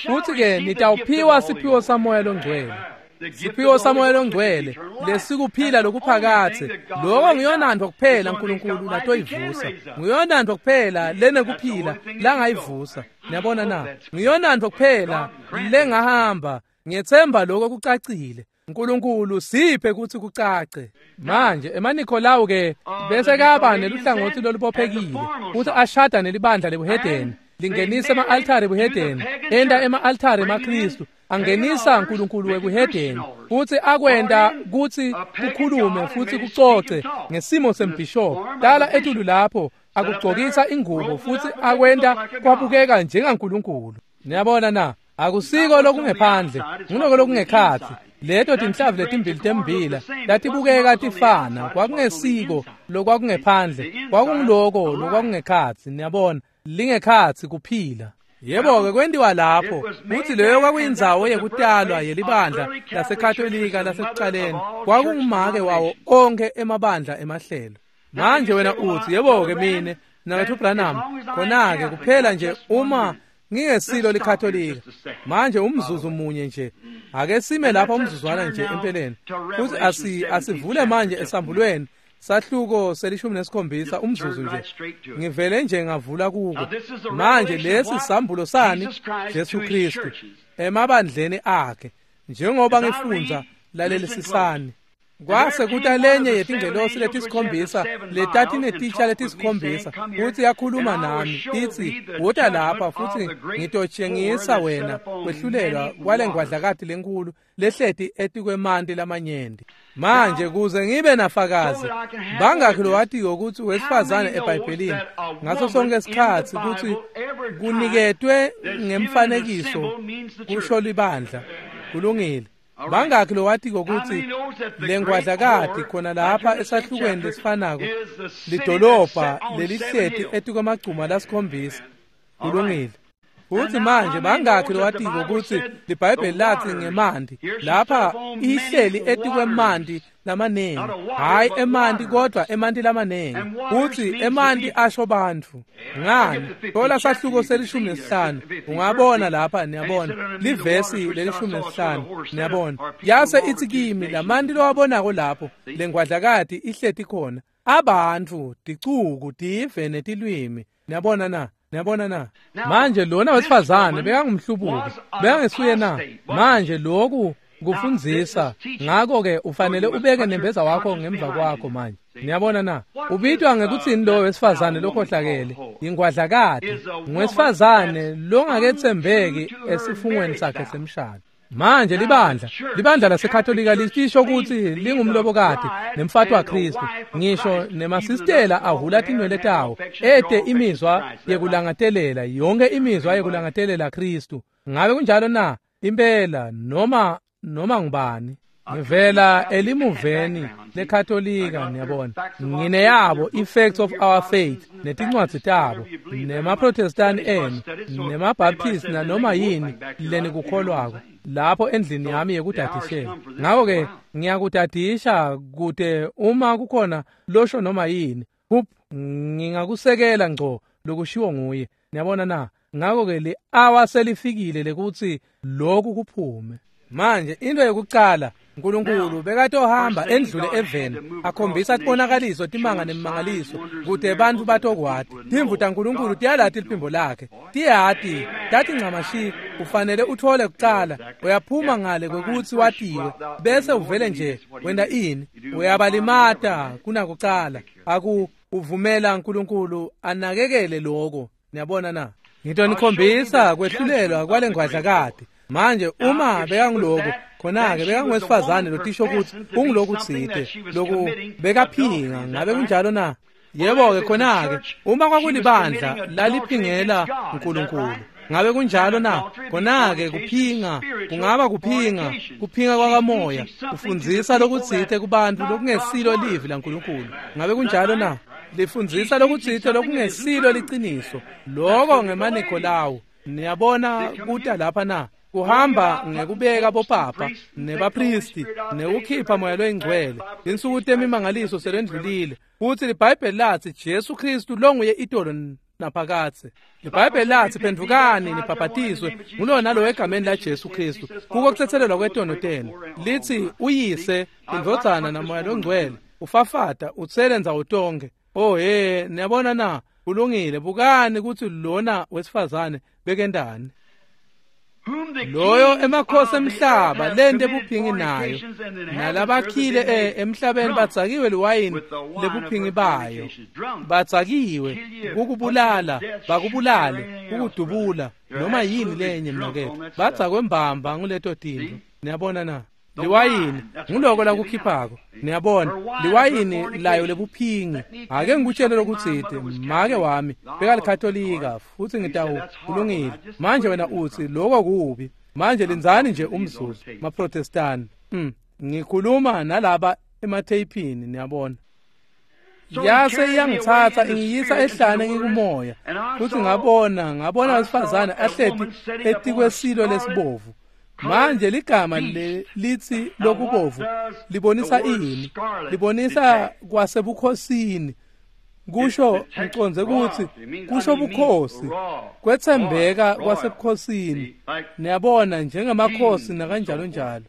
futhi-ke nitawuphiwa siphiwo samoya longcwele. Siphiwo samoya longcwele lesikuphila lokuphakatse, lokho nguyonantfo kuphela uNkulunkulu latoyivusa, nguyonantfo kuphela lenekuphila langayivusa. Niyabona na? Nguyonantfo kuphela lengahamba. Ngiyethemba lokho kucacile. uNkulunkulu siphe ukuthi kucace. Manje emaNikolawu ke bese kaba neluhlangothi lolubophekile futhi ashada nelibandla lebuhedeni, lingenisa ema-altare ebuhedeni, enta ema-altare emaKristu, angenisa uNkulunkulu wekuhedeni, futhi akwenta kutsi kukhulume futhi kucoce ngesimo sembhishobhi. Tala etulu lapho akugcokisa ingubo futhi akwenta kwabukeka njengaNkulunkulu. Niyabona na? Akusiko lokungephandle, nguloko lokungekhatsi. Leto tinhlavu letimbili tembila latibukeka tifana, kwakungesiko lokwakungephandle, kwakunguloko lokwakungekhatsi, niyabona, lingekhatsi kuphila. Yebo-ke kwentiwa lapho kutsi leyo kwakuyindzawo yekutalwa yelibandla laseKatolika lasekucaleni, kwakungumake wawo onkhe emabandla emahlelo. Manje wena utsi, yebo-ke mine Mnaketfu Branham, khona-ke kuphela nje uma ngingesilo liKatolika. Manje umzuzu munye nje, ake sime lapha umzuzwana nje empeleni, futhi asi asivule manje esambulweni sahluko selishumi nesikhombisa umzuzu nje. Ngivele nje ngavula kuko. Manje lesi sambulo sani? Jesu Kristu emabandleni akhe. Njengoba ngifundza, lalelisisani. Kwase kuta lenye yetingelosi letisikhombisa letatinetitsha letisikhombisa, futsi yakhuluma nami itsi, wota lapha futsi ngitotshengisa wena kwehlulelwa kwalengwadlakati lenkulu lehleti etikwemanti lamanyenti. Manje kuze ngibe nafakazi, bangakhi lowatiyo kutsi wesifazane eBhayibhelini ngaso sonke isikhatsi kutsi kuniketwe ngemfanekiso kusho libandla. Kulungile. Bangakhi lowatiko kutsi lengwadlakati khona lapha esahlukweni lesifanako lidolobha lelihleti etikwemagcuma lasikhombisa. Kulungile. Futsi manje bangakhi lowatiko kutsi liBhayibheli latsi ngemanti lapha ihleli etikwemanti lamanengi, hhayi emanti kodwa emanti lamanengi, kutsi emanti asho bantfu. Ngani? Thola sahluko selishumi nesihlanu, ungabona lapha, niyabona, livesi lelishumi nesihlanu, niyabona. Yase itsi kimi, lamanti lowabonako lapho lengwadlakati ihleti khona, abantu, ticuku, tive netilwimi. Niyabona na? Niyabona na? Manje lona wesifazane bekangumhlubuki, bekangesuye na? Manje loku kufundzisa, ngako-ke ufanele ubeke nembeza wakho ngemva kwakho manje. Niyabona na? Ubitwa ngekutsini lo wesifazane lokhohlakele? Ingwadlakati, ngwesifazane longaketsembeki esifungweni sakhe semshado. Manje libandla, libandla laseKatolika lisho kutsi lingumlobokati nemfati waKristu, ngisho nemasistela ahula tinwele tawo, ete imizwa yekulangatelela, yonke imizwa yekulangatelela Kristu. Ngabe kunjalo na? Impela, noma noma ngubani. Ngivela elimuveni leKatolika, niyabona. Ngineyabo i-Facts of Our Faith netincwadzi tabo, nemaProtestani enu, nemaBaptist nanoma yini lenikukholwako lapho endlini yami yekudadishela. Ngako-ke ngiyakudadisha kute uma kukhona losho noma yini, hup, ngingakusekela ngco lokushiwo nguye. Niyabona na? Ngako-ke li-awa selifikile lekutsi lokhu kuphume. Manje into yokucala, uNkulunkulu bekatohamba endlule eveni akhombisa tibonakaliso, timanga nemimangaliso kute bantfu batokwati. Timvu taNkulunkulu tiyalati liphimbo lakhe, tiyati, tati ncamashi. Ufanele uthole kucala, uyaphuma ngale kwekutsi watiwe, bese uvele nje wenta ini? Uyabalimata kunakucala. Aku uvumela uNkulunkulu anakekele lokho. Niyabona na? Ngitonikhombisa kwehlulelwa kwalengwadlakati. Manje uma bekanguloko, khona-ke bekangwesifazane lotisho kutsi ungulokutsite, loku bekaphinga. Ngabe kunjalo na? Yebo-ke khona-ke uma kwakulibandla laliphingela uNkulunkulu. Ngabe kunjalo na? Khona-ke kuphinga kungaba kuphinga, kuphinga kwakamoya, kufundzisa lokutsite kubantfu lokungesilo livi laNkulunkulu. Ngabe kunjalo na? Lifundzisa lokutsite lokungesilo liciniso. Loko ngemaNikolawu. Niyabona kuta lapha na? Kuhamba ngekubeka bopapa nebapristi nekukhipha moya loyingcwele. Tinsuku temimangaliso selendlulile. Futsi liBhayibheli latsi Jesu Kristu longuye itolo naphakadze. LiBhayibheli latsi phendvukani nibhabhatiswe ngulo nalo egameni la Jesu Kristu kuko kutsetselelwa kwetono tenu. Litsi uyise, indvodzana namoya longcwele ufafata utsele ndzawo tonkhe. Oh he, niyabona na? Kulungile. Bukani kutsi lona wesifazane bekendani. Loyo emakhosi emhlaba lente buphingi nayo, nalabakhile emhlabeni badzakiwe liwayini lebuphingi bayo. Badzakiwe kukubulala, bakubulale, kukudubula, noma yini lenye mnaketfu. Badzakwe mbamba nguleto tintfo. Niyabona na? Liwayini nguloko lakukhiphako. Niyabona, liwayini layo lebuphingi. Ake ngikutshele lokutsite, make wami bekalikatolika futsi ngitawu kulungile. Manje wena utsi loko kubi. Manje lindzani nje umzuzu, maProtestani. Mm. Ngikhuluma nalaba ematheyphini niyabona. Yase iyangithatha ingiyisa ehlane ngikumoya futhi ngabona ngabona wesifazane ahleti etikwesilo lesibovu. Manje ligama lithi lokubovu libonisa ini? Libonisa kwasebukhosini. Kusho ngiconze ukuthi kusho bukhosi, kwethembeka kwasebukhosini. Niyabona njengamakhosi nakanjalo njalo.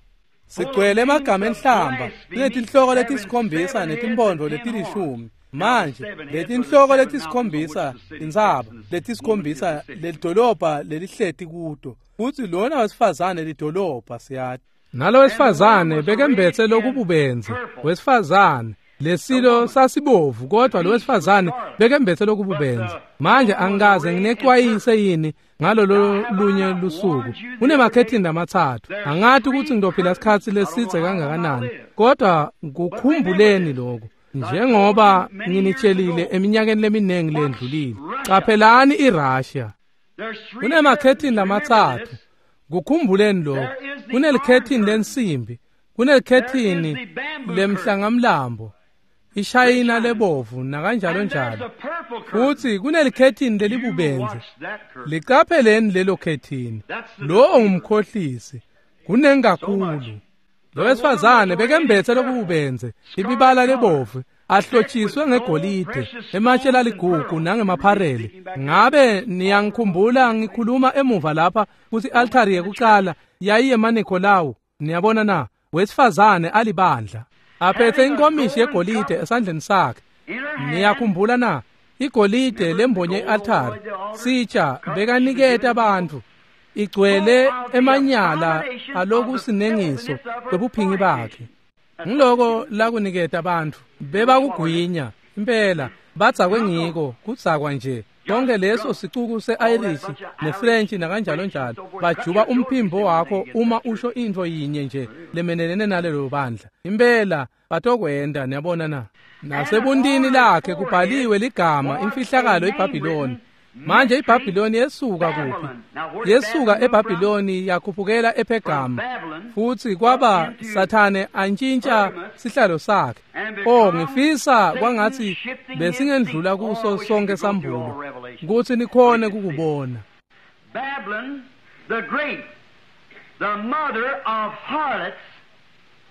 Sigcwele emagama enhlamba kunetinhloko letisikhombisa netimpondo letilishumi. Manje letinhloko letisikhombisa intsaba letisikhombisa lelidolobha lelihleti kuto, futhi lona wesifazane lidolobha siyati. Nalo wesifazane bekembethe lokububenze wesifazane lesilo sasibovu, kodwa lo wesifazane bekembethe lokububenze. Manje angikaze nginexwayise yini ngalolo lunye lusuku? Kunemakhethini amathathu. Angathi ukuthi ngizophila isikhathi lesidze kangakanani, kodwa kukhumbuleni lokho njengoba nginitshelile eminyakeni leminingi lendlulile. Qaphelani iRussia. Kunemakhethini lamathathu. Kukhumbuleni lokho. Kunelikhethini lensimbi, kunelikhethini lemhlangamlambo, ishayina lebovu nakanjalo njalo. Futhi kunelikhethini lelibubenze. Liqapheleni lelo khethini. Lo ngumkhohlisi. Kunengi kakhulu. Lo wesifazane bekembethe lokububenze, ibibala lebovu, ahlotshiswe ngegolide, ematshe laligugu nangemapharele. Ngabe niyangikhumbula ngikhuluma emuva lapha kuthi altari yekuqala yayiyemaNikolawu? Niyabona na? Wesifazane alibandla aphethe inkomishi yegolide esandleni sakhe. Niyakhumbula na? Igolide lembonye i-altari sitsha bekaniketa abantu igcwele emanyala alokusinengiso kwebuphingi bakhe. Ngiloko lakuniketa abantu bebakugwinya impela badzakwe ngiko kudzakwa nje. Konke leso sicuku se-Irish ne-French nakanjalo njalo bajuba umphimbo wakho uma usho into yinye nje lemenelene nalelo bandla. Impela batokwenda, niyabona na? Nasebuntini lakhe kubhaliwe ligama imfihlakalo iBhabhiloni. Manje iBhabhiloni yesuka kuphi? Yesuka eBhabhiloni yakhuphukela ePhergamu, futhi kwaba Sathane antshintsha sihlalo sakhe. Oh, ngifisa kwangathi besingendlula kuso sonke sambulo ukuthi nikhone kukubona. Babylon the Great, the mother of harlots,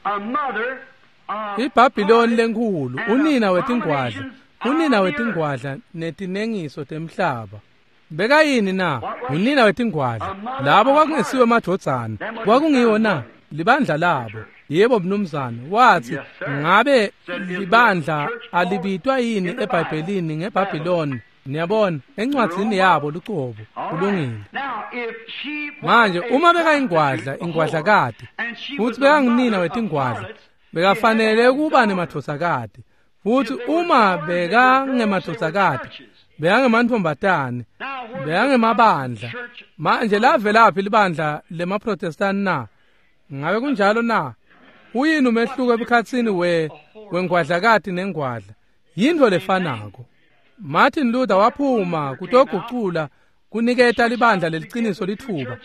a mother of iBhabhiloni lenkulu, unina wetingwadla, unina wetingwadla netinengiso temhlaba. Bekayini na? Unina wetingwadla. Labo kwakungesiwe emadvodzana, kwakungiwo na? Libandla labo. Yebo mnumzane. Wathi ngabe libandla alibitwa yini eBhayibhelini ngeBhabhiloni? Niyabona encwadzini yabo lucobo. Kulungile. Manje uma bekayingwadla, ingwadlakati, futhi bekangunina wetingwadla, bekafanele kuba nemadvodzakati. Futhi uma bekangemadvodzakati, bekangemantfombatane, bekangemabandla. Manje lavelaphi libandla lemaProtestant na? Ngabe kunjalo na? Uyini umehluko ebukhatsini we wengwadlakati nengwadla? Yintfo lefanako. Martin Luther waphuma kutogucula kuniketa libandla leliciniso litfuba.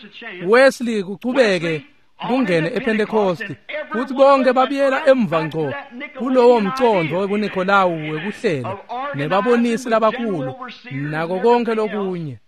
Wesley kuchubeke kungene ePentecost, futhi bonke babuyela emva ngco kulowo mcondvo webuNikolawu wekuhlela nebabonisi labakhulu nako konke lokunye.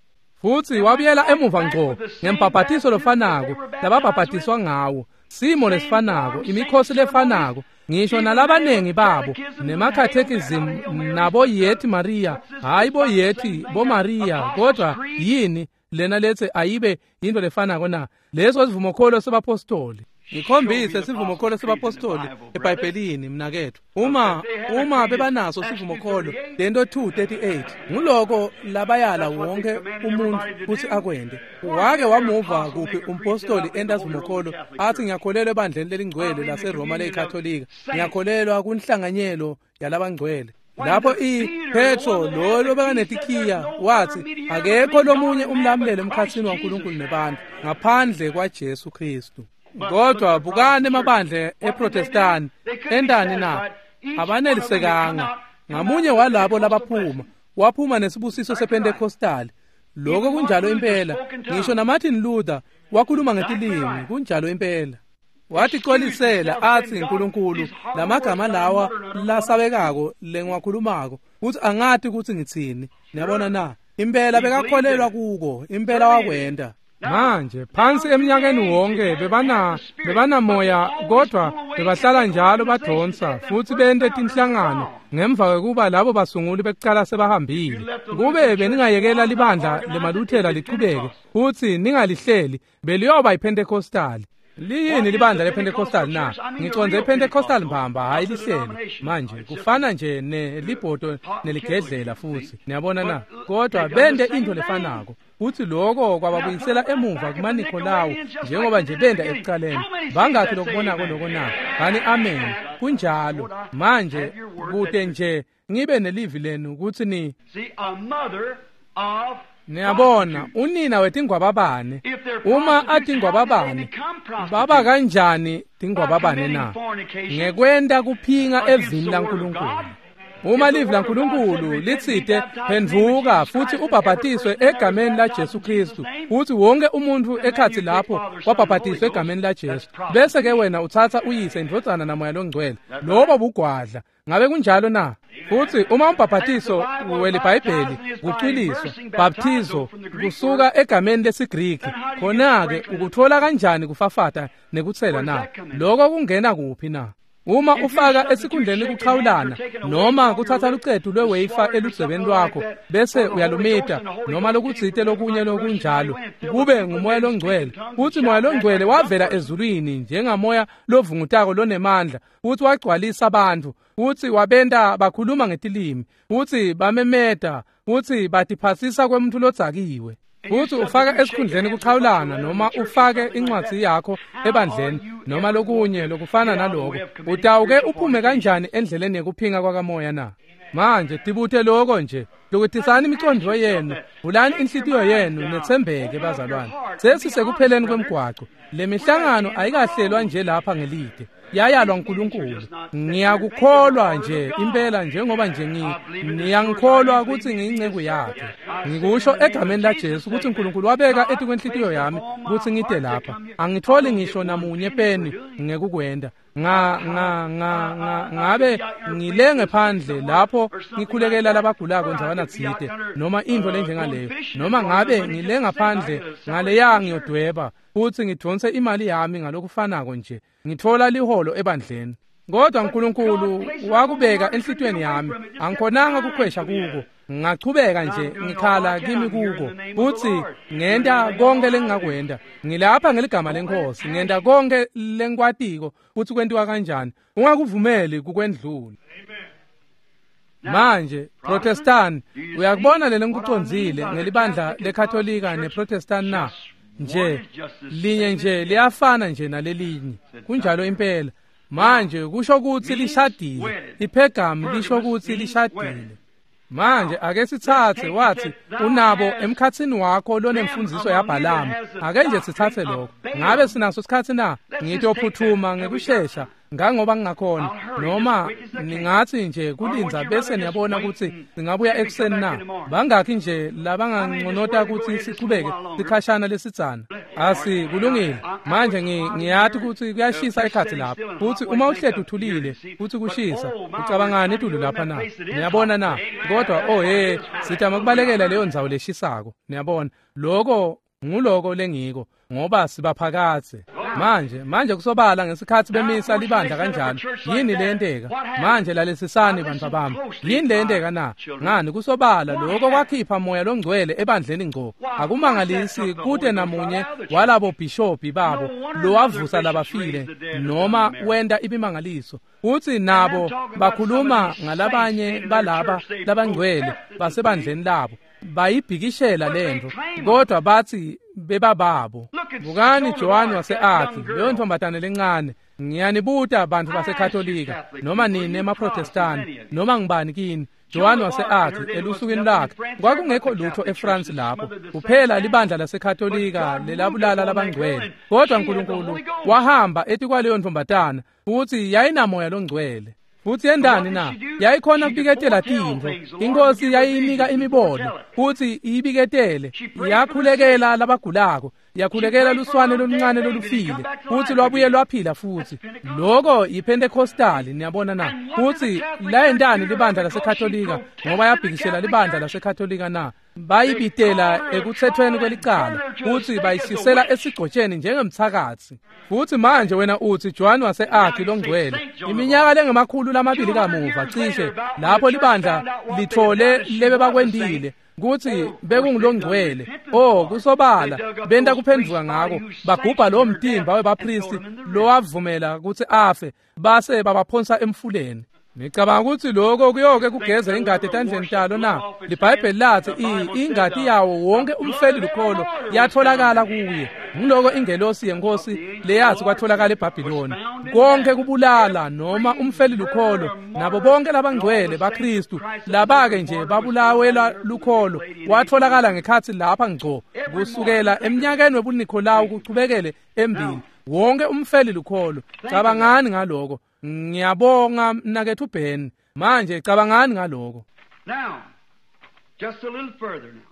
Futhi wabuyela emuva ngco ngembhabhatiso lofanako lababhabhatiswa ngawo, simo lesifanako, imikhosi lefanako, ngisho nalabanengi babo nemakhathekism nabo yethi Maria, hayi bo yethi bo Maria, kodwa yini lena lethe ayibe into lefanako na? Leso sivumokholo sebapostoli. Ngikhombise sivumokholo sebapostoli eBhayibhelini mnakethu. Uma uma bebanaso sivumokholo lento two thirty-eight nguloko labayala wonke umuntu kuthi akwende. Wake wamuva kuphi umpostoli enda sivumokholo athi ngiyakholelwa ebandleni lelingcwele laseRoma leyiKatolika, ngiyakholelwa kunhlanganyelo yalabangcwele? Lapho iPetro lo lobekanetikiya wathi akekho lomunye umlamuleli emkhatsini waNkulunkulu nebantu ngaphandle kwaJesu Kristu. Kodwa bukani emabandla eProtestant endani na? Abanelisekanga. Ngamunye walabo labaphuma waphuma nesibusiso sePentecostal. Lokho kunjalo impela. Ngisho naMartin Luther wakhuluma ngetilimi, kunjalo impela. Waticolisela atsi Nkulunkulu lamagama lawa lasabekako lengiwakhulumako kutsi angati kutsi ngitsini. Niyabona na? Impela bekakholelwa kuko, impela wakwenta. Manje phansi eminyakeni wonke bebana bebanamoya kodwa bebahlala njalo badonsa futsi bente tinhlangano ngemva kwekuba labo basunguli bekucala sebahambile. Kube beningayekela libandla lemaluthela lichubeke futsi ningalihleli beliyoba yiPentecostal. Liyini libandla lePentecostal na? Ngicondze iPentecostal mbamba hayi lihlelo. Manje kufana nje nelibhodo neligedlela futsi. Niyabona na? Kodwa bente into lefanako. Futsi lokho kwababuyisela emuva kumaNikolawu njengoba nje benda ekucaleni. Bangakhi lokubonako lokho na? Bani amen. Kunjalo. Manje kute nje ngibe nelivi lenu kutsi ni niyabona unina wetingwababane uma atingwababane baba kanjani tingwababane na? Ngekwenta kuphinga evini laNkulunkulu. Uma livi laNkulunkulu litsite phendvuka futsi ubhabhatiswe egameni la Jesu Kristu futsi wonke umuntu ekhatsi lapho wabhabhatiswe egameni la Jesu bese ke wena utsatsa uyise indvodzana namoya longcwele lobo bugwadla. Ngabe kunjalo na? Futsi uma umbhabhatiso weliBhayibheli kucwiliswa baptizo kusuka egameni lesiGriki khona-ke ukuthola kanjani kufafata nekutsela na? Lokho kungena kuphi na? Uma ufaka esikhundleni kuchawulana noma kutsatsa lucetu lwewafer eludzebeni lwakho bese uyalumita noma lokutsite lokunye lokunjalo kube ngumoya longcwele futsi moya longcwele wavela ezulwini njengamoya lovungutako lonemandla futsi wagcwalisa abantu futsi wabenta bakhuluma ngetilimi futsi bamemeta futsi batiphasisa kwemuntu lodzakiwe. Futsi ufaka esikhundleni kuchawulana noma ufake incwadzi yakho ebandleni noma lokunye lokufana naloko utawuke uphume kanjani endleleni yekuphinga kwakamoya na? Manje tibute lokho nje. Lokutisani imicondvo yenu, vulani inhlitiyo yenu netsembeke bazalwane. Sesisekupheleni kwemgwaco. Le mihlangano ayikahlelwa nje lapha ngelide. Yayalwa uNkulunkulu. Ngiyakukholwa nje impela njengoba nje ngiyangikholwa ukuthi ngiyinceku yakhe. Ngikusho egameni la Jesu ukuthi uNkulunkulu wabeka etikwenhlitiyo yami ukuthi ngide lapha. Angitholi ngisho namunye peni ngekukwenda. Nga nga nga nga ngabe ngilenge phandle lapho ngikhulekela labagulako ndzawana tsite noma into lenjengaleyo noma ngabe ngilenga phandle ngaleya ngiyodweba futsi ngidonse imali yami ngalokufanako nje ngithola liholo ebandleni. Kodwa uNkulunkulu wakubeka enhlitiyweni yami angikhonanga kukhwesha kuko ngachubeka nje ngikhala kimi kuko futsi ngenta konke lengingakwenta. Ngilapha ngeligama lenkosi ngenta konke lengikwatiko futsi kwentiwa kanjani. Ungakuvumeli kukwendlula. Manje Protestant uyakubona lele ngikucondzile ngelibandla leKatolika neProtestant na? Nje linye nje liyafana nje nalelinye. Kunjalo impela. Manje kusho kutsi lishadile. IPhergamu lisho kutsi lishadile. Manje ake sitsatse wathi unabo emkhatsini wakho lonemfundziso yaBhalamu. Ake nje sitsatse lokho. Ngabe sinaso isikhatsi na? Ngitophuthuma ngekushesha ngangoba ngingakhona noma ningathi nje kulindza bese niyabona ukuthi singabuya ekuseni na? Bangakhi nje labanganconota ukuthi sichubeke sikhashana lesitsana? Asi kulungile. Manje ngiyati ukuthi kuyashisa ekhatsi lapha futhi uma uhleti uthulile futhi kushisa ucabangani etulu lapha na? Niyabona na? Kodwa oh hey sitama kubalekela leyo ndzawo leshisako. Niyabona lokho nguloko lengiko ngoba sibaphakathe. Manje manje kusobala ngesikhathi bemisa libandla kanjalo yini leyenteka? Manje lalesisani bantu bami yini leyenteka na? Ngani kusobala lokho kwakhipha moya longcwele ebandleni ngco. Akumangalisi kute namunye walabo bishophi babo lowavusa labafile noma wenda ibimangaliso. Uthi nabo bakhuluma ngalabanye balaba labangcwele basebandleni labo bayibhikishela lento kodwa bathi bebababo. Bukani John wase-Arki leyo ntombazane lencane. Ngiyanibuta bantu baseKatolika noma nini emaProtestani noma ngibani kini. John wase-Arki elusukwini lakhe kwakungekho lutho eFrance lapho kuphela libandla laseKatolika lelabulala labangcwele. Kodwa uNkulunkulu wahamba etikwaleyo ntombazana futhi yayinamoya longcwele. Futhi yendani na? Yayikhona kubiketela tintfo. Inkosi yayinika imibono futhi iyibiketele. Yakhulekela labagulako. Yakhulekela luswane loluncane lolufile futsi lwabuye lwaphila futsi. Loko yiPentecostal, niyabona na? Futsi layentani libandla laseKatolika ngoba yabhikishela libandla laseKatolika na? Bayibitela ekuthethweni kwelicala futsi bayishisela esigcotsheni njengemthakathi. Futsi manje wena utsi John wase-Arki longcwele iminyaka lengemakhulu lamabili kamuva cishe lapho libandla lithole lebe bakwendile kutsi bekungulongcwele. Oh, kusobala benta kuphendvuka ngako, bagubha lo mtimba webapristi lowavumela kutsi afe base babaphonsa emfuleni. Ngicabanga ukuthi lokho kuyoke kugeze ingati etandleni talo na? LiBhayibheli lathi ingati yawo wonke umfeli lukholo yatholakala kuye. Ngiloko ingelosi yenkosi leyathi kwatholakala eBhabhiloni. Konke kubulala noma umfeli lukholo nabo bonke labangcwele baKristu labake nje babulawela lukholo kwatholakala ngekhathi lapha ngco kusukela eminyakeni webuNikolawu kuchubekele embili. Wonke umfeli lukholo. Cabangani ngaloko. Ngiyabonga mnakethu Ben. Manje cabangani ngaloko. Now, just a little further now.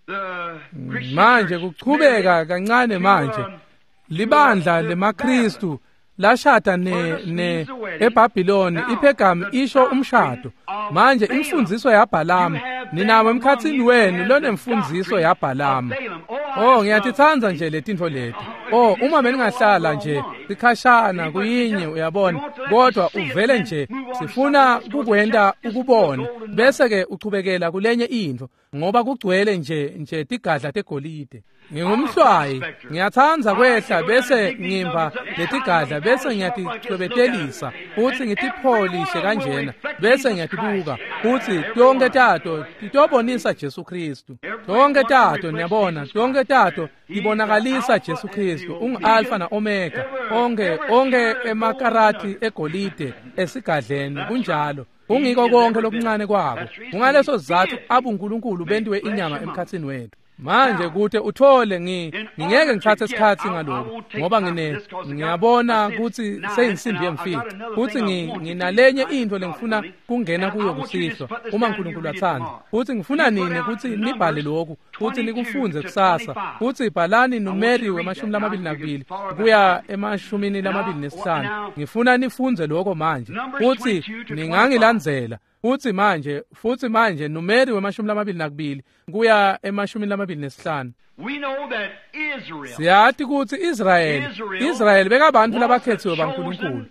The Christian Manje kuchubeka kancane manje. Libandla lemaKristu lashada ne ne eBhabhiloni. iPhergami isho umshado. Manje imfundiso yaBhalamu, ninawo emkhatsini wenu lonemfundiso yaBhalamu. Oh, ngiyatitsandza nje letintfo leti. Oh, uma beningahlala nje sikhashana kuyinye, uyabona, kodwa uvele nje sifuna kukwenta ukubone bese ke uchubekela kulenye intfo ngoba kugcwele nje nje tigadla tegolide. Ngingumhlwayi, ngiyatsandza kwehla bese ngimba letigadla bese ngiyatichwebetelisa futsi ngitipholishe kanjena bese ngiyatibuka futsi tonke tato titobonisa Jesu Kristu. Tonke tato, niyabona, tonke tato tibonakalisa Jesu Kristu. Ungu-Alpha na-Omega. Onke onke emakarati egolide esigadleni kunjalo. Kungiko konke lokuncane kwabo. Kungaleso sizatfu abuNkulunkulu bentiwe inyama emkhatsini wethu. Manje kute uthole ngi ngingeke ngithathe isikhathi ngaloko ngoba ngine ngiyabona kutsi seyinsimbi yemfica futsi nginalenye intfo lengifuna kungena kuyo kusihlwa uma uNkulunkulu atsandza. Futsi ngifuna nine kutsi nibhale lokhu futsi nikufundze kusasa. Futsi bhalani numeri wemashumi lamabili nakubili kuya emashumini lamabili nesihlanu. Ngifuna nifundze lokho manje futsi ningangilandzela. Futsi manje futsi manje numeri wemashumi lamabili nakubili kuya emashumi lamabili nesihlanu. We know that Israel, Siyati kutsi Israel Israel bekabantu labakhethiwe baNkulunkulu.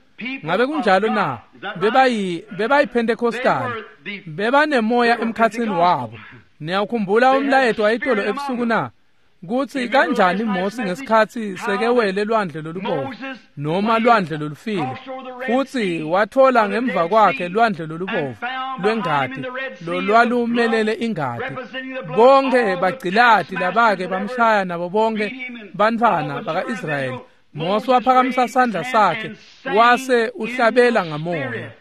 Ngabe kunjalo na? Bebayi bebayiPentecostal. Bebanemoya emkhatsini wabo. Niyakhumbula umlayeto wayitolo ebusuku na? Kutsi kanjani Mose ngesikhatsi sekewele lwandle lolubovu noma lwandle lolufile futsi wathola ngemva kwakhe lwandle lolubovu lwengati lolwalumelele ingati. Bonke bagcilati labake bamshaya nabo bonke bantfwana baka-Israyeli. Mose waphakamisa sandla sakhe wase uhlabela ngamoya.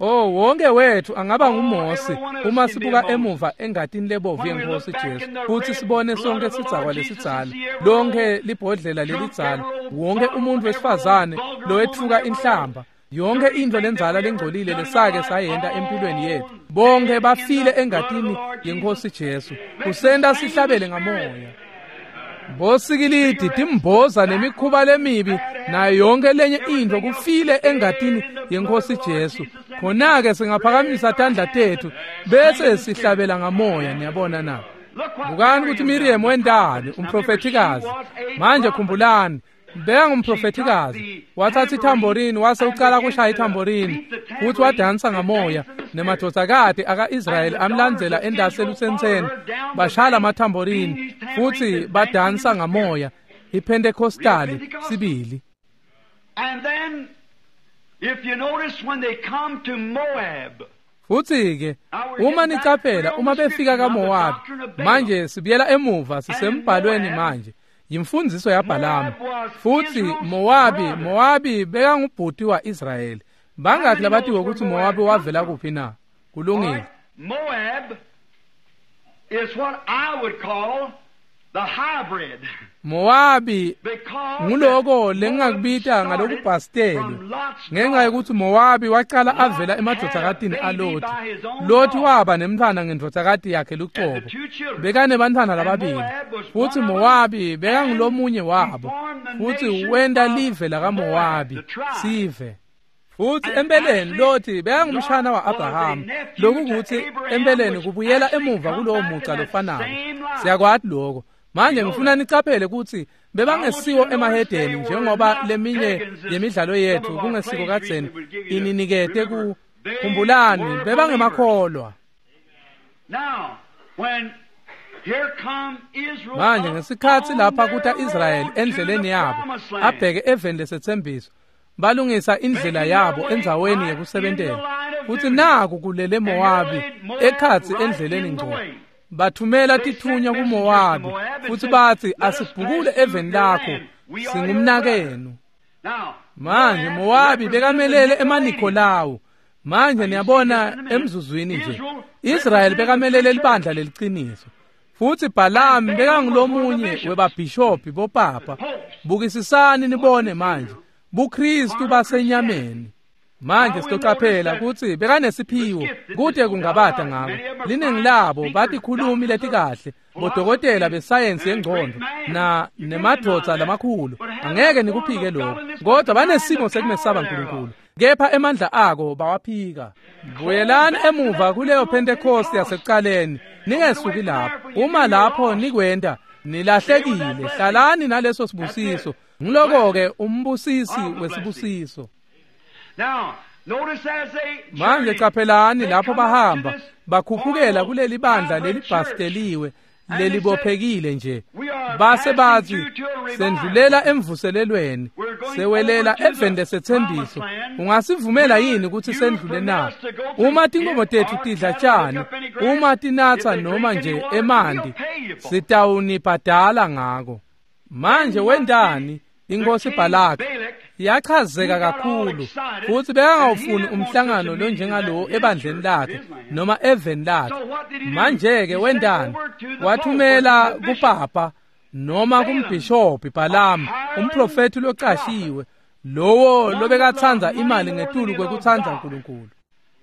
Oh, wonke wethu angaba nguMose uma sibuka emuva engatini lebovu yenkosi Jesu futsi sibone sonke sidzakwa lesidzala, lonke libhodlela lelidzala, wonke umuntu wesifazane lowetfuka inhlamba, yonke intfo lendzala lengcolile lesake sayenta empilweni yethu. Bonke bafile engatini yenkosi Jesu. Kusenta sihlabele ngamoya. Bosikilidi timboza nemikhuba lemibi nayo yonke lenye intfo kufile engatini yenkosi Jesu. Khona-ke singaphakamisa tandla tethu bese sihlabela ngamoya, niyabona na? Bukani ukuthi Miriam wendani, umprofethikazi. Manje khumbulani, bekangumprofethikazi. Wathatha ithamborini wase ucala kushaya ithamborini futhi wadansa ngamoya nemadvodzakati aka-Israyeli amlandzela endasi elusentseni bashala amathamborini futhi badansa ngamoya. iPentecostali sibili. And then if you notice when they come to Moab, Futhi ke uma nicaphela uma befika kaMowabi, manje sibuyela emuva sisembhalweni manje yimfundiso yaBhalamu. Futhi Mowabi Mowabi bekangubhuti wa-Israyeli. Bangaki labatiwe ukuthi Mowabi wavela kuphi na? Kulungile. Moab is what I would call the hybrid. Mowabi nguloko lengingakubita ngalokubhasteli ngenxa yokuthi Mowabi waqala avela emadvodzakatini aLothi. Lothi waba nemntfwana ngendvodzakati yakhe lucobo. Bekanebantfwana lababili futsi Mowabi bekangulomunye wabo futsi wenta live lakaMowabi sive. Futsi empeleni Lothi bekangumshana wa-Abraham, lokukuthi empeleni kubuyela emuva kulowo muca lofanako. Siyakwati lokho. Manje ngifuna nicaphele ukuthi bebangesiwo emahedeni njengoba leminye yemidlalo yethu kungesiko kadzeni ininikete ku khumbulani bebangemakholwa. Manje ngesikhatsi lapha kuta Israyeli endleleni yabo abheke eveni lesetsembiso balungisa indlela yabo endzaweni yekusebentela futsi naku kulele Mowabi ekhatsi endleleni ngco. Bathumela tithunywa kuMowabi futsi batsi asibhukule eveni lakho singumnakenu. Manje Mowabi bekamelele emaNikolawu. Manje niyabona emzuzwini nje Israyeli bekamelele libandla leliciniso futsi Balaam bekangulomunye webabhishobhi bopapa. Bukisisani nibone manje buKristu basenyameni. Manje sitocaphela kutsi bekanesiphiwo kute kungabata ngako. Liningi labo batikhulumi letikahle bodokotela besayensi yengcondvo na nemadvodza lamakhulu angeke nikuphike lokho kodwa banesimo sekumesaba uNkulunkulu kepha emandla ako bawaphika. Buyelani emuva kuleyo Pentecost yasekuqaleni ningesuki lapho. Uma lapho nikwenta nilahlekile. Hlalani naleso sibusiso. Ngiloko-ke umbusisi wesibusiso. Manje caphelani lapho bahamba bakhuphukela kuleli bandla lelibhasteliwe lelibophekile nje base bathi sendlulela emvuselelweni sewelela eveni lesetsembiso. Ungasivumela yini ukuthi sendlule na? Uma tinkomo tethu tidla tjani, uma tinatsa noma nje emanti, sitawunibhadala ngako. Manje wendani inkosi Balaki yachazeka kakhulu futsi bekangawufuni umhlangano lonjengalowo ebandleni lakhe noma eveni lakhe. Manje-ke wendani? Wathumela kupapa noma kumbhishobhi Balaam, umprofethi locashiwe, lowo lobekatsandza imali ngetulu kwekutsandza uNkulunkulu.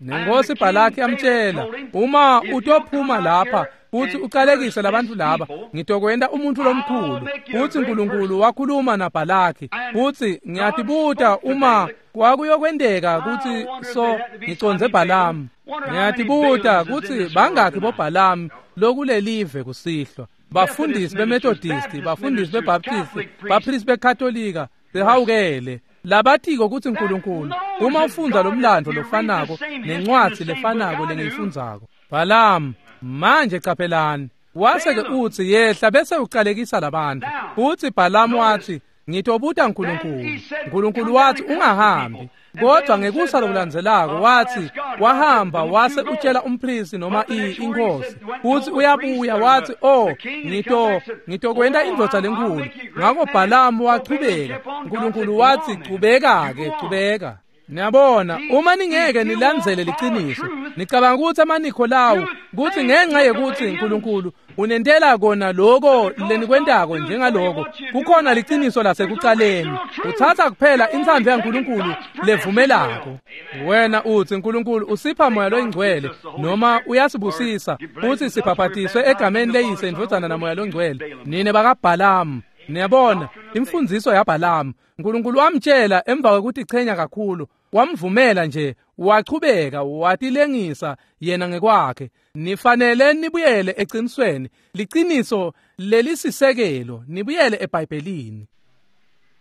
Nenkosi Balaki yamtshela, uma utophuma lapha futhi uqalekise labantu laba ngitokwenta umuntu lomkhulu. Futhi uNkulunkulu wakhuluma naBhalaki futhi ngiyatibuta uma kwakuyokwenteka ukuthi so ngicondze Balaam. Ngiyatibuta ukuthi bangakhi boBalaam lokulelive kusihlwa, bafundisi beMethodist, bafundisi beBaptist, bapristi beKatolika, behawukele labatiko ukuthi uNkulunkulu uma ufundza lo mlando lofanako nencwadi lefanako lengiyifundzako. Balaam manje caphelani wase-ke utsi yehla bese uqalekisa labantu. Utsi Balaam wathi ngitobuta uNkulunkulu. uNkulunkulu wathi ungahambi. Kodwa ngekusa lokulandzelako wathi wahamba wase utshela umpristi noma inkosi uthi uyabuya wathi oh ngito ngitokwenta indvodza lenkulu. Ngakho Balaam wachubeka. uNkulunkulu wathi chubeka-ke chubeka. Niyabona uma ningeke nilandzele liciniso nicabanga ukuthi amaNikolawu kuthi ngenxa yekuthi uNkulunkulu unentela kona lokho lenikwentako njengaloko kukhona liciniso lasekucaleni. Uthatha kuphela intsandvo yaNkulunkulu levumelako. Wena uthi uNkulunkulu usipha moya loyingcwele noma uyasibusisa futhi sibhabhatiswe egameni leyise indvodzana namoya longcwele. Nine bakaBalaam. Niyabona imfundiso yaBalaam uNkulunkulu wamtshela emva kwekuthi chenya kakhulu wamvumela nje wachubeka watilengisa yena ngekwakhe. Nifanele nibuyele eqinisweni, liciniso lelisisekelo, nibuyele eBhayibhelini.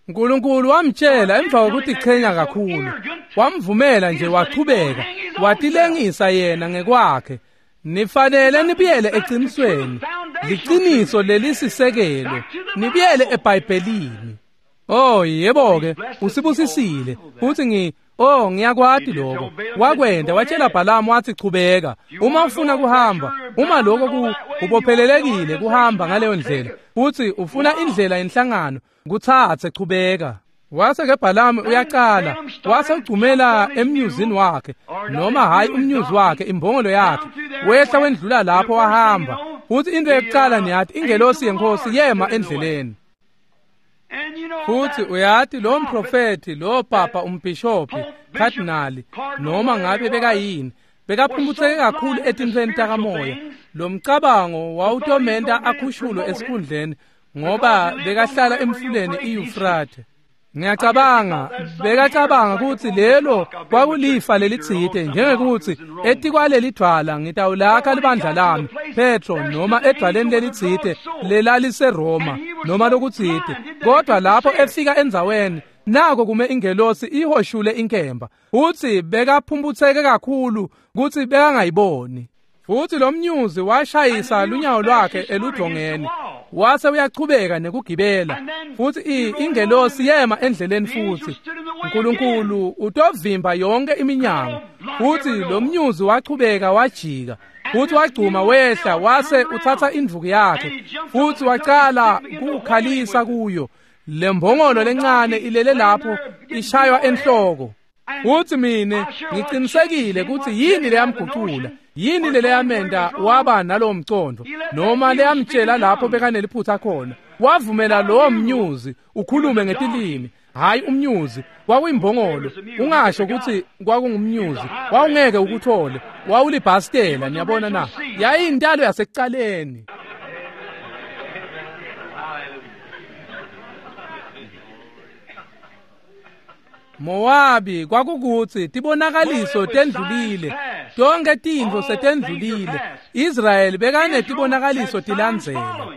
uNkulunkulu wamtshela emva kwekuthi chenya kakhulu wamvumela nje wachubeka watilengisa yena ngekwakhe. Nifanele nibuyele eqinisweni, liciniso lelisisekelo, nibuyele eBhayibhelini. Oh yebo ke usibusisile futhi ngi oh ngiyakwati lokho. Wakwenda watshela Balaam wathi chubeka uma ufuna kuhamba, uma lokho kubophelelekile kuhamba ngaleyo ndlela futhi ufuna indlela yenhlangano kuthathe chubeka. Wase ke Balaam uyaqala wase ugcumela emnyuzini wakhe noma hayi umnyuzi wakhe imbongolo yakhe wehla wendlula lapho wahamba. Futhi into yokuqala niyathi ingelosi yenkosi yema endleleni. Futhi uyati lo mprofethi, lo papa, umbhishophi, cardinal, noma ngabe bekayini, bekaphumputseke kakhulu etintfweni takamoya. Lo mcabango wawutomenta akhushulwe esikhundleni ngoba bekahlala emfuleni iYufrathe. Ngiyacabanga bekacabanga kutsi lelo kwakulifa lelitsite, njengekutsi etikwaleli dvwala ngitawulakha libandla lami, Petro, noma edvwaleni lelitsite lelaliseRoma noma lokutsite. Kodwa lapho efika endzaweni, nako kume ingelosi ihoshule inkemba. Utsi bekaphumputseke kakhulu kutsi bekangayiboni. Futhi lo mnyuzi washayisa lunyawo lwakhe eludvongeni, wase uyachubeka nekugibela. Futhi ingelosi yema endleleni futhi. Nkulunkulu utovimba yonke iminyango. Futhi lo mnyuzi wachubeka wajika, futhi wagcuma wehla wase uthatha indvuku yakhe futhi wacala kukhalisa kuyo. Lembongolo lencane ilele lapho ishaywa enhloko. Futhi mine ngicinisekile kutsi yini leyamgucula, yini leyamenta waba nalowo mcondo, noma leyamtshela lapho bekaneliphutha khona. Wavumela lowo mnyuzi ukhulume ngetilimi. Hayi umnyuzi, kwakuyimbongolo. Ungasho kutsi kwakungumnyuzi, wawungeke ukuthole, wawulibhastela. Niyabona na? Yayintalo yasekucaleni. Mowabi kwakukutsi tibonakaliso tendlulile, tonke tintfo setendlulile. Israyeli bekanetibonakaliso tilandzela.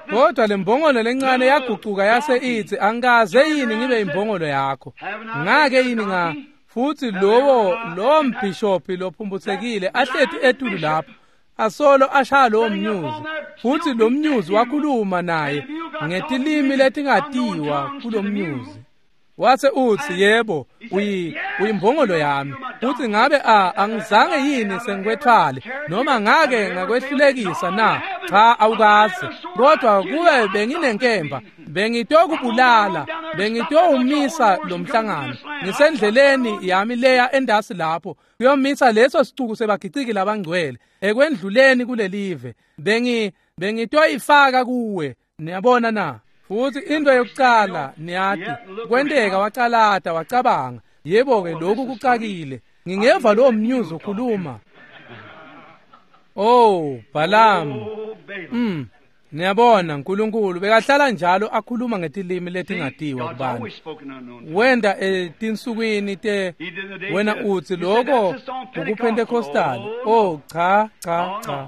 Kodwa lembongolo lencane yagucuka yase itsi, angikaze yini ngibe imbongolo yakho? Ngake yini nga? Futhi lowo lowo mbhishophi lophumphutsekile ahleti etulu lapho asolo ashaya lowo mnyuzi. Futhi lo mnyuzi wakhuluma naye ngetilimi letingatiwa kulo mnyuzi. Wase utsi, yebo, uyi uyimbongolo yami. Futhi ngabe a angizange yini sengikwethwale noma ngake ngakwehlulekisa na? Cha, awukaze. Kodwa kube benginenkemba bengitokubulala, bengitowumisa lo mhlangano. Ngisendleleni yami leya endasi lapho kuyomisa leso sicuku sebagiciki labangcwele ekwendluleni kulelive. Bengi bengitoyifaka kuwe. Niyabona na? Futhi into yokucala niyati kwenteka wacalata wacabanga, yebo ke lokhu kucakile, ngingeva lo mnyuzi ukhuluma. Oh Balaam, mm niyabona uNkulunkulu bekahlala njalo akhuluma ngetilimi letingatiwa kubantu. Wenda etinsukwini te wena uthi lokho ukuPentecostal. Oh cha cha cha.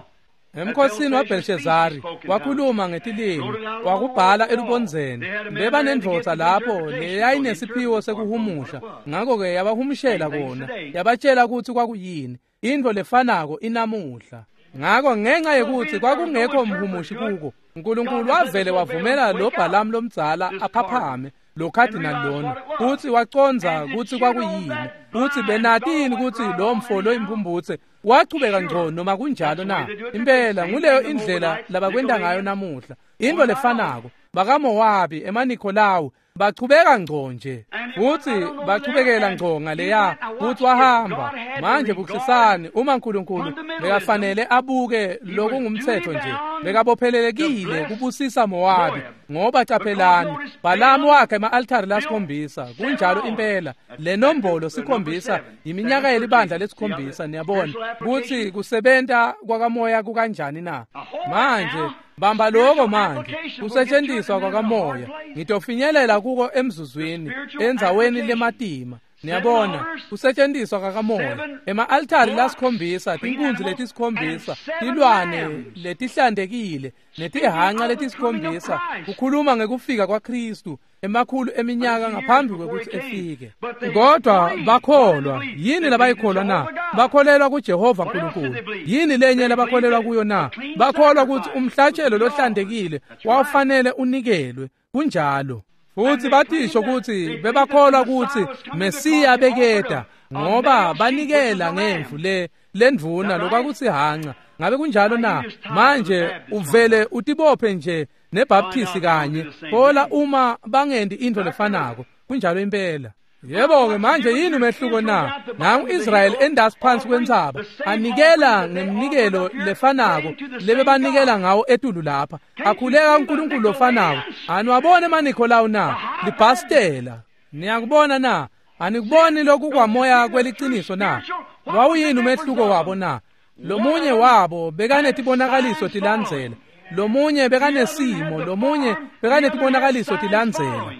Emkhosini waBelshazari wakhuluma ngetilimi, wakubhala elubondzeni. Bebanendvodza lapho leyayinesiphiwo sekuhumusha, ngakho-ke yabahumushela kona, yabatshela kutsi kwakuyini. Intfo lefanako inamuhla. Ngakho ngenxa yekutsi kwakungekho mhumushi kuko, uNkulunkulu wavele wavumela lo Balaam lomdzala aphaphame, lo cardinal lona, kutsi wacondza kutsi kwakuyini. Kutsi benatini kutsi lo mfo loyimphumbutse wachubeka ngco noma kunjalo na? Impela nguleyo indlela labakwenta ngayo namuhla. Intfo lefanako bakaMowabi, emaNikolawu bachubeka ngco nje, futsi bachubekela ngco ngaleya, futsi wahamba. Manje bukisisani, uma uNkulunkulu bekafanele abuke lokungumthetho nje, bekabophelelekile kubusisa Mowabi, ngoba caphelani Balaam wakhe ema-altari lasikhombisa. Kunjalo impela, le nombolo sikhombisa iminyaka yelibandla lesikhombisa. Niyabona kutsi kusebenta kwakamoya kukanjani na? Manje bamba lokho manje, kusetshenziswa kwakamoya. Ngitofinyelela kuko emzuzwini endzaweni lematima. Niyabona kusetshenziswa kwakamoya, ema-altari lasikhombisa, tinkunzi letisikhombisa, tilwane letihlantekile netihanca letisikhombisa, kukhuluma ngekufika kwaKristu emakhulu eminyaka ngaphambi kwekutsi efike. Kodwa bakholwa yini labayikholwa na? Bakholelwa kuJehova uNkulunkulu. Yini lenye labakholelwa kuyo na? Bakholwa kutsi umhlatshelo lohlantekile wawufanele unikelwe. Kunjalo. Futhi batisho kutsi bebakholwa kutsi Mesiya beketa, ngoba banikela ngemvu le lendvuna lokwakuthi hanca. Ngabe kunjalo na? Manje uvele utibophe nje neBaptist kanye, hola uma bangendi intfo lefanako. Kunjalo impela. Yebo-ke manje yini umehluko na? Nangu Israyeli endasi phansi kwentsaba anikela ngeminikelo lefanako lebebanikela ngawo etulu lapha, akhuleka uNkulunkulu lofanako. Aniwabone emaNikholawu na? Libhastela. Niyakubona na? Anikuboni lokhu kwamoya kweliciniso na? Wawuyini umehluko wabo na? Lomunye wabo bekanetibonakaliso tilandzela, lomunye bekanesimo, lomunye bekanetibonakaliso tilandzela.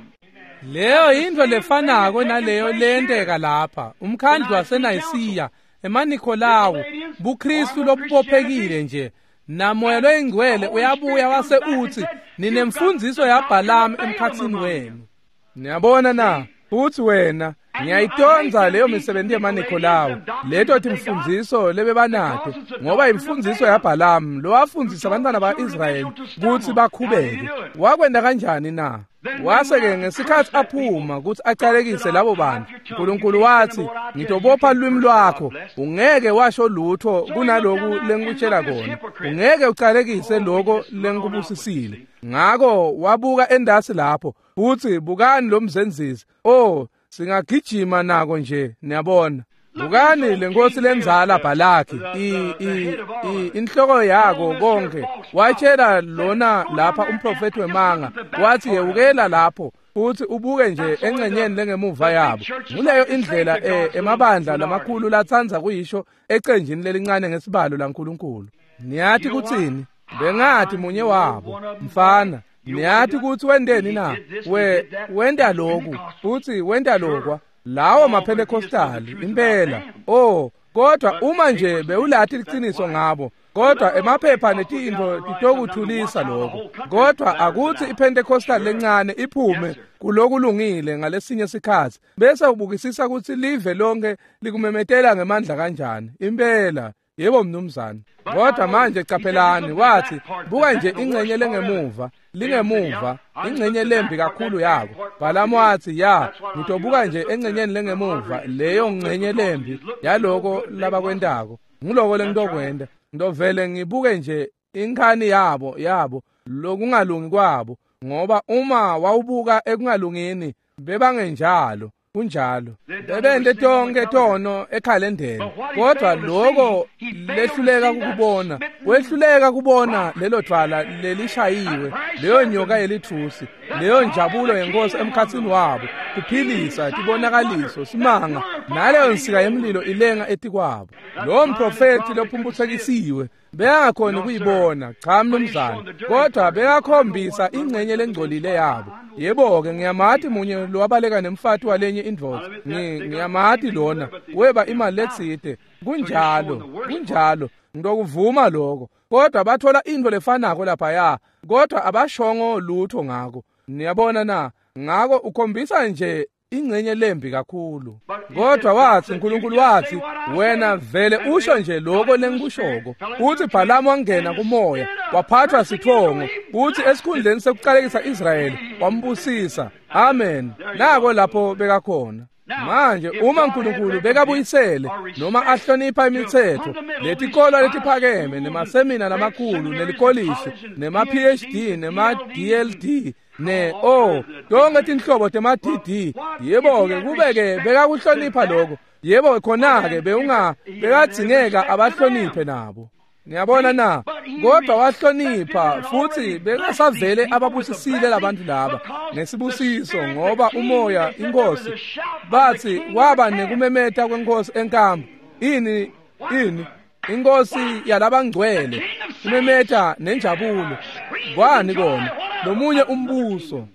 Leyo yintfo lefanako naleyo leyenteka lapha. Umkhandlu waseNayisiya, emaNikholawu, buKristu lobubophekile nje. Namoya loyingcwele uyabuya wase utsi ninemfundziso yaBhalamu emkhatsini wenu. Niyabona na? Futsi wena ngiyayitondza leyo misebenti yemaNikholawu, leto timfundziso lebebanato, ngoba imfundziso yaBhalamu lowafundzisa abantwana ba-Israyeli kutsi bakhubeke. Wakwenta kanjani na? Wase-ke ngesikhatsi aphuma kutsi acalekise labo bantu, Nkulunkulu watsi, ngitobopha lulwimi lwakho, ungeke washo lutho kunaloku lengikutshela kona, ungeke ucalekise loko lengikubusisile. Ngako wabuka endasi lapho, futsi bukani lo mzenzisi. Oh, singagijima nako nje, niyabona. Bukani lenkosi lenzala Bhalaki, i i i inhloko yako konke. Watshela lona lapha umprofeti wemanga, wathi yewukela lapho futhi ubuke nje engcenyeni lengemuva yabo. Nguleyo indlela emabandla lamakhulu latsandza kuyisho ecenjini lelincane ngesibalo laNkulunkulu. Niyathi kutsini? Bengathi munye wabo, mfana. Niyathi kutsi wenteni na? We wenta lokhu futhi wenta lokwa. Lawo maPentecostali impela. Oh, kodwa uma nje bewulathi liciniso ngabo, kodwa emaphepha netintfo titokuthulisa lokho. Kodwa akuthi iPentecostal lencane iphume kulokulungile ngalesinye sikhatsi, bese ubukisisa kutsi live lonke likumemetela ngemandla kanjani. Impela. Yebo mnumzane. Kodwa manje caphelani, wathi buka nje ingcenye lengemuva, lingemuva, ingcenye lembi kakhulu yako. Bhalamu wathi, ya, ngitobuka nje engcenyeni lengemuva, leyo ngcenye lembi yaloko labakwentako. Nguloko lengitokwenta. Ngitovele ngibuke nje inkhani yabo, yabo, lokungalungi kwabo, ngoba uma wawubuka ekungalungini bebangenjalo. Kunjalo. Bebente tonke tono ekhalendeni. Kodwa lokho lehluleka ukubona, wehluleka kubona lelo dvwala lelishayiwe, leyo nyoka yelithusi, leyo njabulo yenkosi emkhatsini wabo, kuphilisa, tibonakaliso, simanga, naleyo nsika yemlilo ilenga etikwabo. Lo mprofeti lophumphutsekisiwe bekangakhoni kuyibona, cha mnumzane, kodwa bekakhombisa ingcenye lengcolile yabo. Yebo-ke ngiyamati munye lowabaleka nemfati walenye indvodza, ngiyamati lona weba imali letsite. Kunjalo, kunjalo, ngitokuvuma lokho. Kodwa bathola intfo lefanako laphaya, kodwa abashongo lutho ngako. Niyabona na? Ngako ukhombisa nje ingcenye lembi kakhulu. Kodwa wathi uNkulunkulu wathi, wena vele usho nje lokho lengikushoko. Uthi Bhalamu wangena kumoya, waphathwa sithongo, uthi esikhundleni sekucalekisa Israyeli wambusisa. Amen. Nako lapho bekakhona. Manje uma uNkulunkulu bekabuyisele noma ahlonipha imithetho, letikolwa letiphakeme nemasemina lamakhulu nelikolishi nema-P H D nema-D L D ne o tonke tinhlobo tema-D D, yebo-ke kube-ke bekakuhlonipha lokho, yebo khona-ke bewunga bekadzingeka abahloniphe nabo. Niyabona na? Kodwa wahlonipha futhi bekasavele ababusisile labantu laba ngesibusiso, ngoba umoya inkosi bathi kwaba nekumemeta kwenkosi enkambu. Ini ini inkosi yalabangcwele kumemeta nenjabulo. Kwani kona lomunye umbuso.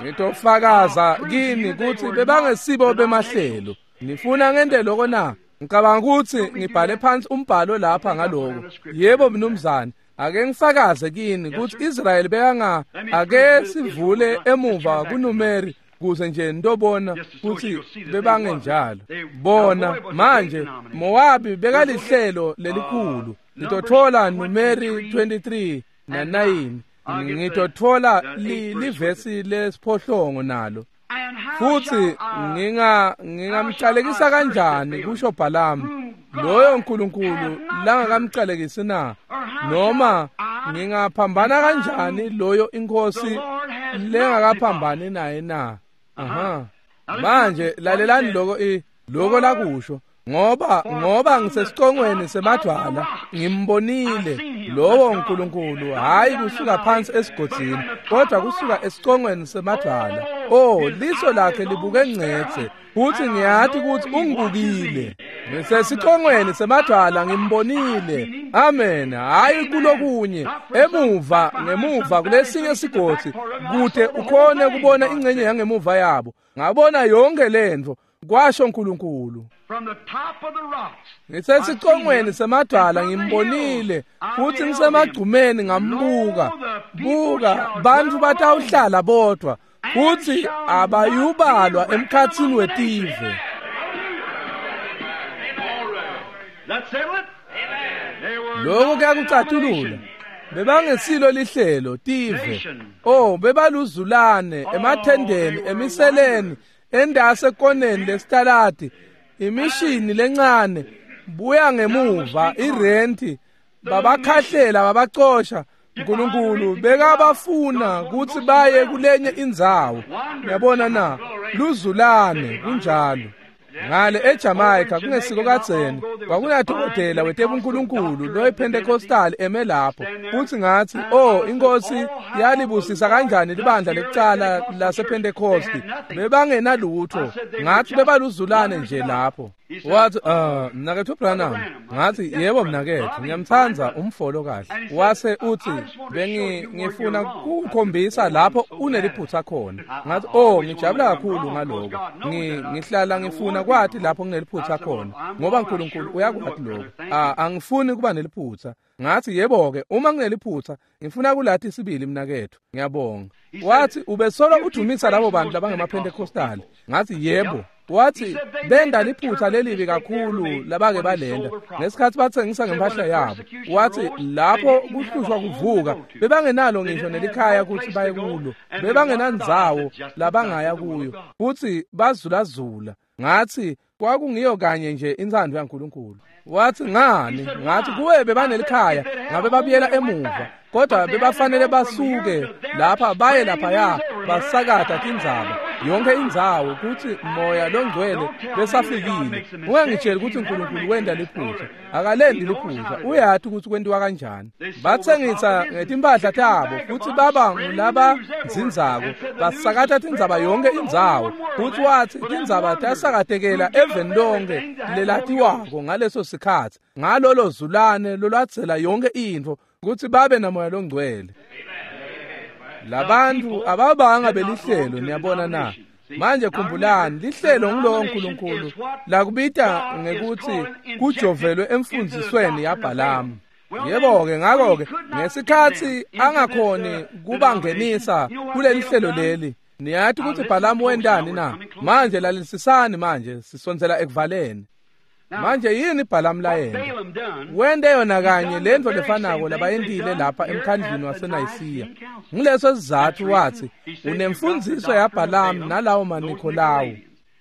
Ngitofakaza kini kutsi bebangesibo bemahlelo. Nifuna ngente lokho na? Ngicabanga ukuthi ngibhale phansi umbhalo lapha ngaloko. Yebo mnumzane, ake ngifakaze kini kutsi Israyeli bekanga ake sivule emuva kuNumeri kuze nje nitobona kutsi bebangenjalo. Bona manje Mowabi bekalihlelo lelikhulu. Ngitothola Numeri twenty-three na nine. Ngitothola livesi lesiphohlongo nalo. Futhi nginga ngingamcalekisa kanjani kusho Bhalamu loyo uNkulunkulu langakamcalekisi na? Noma ngingaphambana kanjani loyo inkosi lengakaphambani naye na? Aha. Manje lalelani loko i loko lakusho ngoba ngoba ngisesicongweni semadwala ngimbonile lowo uNkulunkulu, hayi kusuka phansi esigodzini kodwa kusuka esicongweni semadwala. Oh, liso lakhe libuke ngcetse futhi ngiyathi ukuthi ungibukile. Ngisesicongweni semadwala ngimbonile. Amen. Hayi kulokunye emuva ngemuva kulesinye sigodzi kude ukhone kubona ingcenye yangemuva yabo. Ngabona yonke lento, kwasho uNkulunkulu. Ngisesicongweni semadwala ngimbonile futhi ngisemagcumeni ngambuka. Buka, bantu batawuhlala bodwa futhi abayubalwa emkhathini wetive. Lokho kuyakucatulula. Bebangesilo lihlelo tive. Oh, bebaluzulane emathendeni, emiseleni, endase koneni lesitalati, imishini lencane, buya ngemuva irenti, babakhahlela babacosha. uNkulunkulu bekabafuna ukuthi baye kulenye indzawo. Uyabona na? Luzulane kunjalo. Ngale eJamaica kungesiko kadzeni kwakunadokotela wetebunkulunkulu loyiPentecostal eme lapho, futhi ngathi, oh, inkosi yalibusisa kanjani libandla lekucala lasePentecost, bebangenalutho. Ngathi bebaluzulane nje lapho. Wathi, uh mnakethu Branham. Ngathi, yebo mnakethu, ngiyamthanda umfolo kahle. Wase uthi, bengi ngifuna ukukhombisa lapho uneliphutha khona. Ngathi, oh, ngijabula kakhulu ngaloko. Ngihlala ngifuna kwathi lapho ngineliphutha khona, ngoba uNkulunkulu uyakwati lokho. Ah, angifuni kuba neliphutha. Ngathi, yebo ke, uma ngineliphutha ngifuna kulathi isibili mnakethu. Ngiyabonga. Wathi, ubesolo udumisa labo bantu labangemaPentecostal. Ngathi, yebo. Wathi, benda liphutha lelibi kakhulu labake balenda ngesikhathi bathengisa ngempahla yabo. Wathi, lapho kuhlushwa kuvuka bebangenalo ngisho nelikhaya ukuthi baye kulo, bebangenandzawo labangaya kuyo, futhi bazulazula. Ngathi, kwakungiyo kanye nje intsandvo yaNkulunkulu. Wathi, ngani? Ngathi, kuwe bebanelikhaya ngabe babuyela emuva, kodwa bebafanele basuke lapha baye laphaya basakata tindzaba yonke indzawo kuthi moya longcwele besafikile. Ungangitsheli ukuthi uNkulunkulu wenda liphutha. Akalendi liphutha, uyathi ukuthi kwentiwa kanjani. Bathengisa ngetimpahla tabo futhi baba ngulaba nzinzako, basakata tindzaba yonke indzawo. Futhi wathi tindzaba tasakatekela eveni lonke lelatiwako ngaleso sikhathi, ngalolo zulane lolwatsela yonke intfo ukuthi babe namoya longcwele. Labantu ababanga belihlelo, niyabona na? Manje khumbulani, lihlelo ngilowo uNkulunkulu lakubita ngekuthi kujovelwe emfundzisweni yaBhalamu. Yebo ke, ngakho ke ngesikhathi angakhoni kubangenisa kuleli hlelo leli, niyathi ukuthi Bhalamu wendani na? Manje lalelisisani, manje sisondzela ekuvaleni. Manje yini Bhalamu layena? Wende yona kanye lento lefanako labayendile lapha emkhandlini waseNayisiya. Ngileso sizathu wathi unemfundziso yaBhalamu nalawo maNikolawu.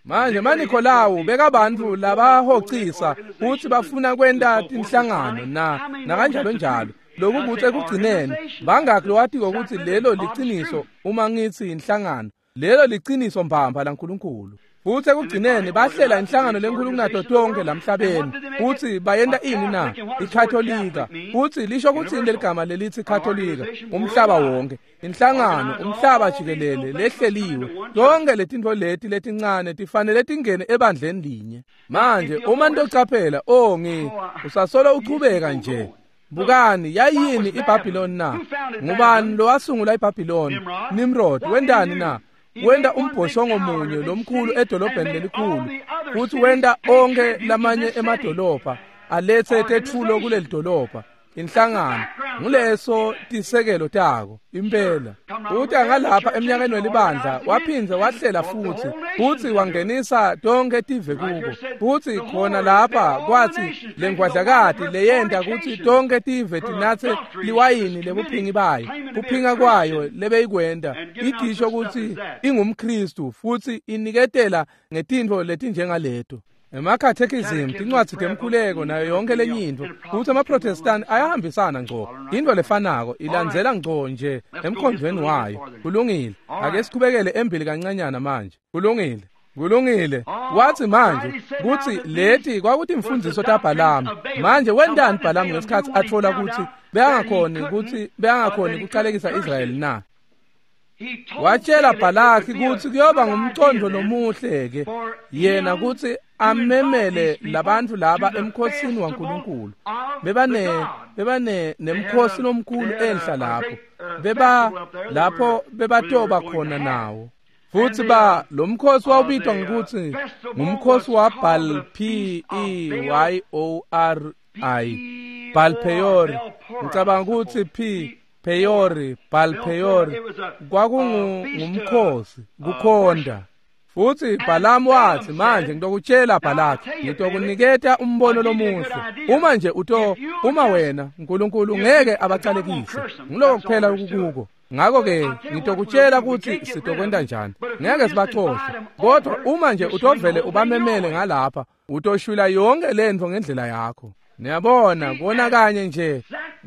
Manje maNikolawu bekabantu labahocisa futhi bafuna kwenta tinhlangano na nakanjalo njalo. Lokhu kuthi ekugcineni bangakhi lowatiko ukuthi lelo liciniso. Uma ngithi inhlangano, lelo liciniso mbamba laNkulunkulu. Futhi ekugcineni bahlela inhlangano lenkulu kunato tonke lamhlabeni. Futhi bayenta ini na? IKatolika. Futhi lisho ukuthi leligama lelithi Katolika, umhlaba wonke, inhlangano umhlaba jikelele lehleliwe. Tonke letintfo leti letincane tifanele tingene ebandleni linye. Manje uma ntocaphela, oh ngi usasolo uchubeka nje. Bukani, yayini iBhabhiloni na? Ngubani lowasungula iBhabhiloni? Nimrod. Wendani na? Wenda umbhoshongo munye lomkhulu edolobheni lelikhulu, futhi wenda onke lamanye emadolobha alethe tetfulo kuleli dolobha. Inhlangano nguleso tisekelo tako impela. Uthi angalapha eminyakeni welibandla waphindze wahlela futhi futhi wangenisa tonke tive kubo. Futhi khona lapha kwathi lengwadlakati leyenta ukuthi tonke tive tinatse liwayini lebuphingi bayo, kuphinga kwayo lebeyikwenta idisho ukuthi ingumKristu futhi iniketela ngetintfo letinjengaleto. Emakhathekizim, tincwadzi temkhuleko nayo yonke lenye intfo. Futhi amaProtestant ayahambisana ngco, into lefanako ilandzela ngco nje emkhondvweni wayo. Kulungile, ake sichubekele embili kancanyana manje. Kulungile. Kulungile. Wathi manje kutsi leti kwakutimfundiso taBhalamu. Manje wentani Bhalamu ngesikhatsi atfola kutsi bekangakhoni kutsi bekangakhoni kucalekisa Israyeli na? Watshela Bhalaki kutsi kuyoba ngumcondvo lomuhle ke yena kutsi amemele labantfu laba emkhosini waNkulunkulu. Bebane bebane nemkhosi lomkhulu enhla lapho. Beba lapho bebatoba khona nawo. Futsi ba lo mkhosi wawubitwa ngekutsi ngumkhosi wa Baal P E Y O R I Baal Peor. Ngicabanga kutsi P Peori Baal Peori kwakungumkhosi kukhonda. Futsi Bhalamu wathi manje ngitokutshela Bhalaki, ngitokuniketa umbono lomuhle. Uma nje uto uma wena uNkulunkulu ngeke abacalekise. Ngiloko kuphela ukukuko. Ngakho ke ngitokutshela kutsi sitokwenta njani. Ngeke sibacoshe. Kodwa uma nje utovele ubamemele ngalapha, utoshwila yonke lentfo ngendlela yakho. Niyabona kona kanye nje,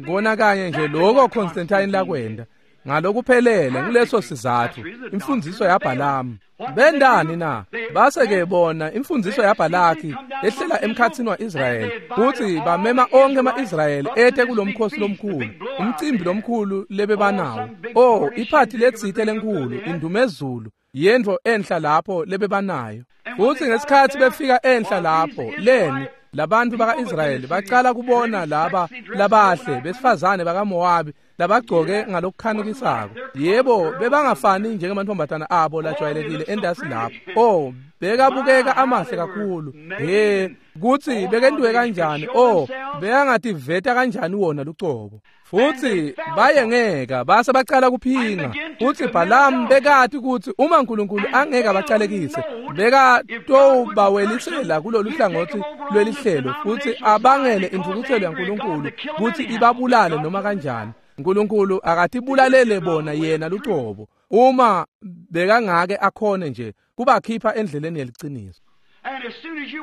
kona kanye nje lokho Constantine lakwenda. Ngalokuphelele nguleso sizatfu imfundiso yaBhalamu. Bendani na? Base ke bona imfundiso yaBhalaki ehlela emkhatsini waIsrayeli kutsi bamema onke ama-Israyeli ete kulomkhosi lomkhulu, umcimbi lomkhulu lebebanawo. Oh, iphathi letsite lenkhulu, indumezulu, yentfo enhla lapho lebebanayo. Futsi ngesikhatsi befika enhla lapho, leni labantu baka-Israyeli bacala kubona laba labahle besifazane bakaMowabi labagcoke ngalokukhanukisako. Yebo, bebangafani njengemantombazana abo lajwayelekile endasi lapho. Oh, bekabukeka amahle kakhulu. He, kutsi bekentiwe kanjani? Oh, bekangativeta kanjani wona lucobo. Futsi bayengeka base bacala kuphinga. Futsi Bhalamu bekati kutsi uma uNkulunkulu angeke abacalekise, bekatobawelisela kulolu hlangothi lwelihlelo futsi abangele intfukutselo yaNkulunkulu kutsi ibabulale noma kanjani. uNkulunkulu akatibulalele bona yena lucobo uma bekangake akhone nje kubakhipha endleleni yeliciniso.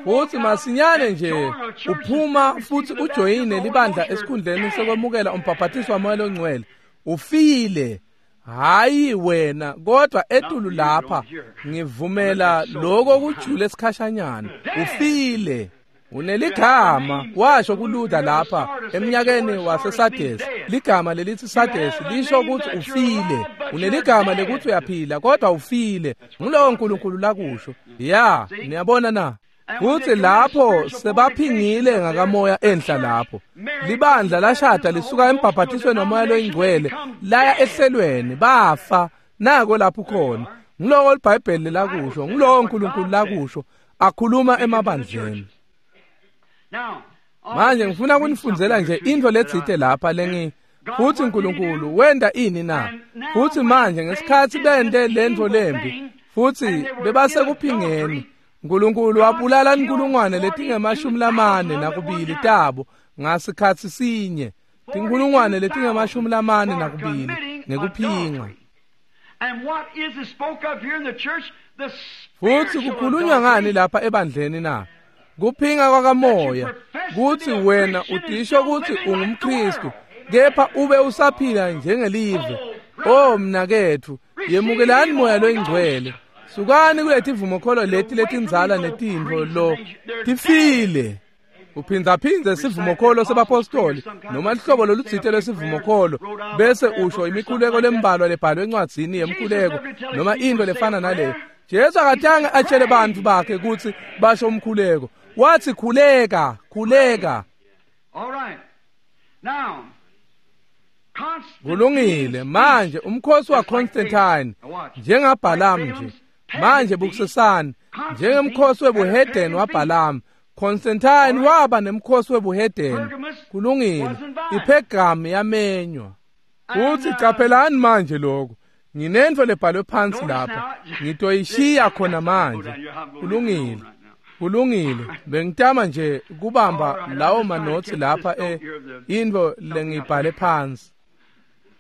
Futsi masinyane nje uphuma futsi ujoyine libandla esikhundleni sekwemukela umbhaphathiso waMoya loNgcwele, ufile. Hayi wena, kodwa etulu lapha ngivumela lokho kujule esikhashanyana. Ufile. Uneligama, washo kuLuther lapha eminyakeni waseSardes. Ligama lelithi Sardes lisho ukuthi ufile. Uneligama lekuthi uyaphila kodwa ufile. Ngulowo uNkulunkulu lakusho. Ya, niyabona na? Futsi lapho sebaphingile ngakamoya enhla lapho. Libandla lashada lisuka embhaphatisweni waMoya loyiNgcwele laya ehlelweni, bafa. Nako lapho khona. Ngiloko iBhayibheli lakusho, ngulowo uNkulunkulu lakusho akhuluma emabandleni. Manje ngifuna kunifundzela nje intfo letsite lapha lengi futsi uNkulunkulu wenta ini na? Futsi manje ngesikhatsi bente lentfo lembi futsi bebasekuphingeni, uNkulunkulu wabulala inkulungwane letingemashumi lamane nakubili tabo ngasikhatsi sinye, tinkulungwane letingemashumi lamane nakubili ngekuphinga. Futsi kukhulunywa ngani lapha ebandleni na? Kuphinga kwakamoya kutsi wena utisho kutsi ungumKristu kepha ube usaphila njengelive. Oh mnaketfu, yemukelani Moya loyiNgcwele. Sukani kuletivumokholo leti letindzala netintfo lo tifile. Uphindzaphindze sivumokholo sebapostoli noma lihlobo lolutsite lwesivumokholo bese usho imikhuleko lembalwa lebhalwe encwadzini yemkhuleko noma intfo lefana naleyo. Jesu akatange atshele bantfu bakhe kutsi basho umkhuleko. Wathi khuleka, khuleka. All right. Now, Kulungile. Manje umkhosi waConstantine njengaBhalamu nje. Manje bukusesani njengemkhosi webuhedeni waBhalamu, Constantine waba nemkhosi webuhedeni. Kulungile. IPhergamu yamenywa. Futsi caphelani manje lokho. Nginentfo lebhalwe phansi lapha. Ngitoyishiya khona manje. Kulungile. Kulungile. Bengitama nje kubamba lawo manotsi lapha e intfo lengibhale phansi.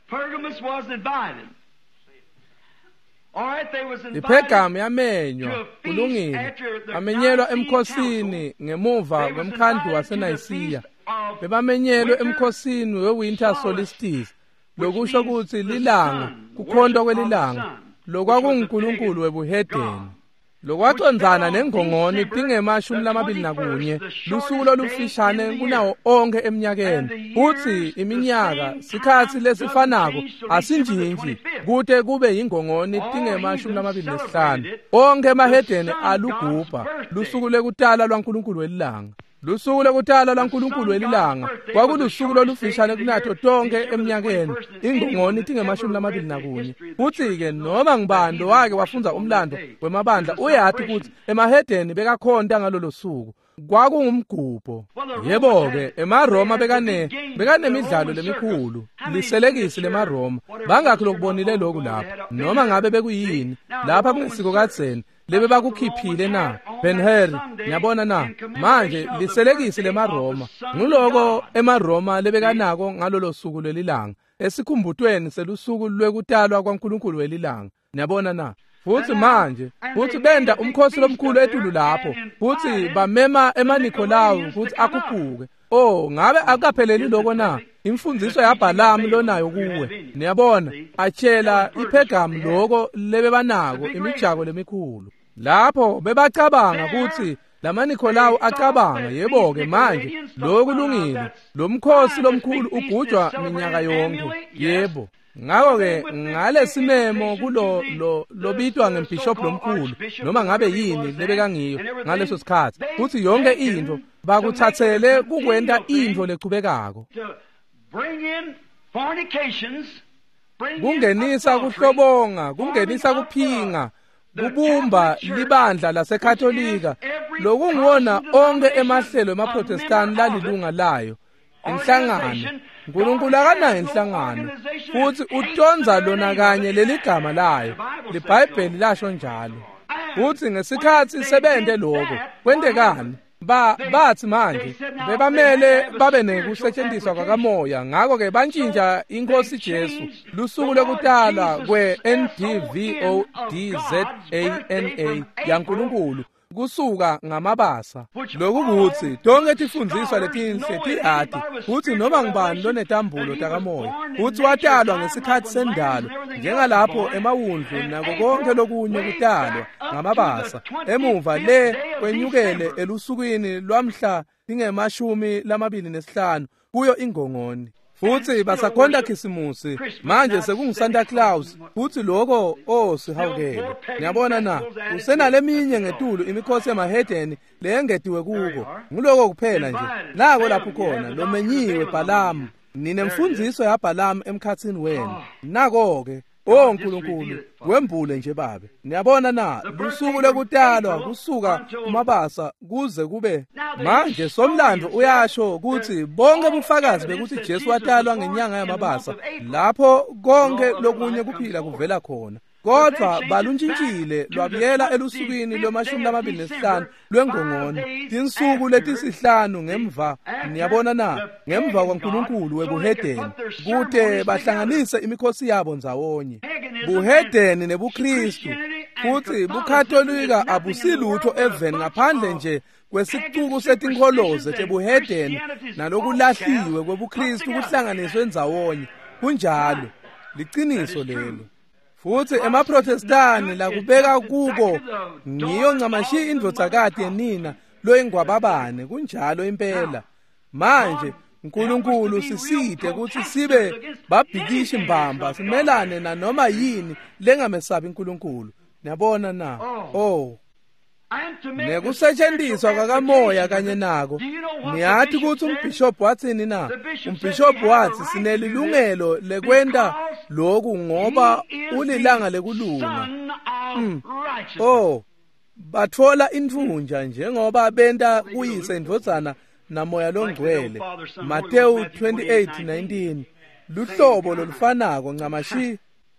Pergamus was invited. All right, they was invited. IPhergamu yamenywa. Kulungile. Bamenyelwa emkhosini ngemuva kwemkhandlu waseNayisiya. Bebamenyelwe emkhosini we-winter solstice, lokusho kutsi lilanga, kukhontwa kwelilanga, lokwakunguNkulunkulu webuhedeni. Lokwacondzana nengongoni tingemashumi lamabili nakunye, lusuku lolufishane kunawo onkhe eminyakeni. Futsi iminyaka sikhatsi lesifanako asintshintshi kute kube yingongoni tingemashumi lamabili nesihlanu. Onkhe emahedeni alugubha lusuku lwekutalwa lwaNkulunkulu welilanga. Lusuku lwekutalwa lwaNkulunkulu welilanga kwakulusuku lolufishane kunato tonkhe eminyakeni, ingongoni tingemashumi lamabili nakunye. Futsi-ke noma ngubani lowake wafundza umlando wemabandla uyati kutsi emahedeni bekakhonta ngalolo suku. Kwakungumgubho. Yebo-ke, emaRoma bekane bekanemidlalo lemikhulu, liselekisi lemaRoma. Bangakhi lokubonile lokhu lapha? Noma ngabe bekuyini lapha kungesiko kadzeni lebebakukhiphile na? Ben-Hur, niyabona na? Manje liselekisi lemaRoma nguloko emaRoma lebekanako ngalolo suku lwelilanga, esikhumbutweni selusuku lwekutalwa kwaNkulunkulu welilanga. Niyabona na? Futsi manje futsi benda umkhosi lomkhulu etulu lapho, futsi bamema emaNikolawu kutsi akhuphuke. Oh, ngabe akukapheleli lokho na? Imfundiso yaBhalamu lonayo kuwe. Niyabona, atshela iPhergamu loko lebebanako imijako lemikhulu. Lapho bebacabanga kutsi lamaNikolawu acabanga, yebo-ke manje lokhu kulungile, lo mkhosi lomkhulu ugujwa minyaka yonke. Yebo. Ngakho-ke ngalesimemo kulo lo lobitwa ngembhishobhi lomkhulu noma ngabe yini lebekangiyo ngaleso sikhatsi, futsi yonke intfo bakutsatsele kukwenta intfo lechubekako, kungenisa kuhlobonga, kungenisa kuphinga, kubumba libandla laseKatolika lokunguwona onkhe emahlelo emaProtestani lalilunga layo. Inhlangano, uNkulunkulu akanayo inhlangano, futsi utondza lona kanye leligama layo. LiBhayibheli lasho njalo. Futsi ngesikhatsi sebente lokho, kwentekani? Ba bathi manje bebamele babe nekusetshenziswa kwakamoya, ngakho-ke bantshintsha iNkosi Jesu lusuku lwekutalwa kwe-N D V O D Z A N A yaNkulunkulu kusuka ngamabasa. Lokhu kutsi tonke tifundziswa letinhle tiyati kutsi noma ngubani lonetambulo takamoya kutsi watalwa ngesikhatsi sendalo, njengalapho emawundlu nako konke lokunye kutalwa ngamabasa emuva le kwenyukele elusukwini lwamhla tingemashumi lamabili nesihlanu kuyo ingongoni. Futsi basakhonta Khisimusi manje sekunguSanta Claus, futsi lokho oh sihawukele. Niyabona na? Usenaleminye ngetulu imikhosi yamahedeni leyengetiwe kuko. Nguloko kuphela nje. Nako lapho khona lomenyiwe Bhalamu, ninemfundziso yaBhalamu emkhatsini wenu. Nako-ke oh Nkulunkulu, wembule nje babe. Niyabona na? Lusuku lwekutalwa kusuka kumabasa kuze kube manje. Somlando uyasho kutsi bonke bufakazi bekuthi Jesu watalwa ngenyanga yamabasa, lapho konke lokunye kuphila kuvela khona. Kodwa baluntshintshile lwabuyela elusukwini lwemashumi lamabili nesihlanu lwengongoni, tinsuku letisihlanu ngemva, niyabona na, ngemva kwaNkulunkulu webuhedeni, kute bahlanganise imikhosi yabo ndzawonye. Buhedeni nebuKristu futsi buKatolika abusilutho eveni ngaphandle nje kwesicuku setinkholoze tebuhedeni nalokulahliwe kwebuKristu kuhlanganiswe ndzawonye. Kunjalo, liciniso lelo. Futsi emaProtestani lakubeka kuko ngiyo ncamashi indvodzakati yenina loyingwababane. Kunjalo impela. Manje uNkulunkulu sisite kutsi sibe babhikishi mbamba, simelane nanoma yini lengamesabi uNkulunkulu. Niyabona na? Oh, nekusetshenziswa kwakamoya kanye nako. Niyati kutsi umbhishobhi watsini na? Umbhishobhi wathi sinelilungelo lekwenta lokhu ngoba ulilanga lekulunga. Mm. Oh, batfola intfunja njengoba benta kuyise indvodzana namoya longcwele. Mateyu twenty-eight nineteen. Luhlobo lolufanako ncamashi.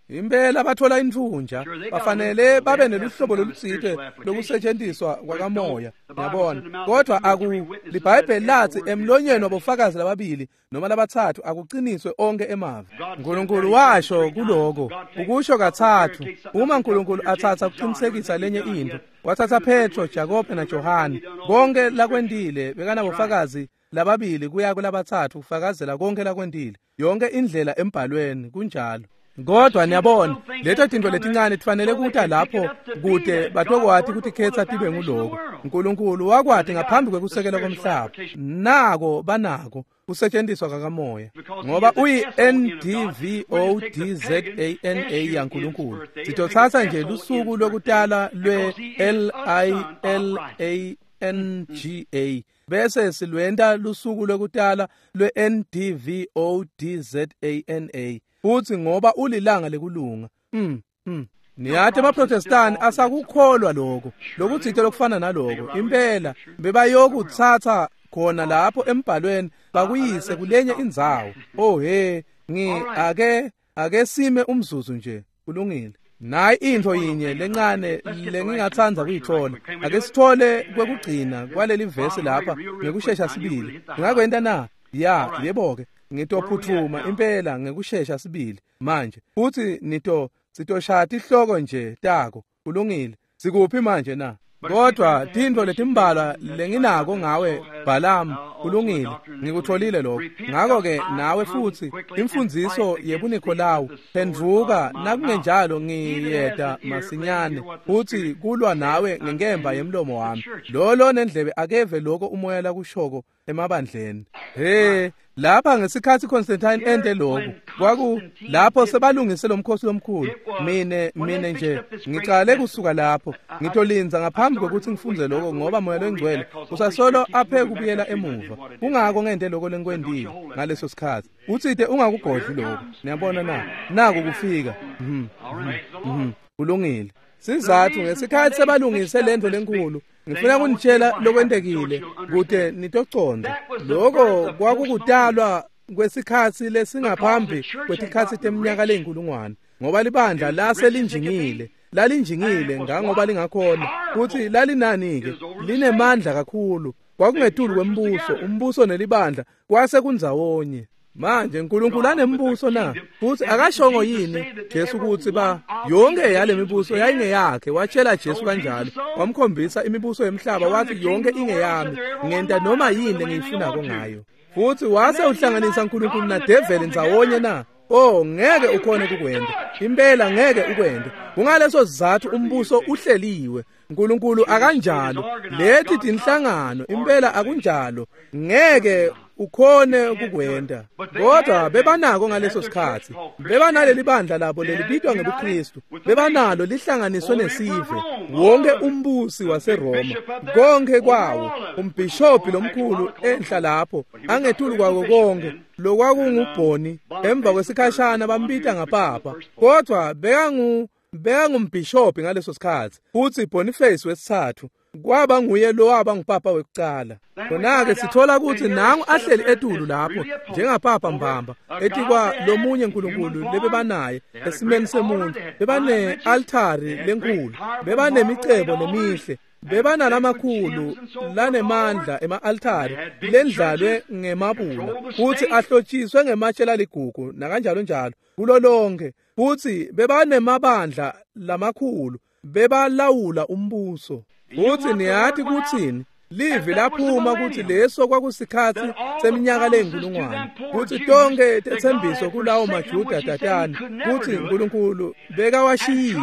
Impela bathola intfunja, bafanele babe neluhlobo lolutsite lokusetshenziswa kwakamoya, yabona. Kodwa aku liBhayibheli lathi emlonyeni wabofakazi lababili noma labatsatfu akuqiniswe onke emavi. uNkulunkulu washo kuloko, ukusho kathathu. Uma uNkulunkulu atsatsa kuqinisekisa lenye into, wathatha Petro, Jakobe naJohane. Konke lakwentile bekanabofakazi lababili kuya kulabatsatfu kufakazela konke lakwentile, yonke indlela embhalweni. Kunjalo. Kodwa niyabona leto tintfo letincane tifanele kuta lapho kute batokwati kutikhetsa tibe nguloko. Nkulunkulu wakwati ngaphambi kwekusekela komhlaba. Nako banako kusetshenziswa kakamoya ngoba uyi N D V O D Z A N A yaNkulunkulu. Sitothatha nje lusuku lokutala lwe L I L A N G A bese silwenta lusuku lokutala lwe N D V O D Z A N A futhi ngoba ulilanga lekulunga. Mm mm Niyathi amaProtestani asakukholwa lokho lokuthithe lokufana naloko impela bebayokuthatha khona lapho embhalweni bakuyise kulenye indzawo. Oh he ngi ake ake sime umzuzu nje. Kulungile. Nayi intfo yinye lencane lengingatsandza kuyithola. Ake sithole kwekugcina kwaleli vesi lapha ngekushesha sibili. Ngingakwenta na? Ya, yebo ke. Ngitophuthuma impela ngekushesha sibili manje. Futhi nito sitoshaya tihloko nje tako. Kulungile. Sikuphi manje na? Kodwa tintfo letimbalwa lenginako ngawe Balaam, kulungile, ngikutholile lokho. Ngakho ke nawe futhi imfundziso yebuNikolawu phendvuka, nakungenjalo ngiyeda masinyane futhi kulwa nawe ngenkemba yemlomo wami. Lo nendlebe akeve lokho umoya lakushoko emabandleni. He lapha ngesikhathi Constantine ente lokho kwaku lapho sebalungise lomkhosi lomkhulu. Mine mine nje ngicale kusuka lapho ngitolinza ngaphambi kokuthi ngifunze lokho ngoba moya lengcwele usasolo aphe kubuyela emuva. Kungako ngente lokho lengikwendile ngaleso sikhathi. Uthide ungakugodli lokho. Niyabona na? Naku kufika. Mhm. Kulungile. Sizathu ngesikhathi sebalungise lento lenkulu ngifuna kunitshela lokwentekile kute nitoconda. Lokho kwakukutalwa kwesikhathi lesingaphambi kwetikhathi teminyaka leyinkulungwane ngoba libandla laselinjingile lalinjingile ngangoba lingakhona futhi lalinani ke linemandla kakhulu. Kwakungetulu kwembuso, umbuso nelibandla kwase kundzawonye. Manje uNkulunkulu anembuso na? Futhi akashongo yini Jesu ukuthi ba yonke yale mibuso yayingeyakhe? Watshela Jesu kanjalo, wamkhombisa imibuso yemhlaba wathi yonke ingeyami, ngenta noma yini engiyifunako ngayo. Futhi wase uhlanganisa uNkulunkulu na devil ndzawonye na? Oh, ngeke ukhone ukukwenda. Impela ngeke ukwende. Kungaleso sizathu umbuso uhleliwe. uNkulunkulu akanjalo. Leti tinhlangano impela akunjalo. Ngeke ukhone ukukwenda. Kodwa bebanako ngaleso sikhathi. Bebanaleli bandla labo lelibitwa ngebuKristu. Bebanalo lihlanganiswe nesive. Wonke umbusi waseRoma, konke kwawo, umbhishobhi lomkhulu enhla lapho, angetulu kwako konke, lokwakungubhoni. Emva kwesikhashana bambita ngapapa. Kodwa bekangu bekangumbhishobhi ngaleso sikhathi. Futhi Boniface wesithathu kwaba nguye lo waba ngupapa wekucala. Khona-ke sithola ukuthi nangu ahleli etulu lapho njengapapa mbamba etikwa lomunye uNkulunkulu lebebanaye esimeni semuntu. Bebane altari lenkulu, bebanemicebo lemihle, bebanalamakhulu lanemandla ema-altari lendlalwe ngemabula futhi ahlotshiswe ngematshe laligugu nakanjalo njalo kulo lonke. Futhi bebanemabandla lamakhulu, bebalawula umbuso. Futhi niyathi kuthini? Livi laphuma ukuthi leso kwakusikhathi seminyaka leyinkulungwane, kuthi tonke tethembiso kulawo maJuda tatane kuthi uNkulunkulu bekawashiyile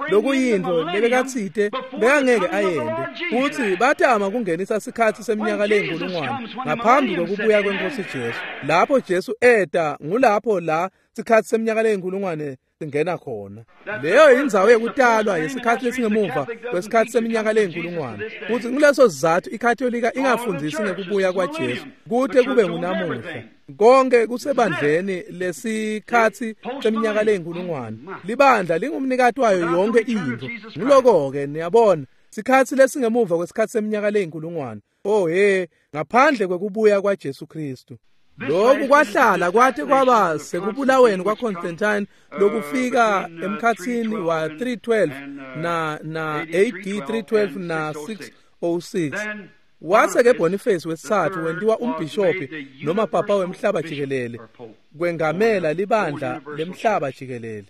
lokuyinto lebekathite bekangeke ayende. Futhi batama kungenisa sikhathi seminyaka leyinkulungwane ngaphambi kokubuya kwenkosi Jesu. Lapho Jesu eta ngulapho la sikhathi seminyaka leyinkulungwane singena khona. Leyo indzawo yekutalwa yesikhathi lesingemuva kwesikhathi seminyaka leyinkulungwane. Futhi nguleso sizathu iKatolika ingafundisi ngekubuya kwaJesu kute kube ngunamuhla. Konke kusebandleni lesikhathi seminyaka leyinkulungwane. Libandla lingumnikati wayo yonke into. Nguloko ke niyabona sikhathi lesingemuva kwesikhathi seminyaka leyinkulungwane. Oh he, ngaphandle kwekubuya kwaJesu Kristu. Lokhu kwahlala kwathi kwaba sekubulaweni kwaConstantine lokufika emkhathini wa three twelve na na A D three twelve na six oh six. Wase ke Boniface wesithathu wentiwa umbhishobhi noma papa wemhlaba jikelele kwengamela libandla lemhlaba jikelele.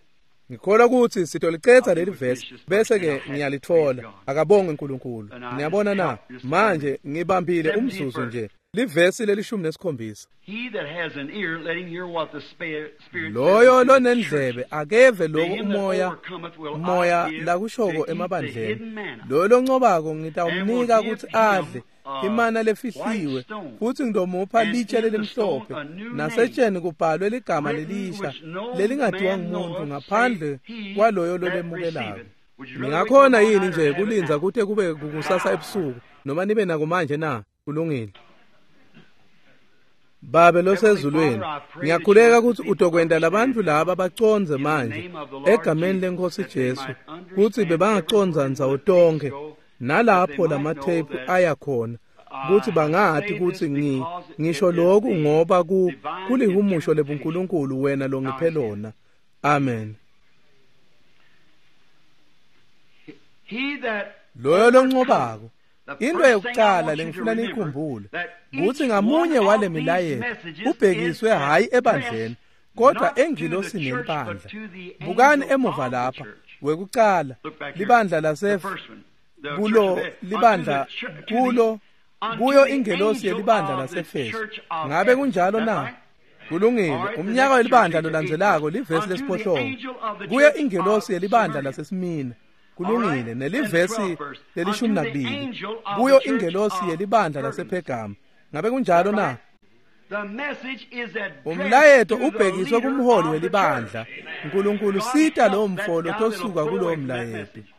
Ngikholwa ukuthi sitolicetha leli verse bese ke ngiyalithola. Akabonge uNkulunkulu. Niyabona na? Manje ngibambile umzuzu nje. Livesi lelishumi nesikhombisa. He that has an ear, let him hear what the Spirit says Loyo to the lonendlebe churches. akeve To lokho him that umoya overcometh will I moya give lakushoko to eat the emabandleni. hidden manna. Loyo loncobako And will ngitawumnika give kutsi him adle a imana white lefihliwe stone, futsi ngitomupha and litshe in the lelimhlophe stone a new name nasetsheni kubhalwe ligama written lelisha which no lelingatiwa man ngumuntu knoweth ngaphandle save he kwaloyo that lolemukelako. receiveth. Would you rather wait till Ningakhona tomorrow yini night or nje have it kulindza now? kute kube kukusasa ebusuku noma nibe nako manje na? Kulungile. Babe Heavenly losezulwini, Father, I pray that you ngiyakhuleka let the kutsi people utokwenta labantfu understand laba bacondze in the manje name of the Lord egameni Jesus lenkosi that they Jesu might kutsi understand every bebangacondza word ndzawo where the tapes tonkhe go, that they nalapho might know lamatheyiphu that aya khona kutsi I bangati say this kutsi ngi because it ngisho is loku the ngoba ku divine kulihumusho interpretation. lebuNkulunkulu wena Now longiphe it's him. lona. Amen. He that Loyo overcometh. loncobako. The Into first thing I yokuqala want you to lengifuna remember niyikhumbule that kutsi each ngamunye one wale of these milayeto messages is ubhekiswe hhayi ebandleni addressed kodwa not to the engilosini church but yelibandla. to the Bukani angel emuva of the lapha church. wekucala Look back here. libandla The lase first one. The church kulo of Ephesus. Unto the libandla church, to the kulo unto kuyo the ingelosi angel yelibandla of the laseEfesu. church of Ngabe Ephesus. kunjalo That na? right? All Kulungile. right, the Umnyaka next church welibandla age, the eighth lolandzelako verse. livesi Unto the lesiphohlongo. angel of the Kuyo church ingelosi of yelibandla Smyrna. laseSmina. All Kulungile. right, and the Nelivesi twelfth verse. lelishumi Unto the nakubili. angel of the Kuyo church ingelosi of yelibandla Pergamos. lasePhergama. Ngabe That kunjalo na? right? The message is addressed Umlayeto to the ubhekiswe leader kumholi of the welibandla. church. Nkulunkulu God sita help lowo that mfo guy that'll lotosuka pull kulowo away from that mlayeto. message.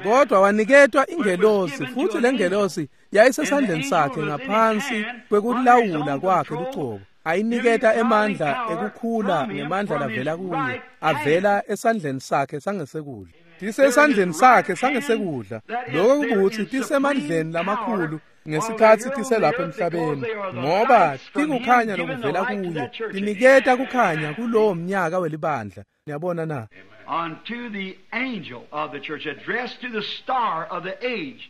Kodwa waniketwa But it was ingelosi given to futhi an angel. lengelosi And the yayisesandleni angel sakhe was in his ngaphansi hand under his kwekulawula own kwakhe control, lucobo. giving Ayiniketa godly emandla power ekukhula from him ngemandla from his lavela kuye, right hand. avela esandleni sakhe sangesekudla. They're in his Tisesandleni right sakhe hand sangesekudla. that is Lokho they're kukuthi in supreme tisemandleni power lamakhulu while they're ngesikhathi here on the tiselapha earth because emhlabeni they are the ngoba lights from him tikukhanya giving the lokuvela light to kuye that church age. tiniketa kukhanya kulowo mnyaka welibandla. Niyabona na? Unto the angel of the church, addressed to the star of the age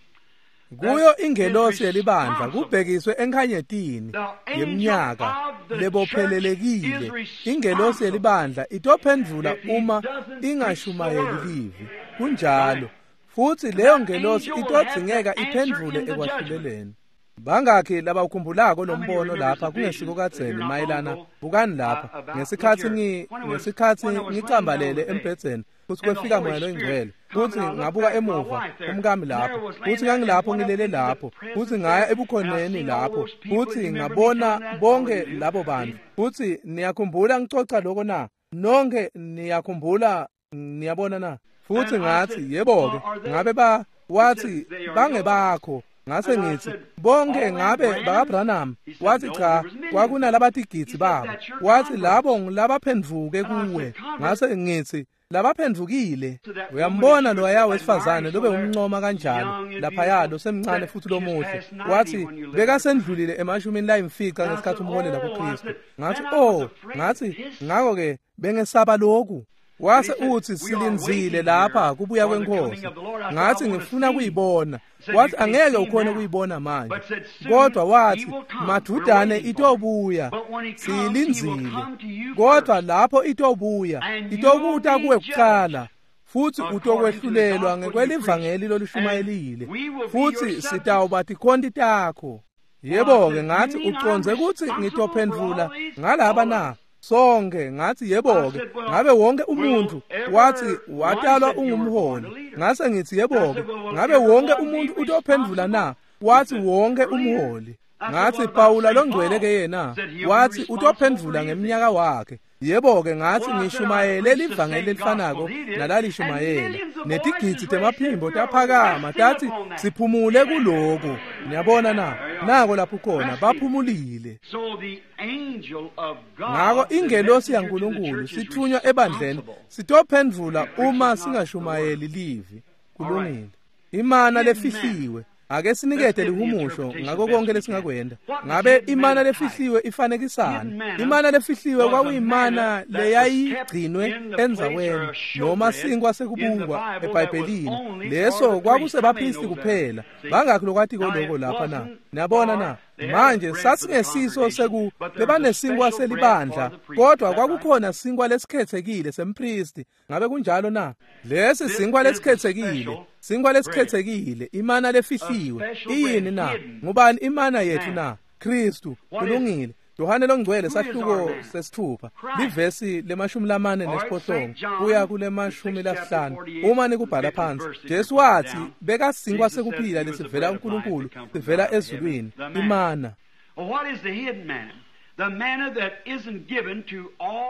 that Kuyo is ingelosi yelibandla responsible. kubhekiswe enkhanyetini The angel yeminyaka of the church is lebophelelekile. Ingelosi responsible yelibandla itophendvula if he uma doesn't preach the ingashumayeli word. livi. Kunjalo. Right. Futhi And leyo that ngelosi angel will have to itodzingeka answer iphendvule in the judgment. ekwahluleleni. Bangakhi labawukhumbulako How many lombono remembers lapha the vision kungesiko uh, here kadzeni not long mayelana ago bukani uh, lapha about look ngesikhathi here ngi when I was ngesikhathi when I was laying down on ngicambalele the bed embhedzeni futhi and the kwefika Holy moya Spirit loyingcwele come and futhi I looked ngabuka back at my emuva wife there umkami and there lapho was laying futhi there and ngangilapho went up ngilele into the lapho futhi presence ngaya there and I ebukhoneni seen all lapho those people. You futhi remember me ngabona telling that? All bonke of you do. labo See? bantu futhi niyakhumbula ngicoca lokho na nonke niyakhumbula niyabona na futhi And I ngathi said, yebo-ke "Are are they?" ngabe ba He said, wathi "They are yours." bangebakho ngase And I ngithi said, bonke "All them ngabe Branhams?" bakaBranham He said, wathi "No, cha there was millions of them." kwakunalabatigidzi He said, babo "That's your wathi converts." labo ngilabaphendvuke And I kuwe said, "Converts?" ngase ngithi labaphendvukile To that woman that uyambona you loya was wesifazane admiring lobe so there, umncoma kanjalo young and laphaya beautiful, losemncane said futhi she was lomuhle past ninety wathi when you led her to Christ. bekasendlulile emashumini layimfica And I ngesikhathi said, umholela "Oh," I kuKristu said, ngathi "Then I was oh afraid ngathi this." ngakho ke bengesaba lokhu And he wase said, uthi "We are silinzile waiting here lapha kubuya for the coming kwenkosi of the Lord." I said, "I ngathi want to ngifuna see." kuyibona He said, "You wathi can't angeke see ukhone now." kuyibona manje But said, "Soon kodwa he wathi will come. We're madudane waiting for him. itobuya But when he comes, he will siyilinzile come to you kodwa first, lapho itobuya and you'll itokuta be kuwe judged kuqala futhi according to the utokwehlulelwa gospel you preached, ngekwelivangeli and lolushumayelile we will be your futhi subjects." sitawuba tikhonti takho Well, I yebo-ke said, ngathi "You mean I'm ucondze kutsi responsible for all ngitophendvula these? ngalaba All of na us." sonke ngathi I yebo-ke said, "Well, ngabe wonke will umuntu wathi everyone watalwa said you were born ungumholi a leader?" ngase ngithi I yebo-ke said, "Well, will ngabe wonke everyone be umuntu utophendvula responsible?" na He wathi said, wonke "A leader." umholi I said, ngathi "What about Pawula Saint longcwele Paul?" ke yena Said he'll be wathi responsible for utophendvula his age. ngeminyaka wakhe yebo-ke ngathi Well, I said, I ngishumayele preached the livangeli same elifanako gospel he did, and nalalishumayela millions of voices netigidzi raised said, temaphimbo "We are taphakama resting tathi upon that." siphumule kuloko niyabona na There you are. nako lapho khona Resting. baphumulile So the angel of ngako God, the ingelosi messenger to the yaNkulunkulu church, is sithunywa ebandleni responsible sitophendvula if he uma preaches not the word. singashumayeli livi All right. kulungile imana Hidden manna. lefihliwe ake Let's sinikete give the lihumusho interpretation ngako best konke we can. lesingakwenda What does ngabe hidden imana manna type? lefihliwe Hidden ifanekisani manna imana lefihliwe was a kwakuyimana manna that was kept leyayigcinwe in the place or endzaweni a noma showbread sinkwa in the sekubukwa Bible that was ebhayibhelini only for leso the priest. How many kwakusebaphristi knows that? kuphela See? bangakhi lokwatiko Now loko it lapha na wasn't niyabona for na they had a manje bread for the sasingesiso congregation, seku but there was a bebanesinkwa special bread for selibandla the priest. Is kodwa that right? kwakukhona sinkwa lesikhethekile sempristi ngabe kunjalo na lesi This sinkwa is the lesikhethekile special sinkwa bread, lesikhethekile imana a lefihliwe special iyini bread na hidden ngubani imana yethu manna. na Kristu. Kulungile. Yohane longcwele sahluko sesithupha livesi lemashumi lamane nesiphohlongo kuya kulemashumi lasihlanu. Uma nikubhala phansi, Jesu wathi bekasinkwa sekuphila lesivela kuNkulunkulu sivela ezulwini, imana.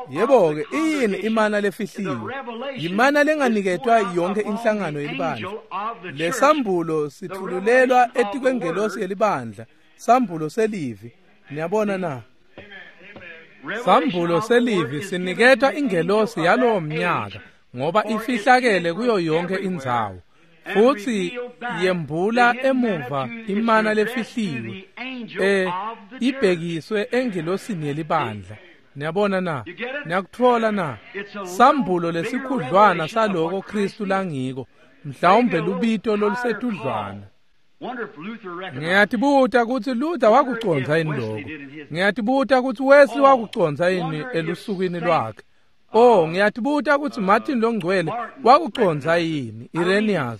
Yebo-ke, iyini imana lefihliwe? Imana lenganiketwa yonke inhlangano yelibandla. Lesambulo sithululelwa etikwengelosi yelibandla, sambulo selivi. Niyabona na? Sambulo selivi siniketwa ingelosi yalowo mnyaka ngoba ifihlakele kuyo yonke indzawo. Futhi yembula emuva imana lefihliwe eh ibhekiswe engelosini yelibandla. Niyabona na? Niyakuthola na? Sambulo lesikhudlwana saloko Kristu langiko, mhlawumbe lubito lolusetudlwana. Ngiyatibuta kutsi Luther wakucondza yini lokho. Ngiyatibuta kutsi Wesley wakucondza yini elusukwini lwakhe. Oh, ngiyatibuta kutsi Martin longcwele wakucondza yini, Irenaeus.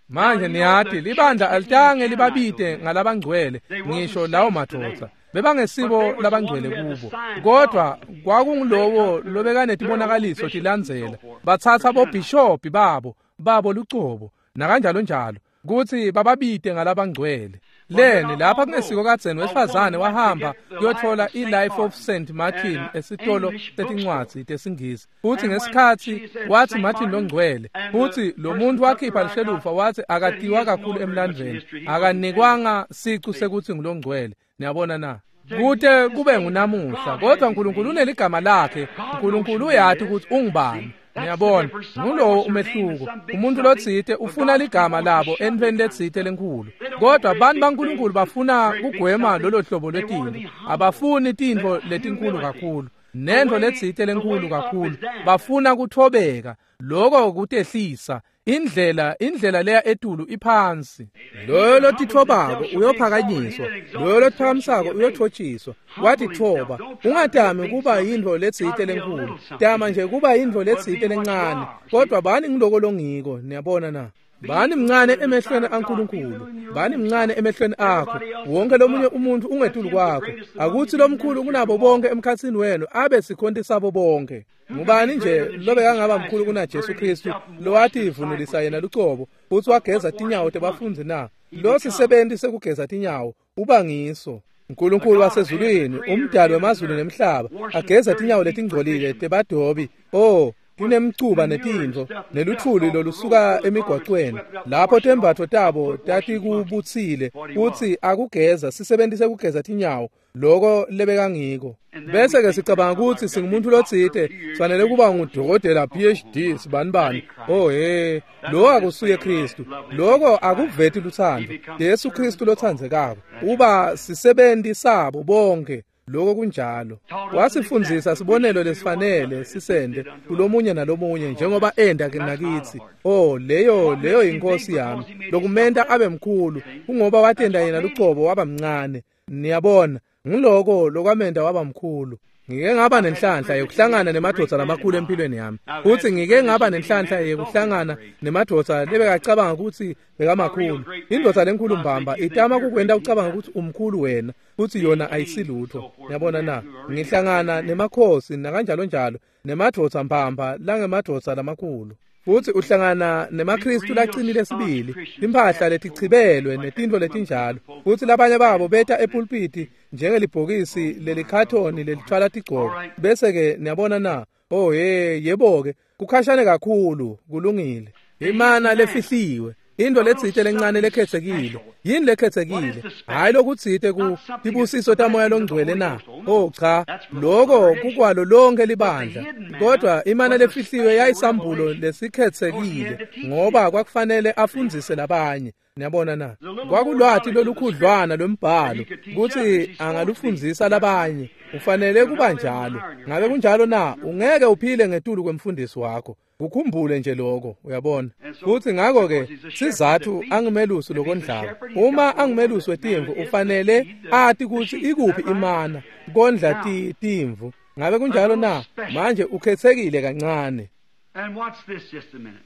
Manje niyati libandla alitange libabite ngalabangcwele ngisho lawo madvodza. Bebangesibo labangcwele kubo, kodwa kwakungulowo lobekanetibonakaliso tilandzela. Batsatsa bobhishobhi babo babo lucobo nakanjalo njalo kutsi bababite ngalabangcwele. Leni lapha kungesiko kadzeni wesifazane wahamba kuyotfola i-Life of Saint Martin esitolo setincwadzi tesingisi. Futsi ngesikhatsi watsi Martin longcwele, futsi lo muntu wakhipha lishelufa watsi akatiwa kakhulu emlandvweni, akanikwanga sicu sekutsi ngulongcwele. Niyabona na? Kute kube ngunamuhla, kodwa uNkulunkulu uneligama lakhe. uNkulunkulu uyati kutsi ungubani. Niyabona, ngulowo umehluko. Umuntu lotsite ufuna ligama labo entweni letsite lenkhulu, kodwa bantu baNkulunkulu bafuna kugwema lolo hlobo lwetintfo. Abafuni tintfo letinkulu kakhulu nentfo letsite lenkhulu kakhulu. Bafuna kuthobeka, loko kutehlisa. Indlela indlela leya etulu iphansi. Loyo lotitfobako uyophakanyiswa, loyo lotiphakamisako uyotfotshiswa. Watitfoba, ungatami kuba yintfo letsite lenkhulu, tama nje kuba yintfo letsite lencane, kodwa bani ngiloko longiko. Niyabona na? Bani mncane emehlweni aNkulunkulu, bani mncane emehlweni akho. Wonke lomunye umuntu ungetulu kwakho. Akutsi lomkhulu kunabo bonke emkhatsini wenu abe sikhonti sabo bonke. Ngubani nje lobekangaba mkhulu kuna Jesu Kristu lowativunulisa yena lucobo futsi wageza tinyawo tebafundzi na? Lo sisebenti sekugeza tinyawo uba ngiso. uNkulunkulu wasezulwini, umdali wemazulu nemhlaba, ageza tinyawo letingcolile tebadobi. Oh, kunemcuba netintfo neluthuli lolusuka emigwacweni lapho tembatfo tabo tatikubutsile, kutsi akugeza sisebenti sekugeza tinyawo, loko lebekangiko. Bese ke sicabanga kutsi singumuntu lotsite, sifanele kuba ngudokotela P H D sibanibani. Oh he, lo akusuye Kristu. Loko akuveti lutsandvo. Jesu Kristu lotsandzekako uba sisebenti sabo bonke. Loko kunjalo. Wasifundzisa sibonelo lesifanele sisende kulomunye nalomunye njengoba enda nakitsi. Oh, leyo leyo inkosi yami. Lokumenta abe mkhulu kungoba watenda yena lucobo waba mncane. Niyabona, ngiloko lokwamenta waba mkhulu. Ngike ngaba nenhlanhla yokuhlangana nemadvodza lamakhulu empilweni yami. Futhi ngike ngaba nenhlanhla yokuhlangana nemadvodza lebekacabanga ukuthi bekamakhulu. Indvodza lenkulu mbamba itama kukwenta ucabanga ukuthi umkhulu wena, futhi yona ayisilutho. Niyabona na? Ngihlangana nemakhosi nakanjalo njalo, nemadvodza mbamba langemadvodza lamakhulu. Futhi uhlangana nemaKristu laqinile sibili, timphahla letichibelwe netintfo letinjalo. Futhi labanye babo beta epulpiti njengelibhokisi lelikhathoni lelithwala tigcoko. Bese ke niyabona na? Oh hey, yebo ke, kukhashane kakhulu, kulungile. Imana lefihliwe, into letsite lencane lekhetsekile. Yini lekhetsekile? Hayi lokutsite ku tibusiso tamoya longcwele na? Oh cha, loko kukwalo lonke libandla. Kodwa imana lefihliwe yayisambulo lesikhetsekile ngoba kwakufanele afundzise labanye. Niyabona na? Kwakulwati lolukhudlwana lwembhalo kutsi angalufundzisa labanye. Ufanele kuba njalo. Ngabe kunjalo na? Ungeke uphile ngetulu kwemfundisi wakho. Ukhumbule nje lokho, uyabona. Futhi ngakho ke sizathu angimelusi lokondlako. Uma angimelusi wetimvu ufanele ati kutsi ikuphi imana kondla ti timvu. Ngabe kunjalo na? Manje ukhethekile kancane. And watch this just a minute.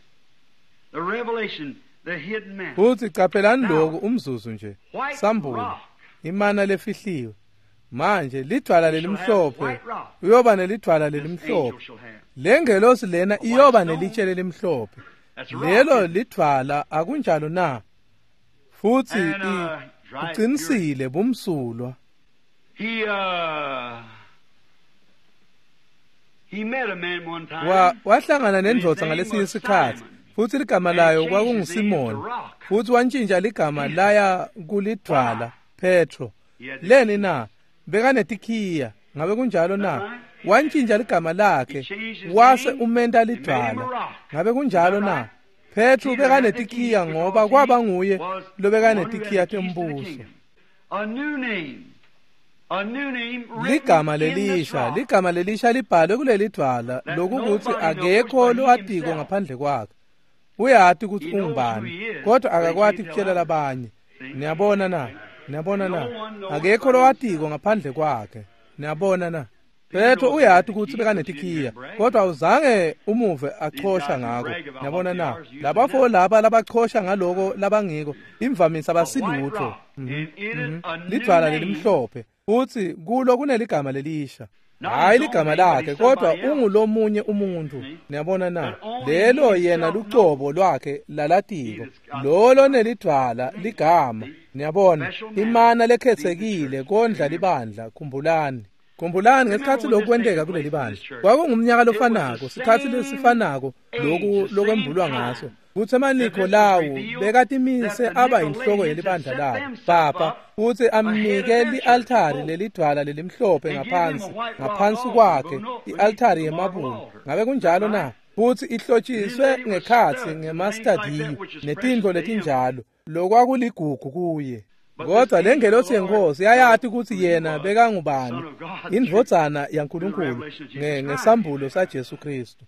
The revelation, the hidden man. Futhi caphelani lokhu umzuzu nje. Sambulo, imana lefihliwe. Manje lidvwala lelimhlophe, uyoba nelidvwala lelimhlophe. Lengelosi lena iyoba nelitshe lelimhlophe. Lelo lidvwala akunjalo na? Futhi uqinisile bumsulwa. He uh he met a man one time. Wa wahlangana nendvodza ngalesinye isikhathi futhi ligama layo kwakunguSimon, futhi wantshintsha ligama laya kulidvwala Petro. Leni na? Bekanetikhiya, ngabe kunjalo na? Wantshintsha ligama lakhe wase umenta lidvwala. Ngabe kunjalo na? Petro bekanetikhiya ngoba kwaba nguye lobekanetikhiya tembuso. A new name. A new name Ligama lelisha, ligama lelisha libhalwe kuleli dvwala lokukuthi akekho lowatiko ngaphandle kwakhe. Uyati ukuthi ungubani, kodwa akakwati kutshela labanye. Niyabona na? Niyabona na? Akekho lowatiko ngaphandle kwakhe. Niyabona na? Petro uyati ukuthi bekanetikhiya, kodwa awuzange umuve achosha ngako. Niyabona na? Labafo laba labachosha ngaloko labangiko, imvamisa abasilutho. Lidvwala lelimhlophe, futhi kulo kuneligama lelisha. Hayi ligama lakhe, kodwa ungulomunye umuntu. Niyabona na? Lelo yena lucobo lwakhe lalatiko. Lolo nelidvwala ligama. Niyabona? Imana lekhethekile kondla libandla, khumbulani. Khumbulani ngesikhathi lokhu kwenteka kuleli bandla. Kwakungumnyaka lofanako, sikhathi lesifanako lokhu lokwembulwa ngaso. Kutsi emaNikholawu bekatimise aba yinhloko yelibandla labo, papa, futsi amnike li-altari lelidvwala lelimhlophe ngaphansi, ngaphansi kwakhe, i-altari yemabula. Ngabe kunjalo na? Futsi ihlotshiswe ngekhatsi ngemastadiyu netintfo letinjalo, lokwakuligugu kuye. Kodwa lengelosi yenkosi yayati ukuthi yena bekangubani, indvodzana yaNkulunkulu ngesambulo saJesu Kristu.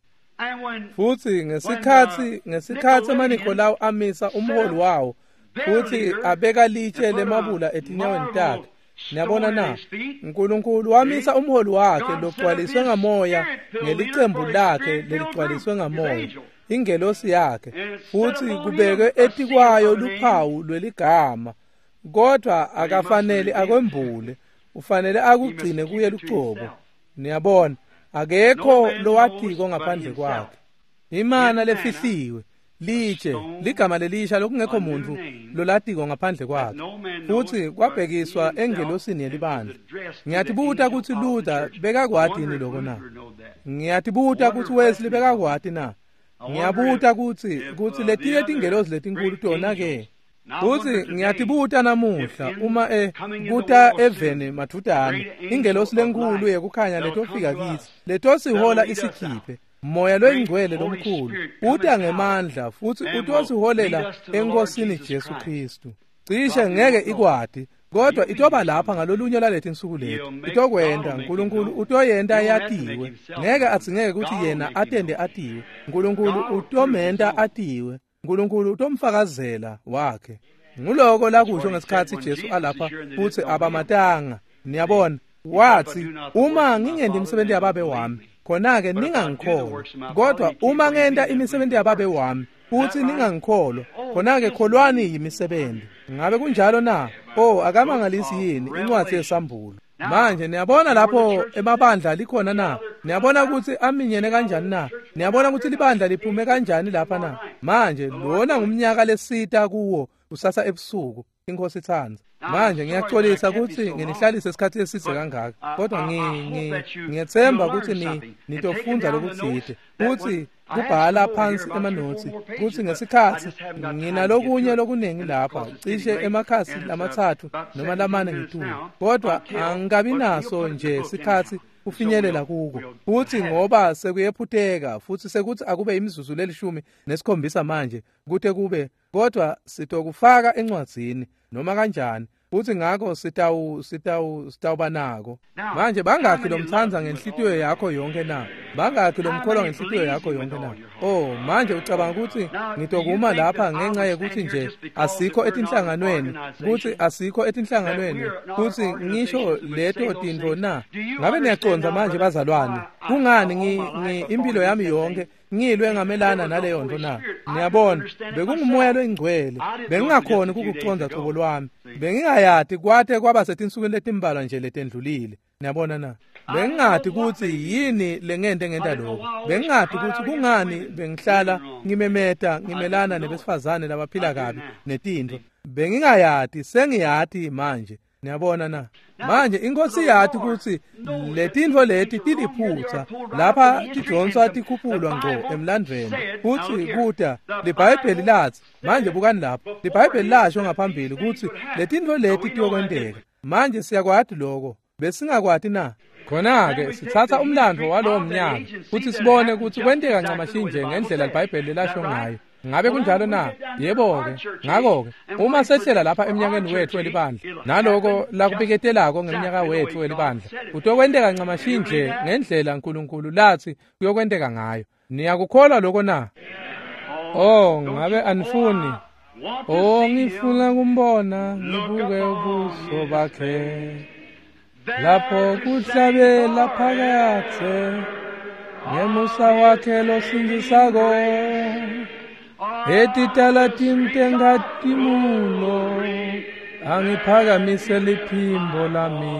Futhi ngesikhathi ngesikhathi emaNikholawu amisa umholi wawo futhi abeka litshe lemabula etinyaweni takhe. Niyabona na? uNkulunkulu wamisa umholi wakhe logcwaliswe ngamoya ngelicembu lakhe leligcwaliswe ngamoya, ingelosi yakhe, futhi kubekwe etikwayo luphawu lweligama. Kodwa akafanele akwembule, ufanele akugcine kuye lucobo. Niyabona, akekho lowatiko ngaphandle kwakhe. Imana lefihliwe, litshe, ligama lelisha lokungekho muntu lolatiko ngaphandle kwakhe. Futhi kwabhekiswa engelosini yelibandla. Ngiyatibuta ukuthi Luther bekakwati yini lokho na? Ngiyatibuta ukuthi Wesley bekakwati na? Ngiyabuta ukuthi ukuthi letinye tingelosi letinkulu tona ke. Futhi ngiyatibuta namuhla uma e kuta eveni madvutane ingelosi lenkulu yekukhanya letofika kithi letosihola isikhiphe moya loyingcwele lomkhulu uta ngemandla futhi utosiholela enkosini Jesu Kristu. Cishe ngeke ikwati, kodwa itoba lapha ngalolunye lwaleti insuku lethu. Itokwenda uNkulunkulu utoyenta yatiwe. Ngeke adzingeke ukuthi yena atende atiwe. uNkulunkulu utomenta atiwe. uNkulunkulu utomfakazela wakhe. Nguloko lakusho ngesikhathi Jesu alapha futhi abamatanga. Niyabona, wathi uma ngingenti imisebenzi yababe wami, khona-ke ningangikholwa. Kodwa uma ngenta imisebenzi yababe wami futhi ningangikholwa, khona-ke kholwani yimisebenzi. Ngabe kunjalo na? Oh, akamangalisi yini incwadi yesambulo? Manje niyabona lapho emabandla likhona na? Niyabona ukuthi aminyene kanjani na? Niyabona ukuthi libandla liphume kanjani lapha na? Manje lona ngumnyaka lesita kuwo kusasa ebusuku, inkosi ithanda. Manje ngiyaxolisa ukuthi nginihlalise isikhathi eside kangaka, kodwa ngiyethemba ukuthi ni nitofunda lokuthile futhi kubhala phansi emanotsi kuthi ngesikhathi nginalokunye lokuningi lapha cishe emakhasi lamathathu noma lamane ngitulu, kodwa angikabi naso nje sikhathi kufinyelela kuko. Futhi ngoba sekuyephutheka futhi sekuthi akube imizuzu lelishumi nesikhombisa manje kute kube, kodwa sitokufaka encwadzini noma kanjani, futhi ngakho sitawu sitawu sitawuba nako. Manje bangakhi lomthanza ngenhlitiyo yakho yonke na? Bangakhi lomkholwa ngenhlitiyo yakho yonke na? Oh, manje ucabanga ukuthi ngitokuma lapha ngenxa yekuthi nje asikho etinhlanganweni, kutsi asikho etinhlanganweni, kutsi ngisho leto tintfo na? Ngabe niyacondza manje bazalwane? Kungani ngi, ngi impilo yami yonke ngilwe ngamelana naleyo nto na? Niyabona, bekungumoya loyingcwele. Bengingakhoni ukukucondza cobo lwami. Bengingayati kwate kwaba setinsukwini letimbalwa nje letendlulile. Niyabona na? Bengingati kutsi yini lengente ngenta lokho. Bengingati kutsi kungani bengihlala ngimemeta ngimelana nebesifazane labaphila kabi netintfo. Bengingayati, sengiyati manje. Niyabona na? Manje inkosi yati kutsi letintfo leti tiliphutsa lapha tidonswa tikhuphulwa ngco emlandvweni futsi kuta liBhayibheli latsi manje bukani lapho liBhayibheli lasho ngaphambili kutsi letintfo leti tiyokwenteka. Manje siyakwati lokho besingakwati na? Khona-ke sitsatsa umlandvo walowo mnyaka futsi sibone kutsi kwenteka ncamashi nje ngendlela liBhayibheli lasho ngayo. Ngabe kunjalo na? Yebo-ke. Ngakho-ke uma sehlela lapha eminyakeni wethu welibandla naloko lakubiketelako ngeminyaka wethu welibandla kutokwenteka ncamashi nje ngendlela Nkulunkulu latsi kuyokwenteka ngayo. Niyakukholwa lokho na? Oh, ngabe anifuni? Oh, ngifuna kumbona ngibuke ubuso bakhe lapho kuhlabela phakathe ngemusa wakhe losindzisako etitalatini tenkhatimulo angiphakamise liphimbo lami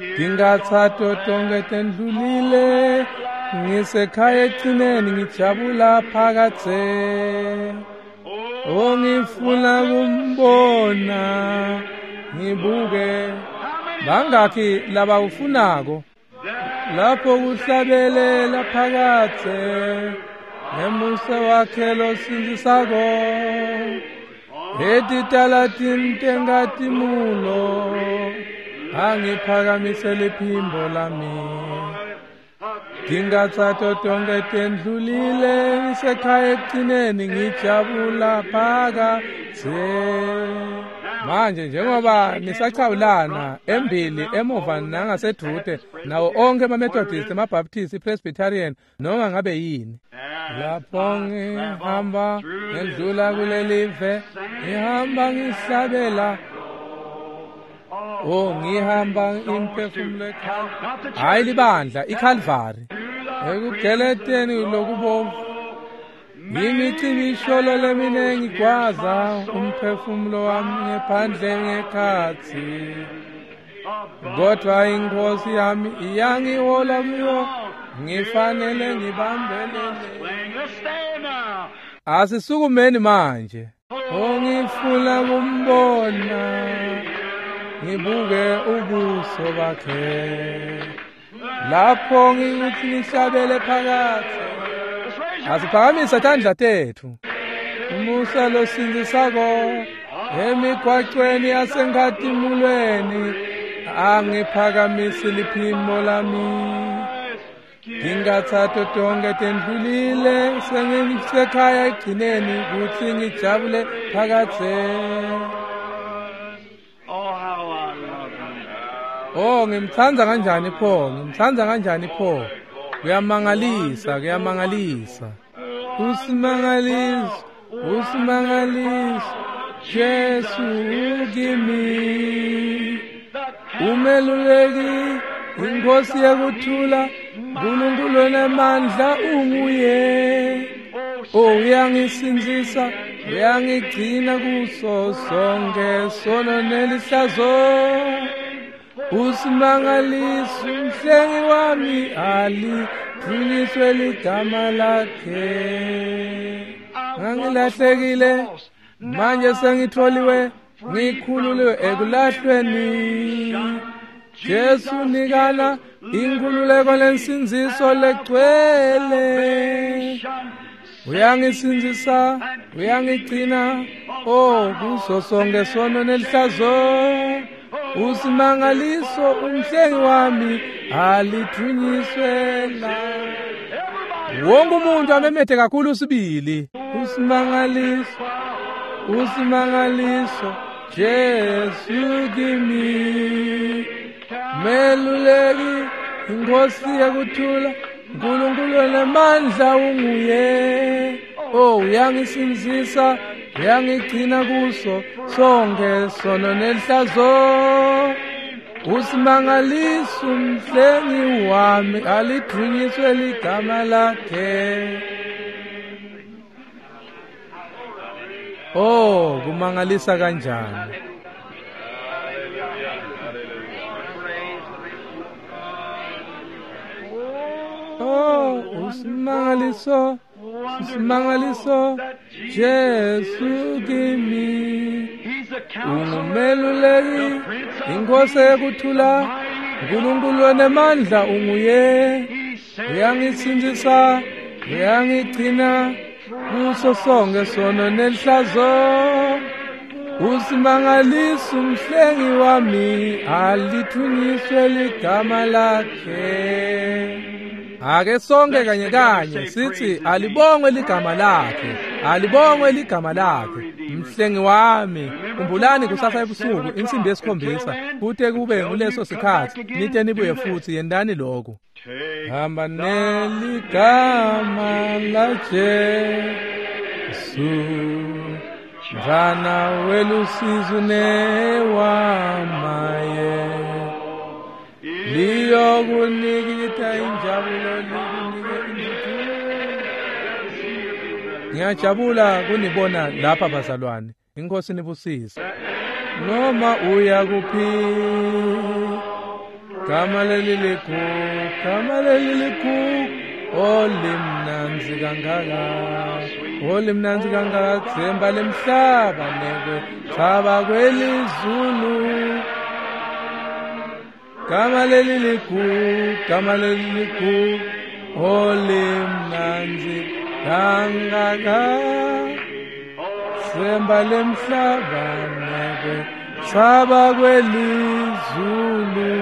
ngingathatho tonke tendlulile ngisekhaya egcineni ngijabula phakathe. Oh, ngifuna kumbona ngibuke. Bangakhi labawufunako lapho kuhlabelela phakathe ngemusa wakhe losindzisako etitalatini tenkhatimulo angiphakamise liphimbo lami ngingathatho tonke tendlulile ngisekhaya ekugcineni ngijabula phakathe. Manje njengoba nisachawulana embili emuva nangasedvute nawo onke ama-Methodist, ama-Baptist, i-Presbyterian noma ngabe yini. Lapho ngihamba ngedlula kulelive ngihamba ngihlabela. Oh, ngihamba imphefumulo hayi libandla iKalvari ekugeleteni lokubovu imicibisholo leminengi gwaza umphefumulo wami ngephandle ngekhatsi kodwa inkosi yami iyangihola kuyo ngifanele ngibambelele. Asisukumeni manje. Oh, ngifuna kumbona ngibuke ubuso bakhe lapho ngikuthi ngihlabele phakathi. Asiphakamise tandla tethu. Umusa losindzisako emigwacweni yasenkhatimulweni angiphakamise liphimbo lami ngingathatho tonke tendlulile sengisekhaya egcineni kutsi ngijabule phakathe. Oh, ngimtsandza kanjani pho, ngimtsandza kanjani pho. Kuyamangalisa, kuyamangalisa. Usimangaliso, usimangaliso, Jesu kimi. Umeluleki, inkosi yekuthula, Nkulunkulu onemandla unguye. Oh, uyangisindzisa, uyangigcina kuso sonke sono nelihlazo. Usimangaliso umhlengi wami alidvunyiswe ligama lakhe. Ngangilahlekile manje sengitholiwe ngikhululiwe ekulahlweni. Jesu nikana inkhululeko lensindziso legcwele. Uyangisindzisa, uyangigcina, oh kuso sonke sono nelihlazo. Usimangaliso umhlengi wami alidvunyiswe la. Wonke umuntu amemete kakhulu sibili. Usimangaliso, usimangaliso, Jesu kimi. Meluleki, inkosi yekuthula, Nkulunkulu onemandla unguye. Oh, uyangisindzisa, uyangigcina kuso sonke sono nenhlazo. Usimangaliso umhlengi wami, alidvunyiswe ligama lakhe. Oh, kumangalisa kanjani. Oh, usimangaliso, usimangaliso, Jesu kimi. Ungumeluleki, inkosi yekuthula, Nkulunkulu onemandla unguye. Uyangisindzisa, uyangigcina kuso sonke sono nenhlazo. Usimangaliso umhlengi wami, alithunyiswe ligama lakhe. Ake sonke kanye kanye sithi alibongwe ligama lakhe, alibongwe ligama lakhe, mhlengi wami. Khumbulani kusasa ebusuku insimbi yesikhombisa, kute kube nguleso sikhathi nite nibuye futhi yendani lokho. Hamba neligama la Jesu, mfana welusizo newamaye. Liyokunikita injabulo, likunike intuthuko. Ngiyajabula kunibona lapha bazalwane. Inkosi nibusise. Noma uya kuphi, gama leli likhulu, gama leli likhulu, olimnandzi kangaka, olimnandzi kangaka, themba lemhlaba nekwe thaba kwelizulu. Gama leli likhulu, gama leli likhulu, olimnandzi kangaka, themba lemhlaba nekwe thaba kwelizulu.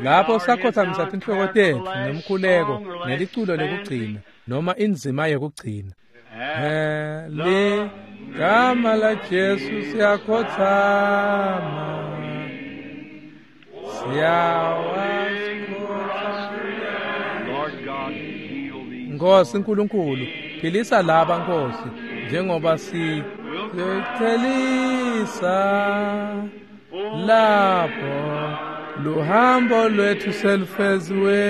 Lapho sakhothamisa tinhloko tetfu ngemkhuleko neliculo lekugcina noma inzima yekugcina. Ligama la Jesu siyakhothama, Nkosi Nkulunkulu, philisa laba Nkosi, njengoba si siyochelisa lapho luhambo lwethu selufeziwe.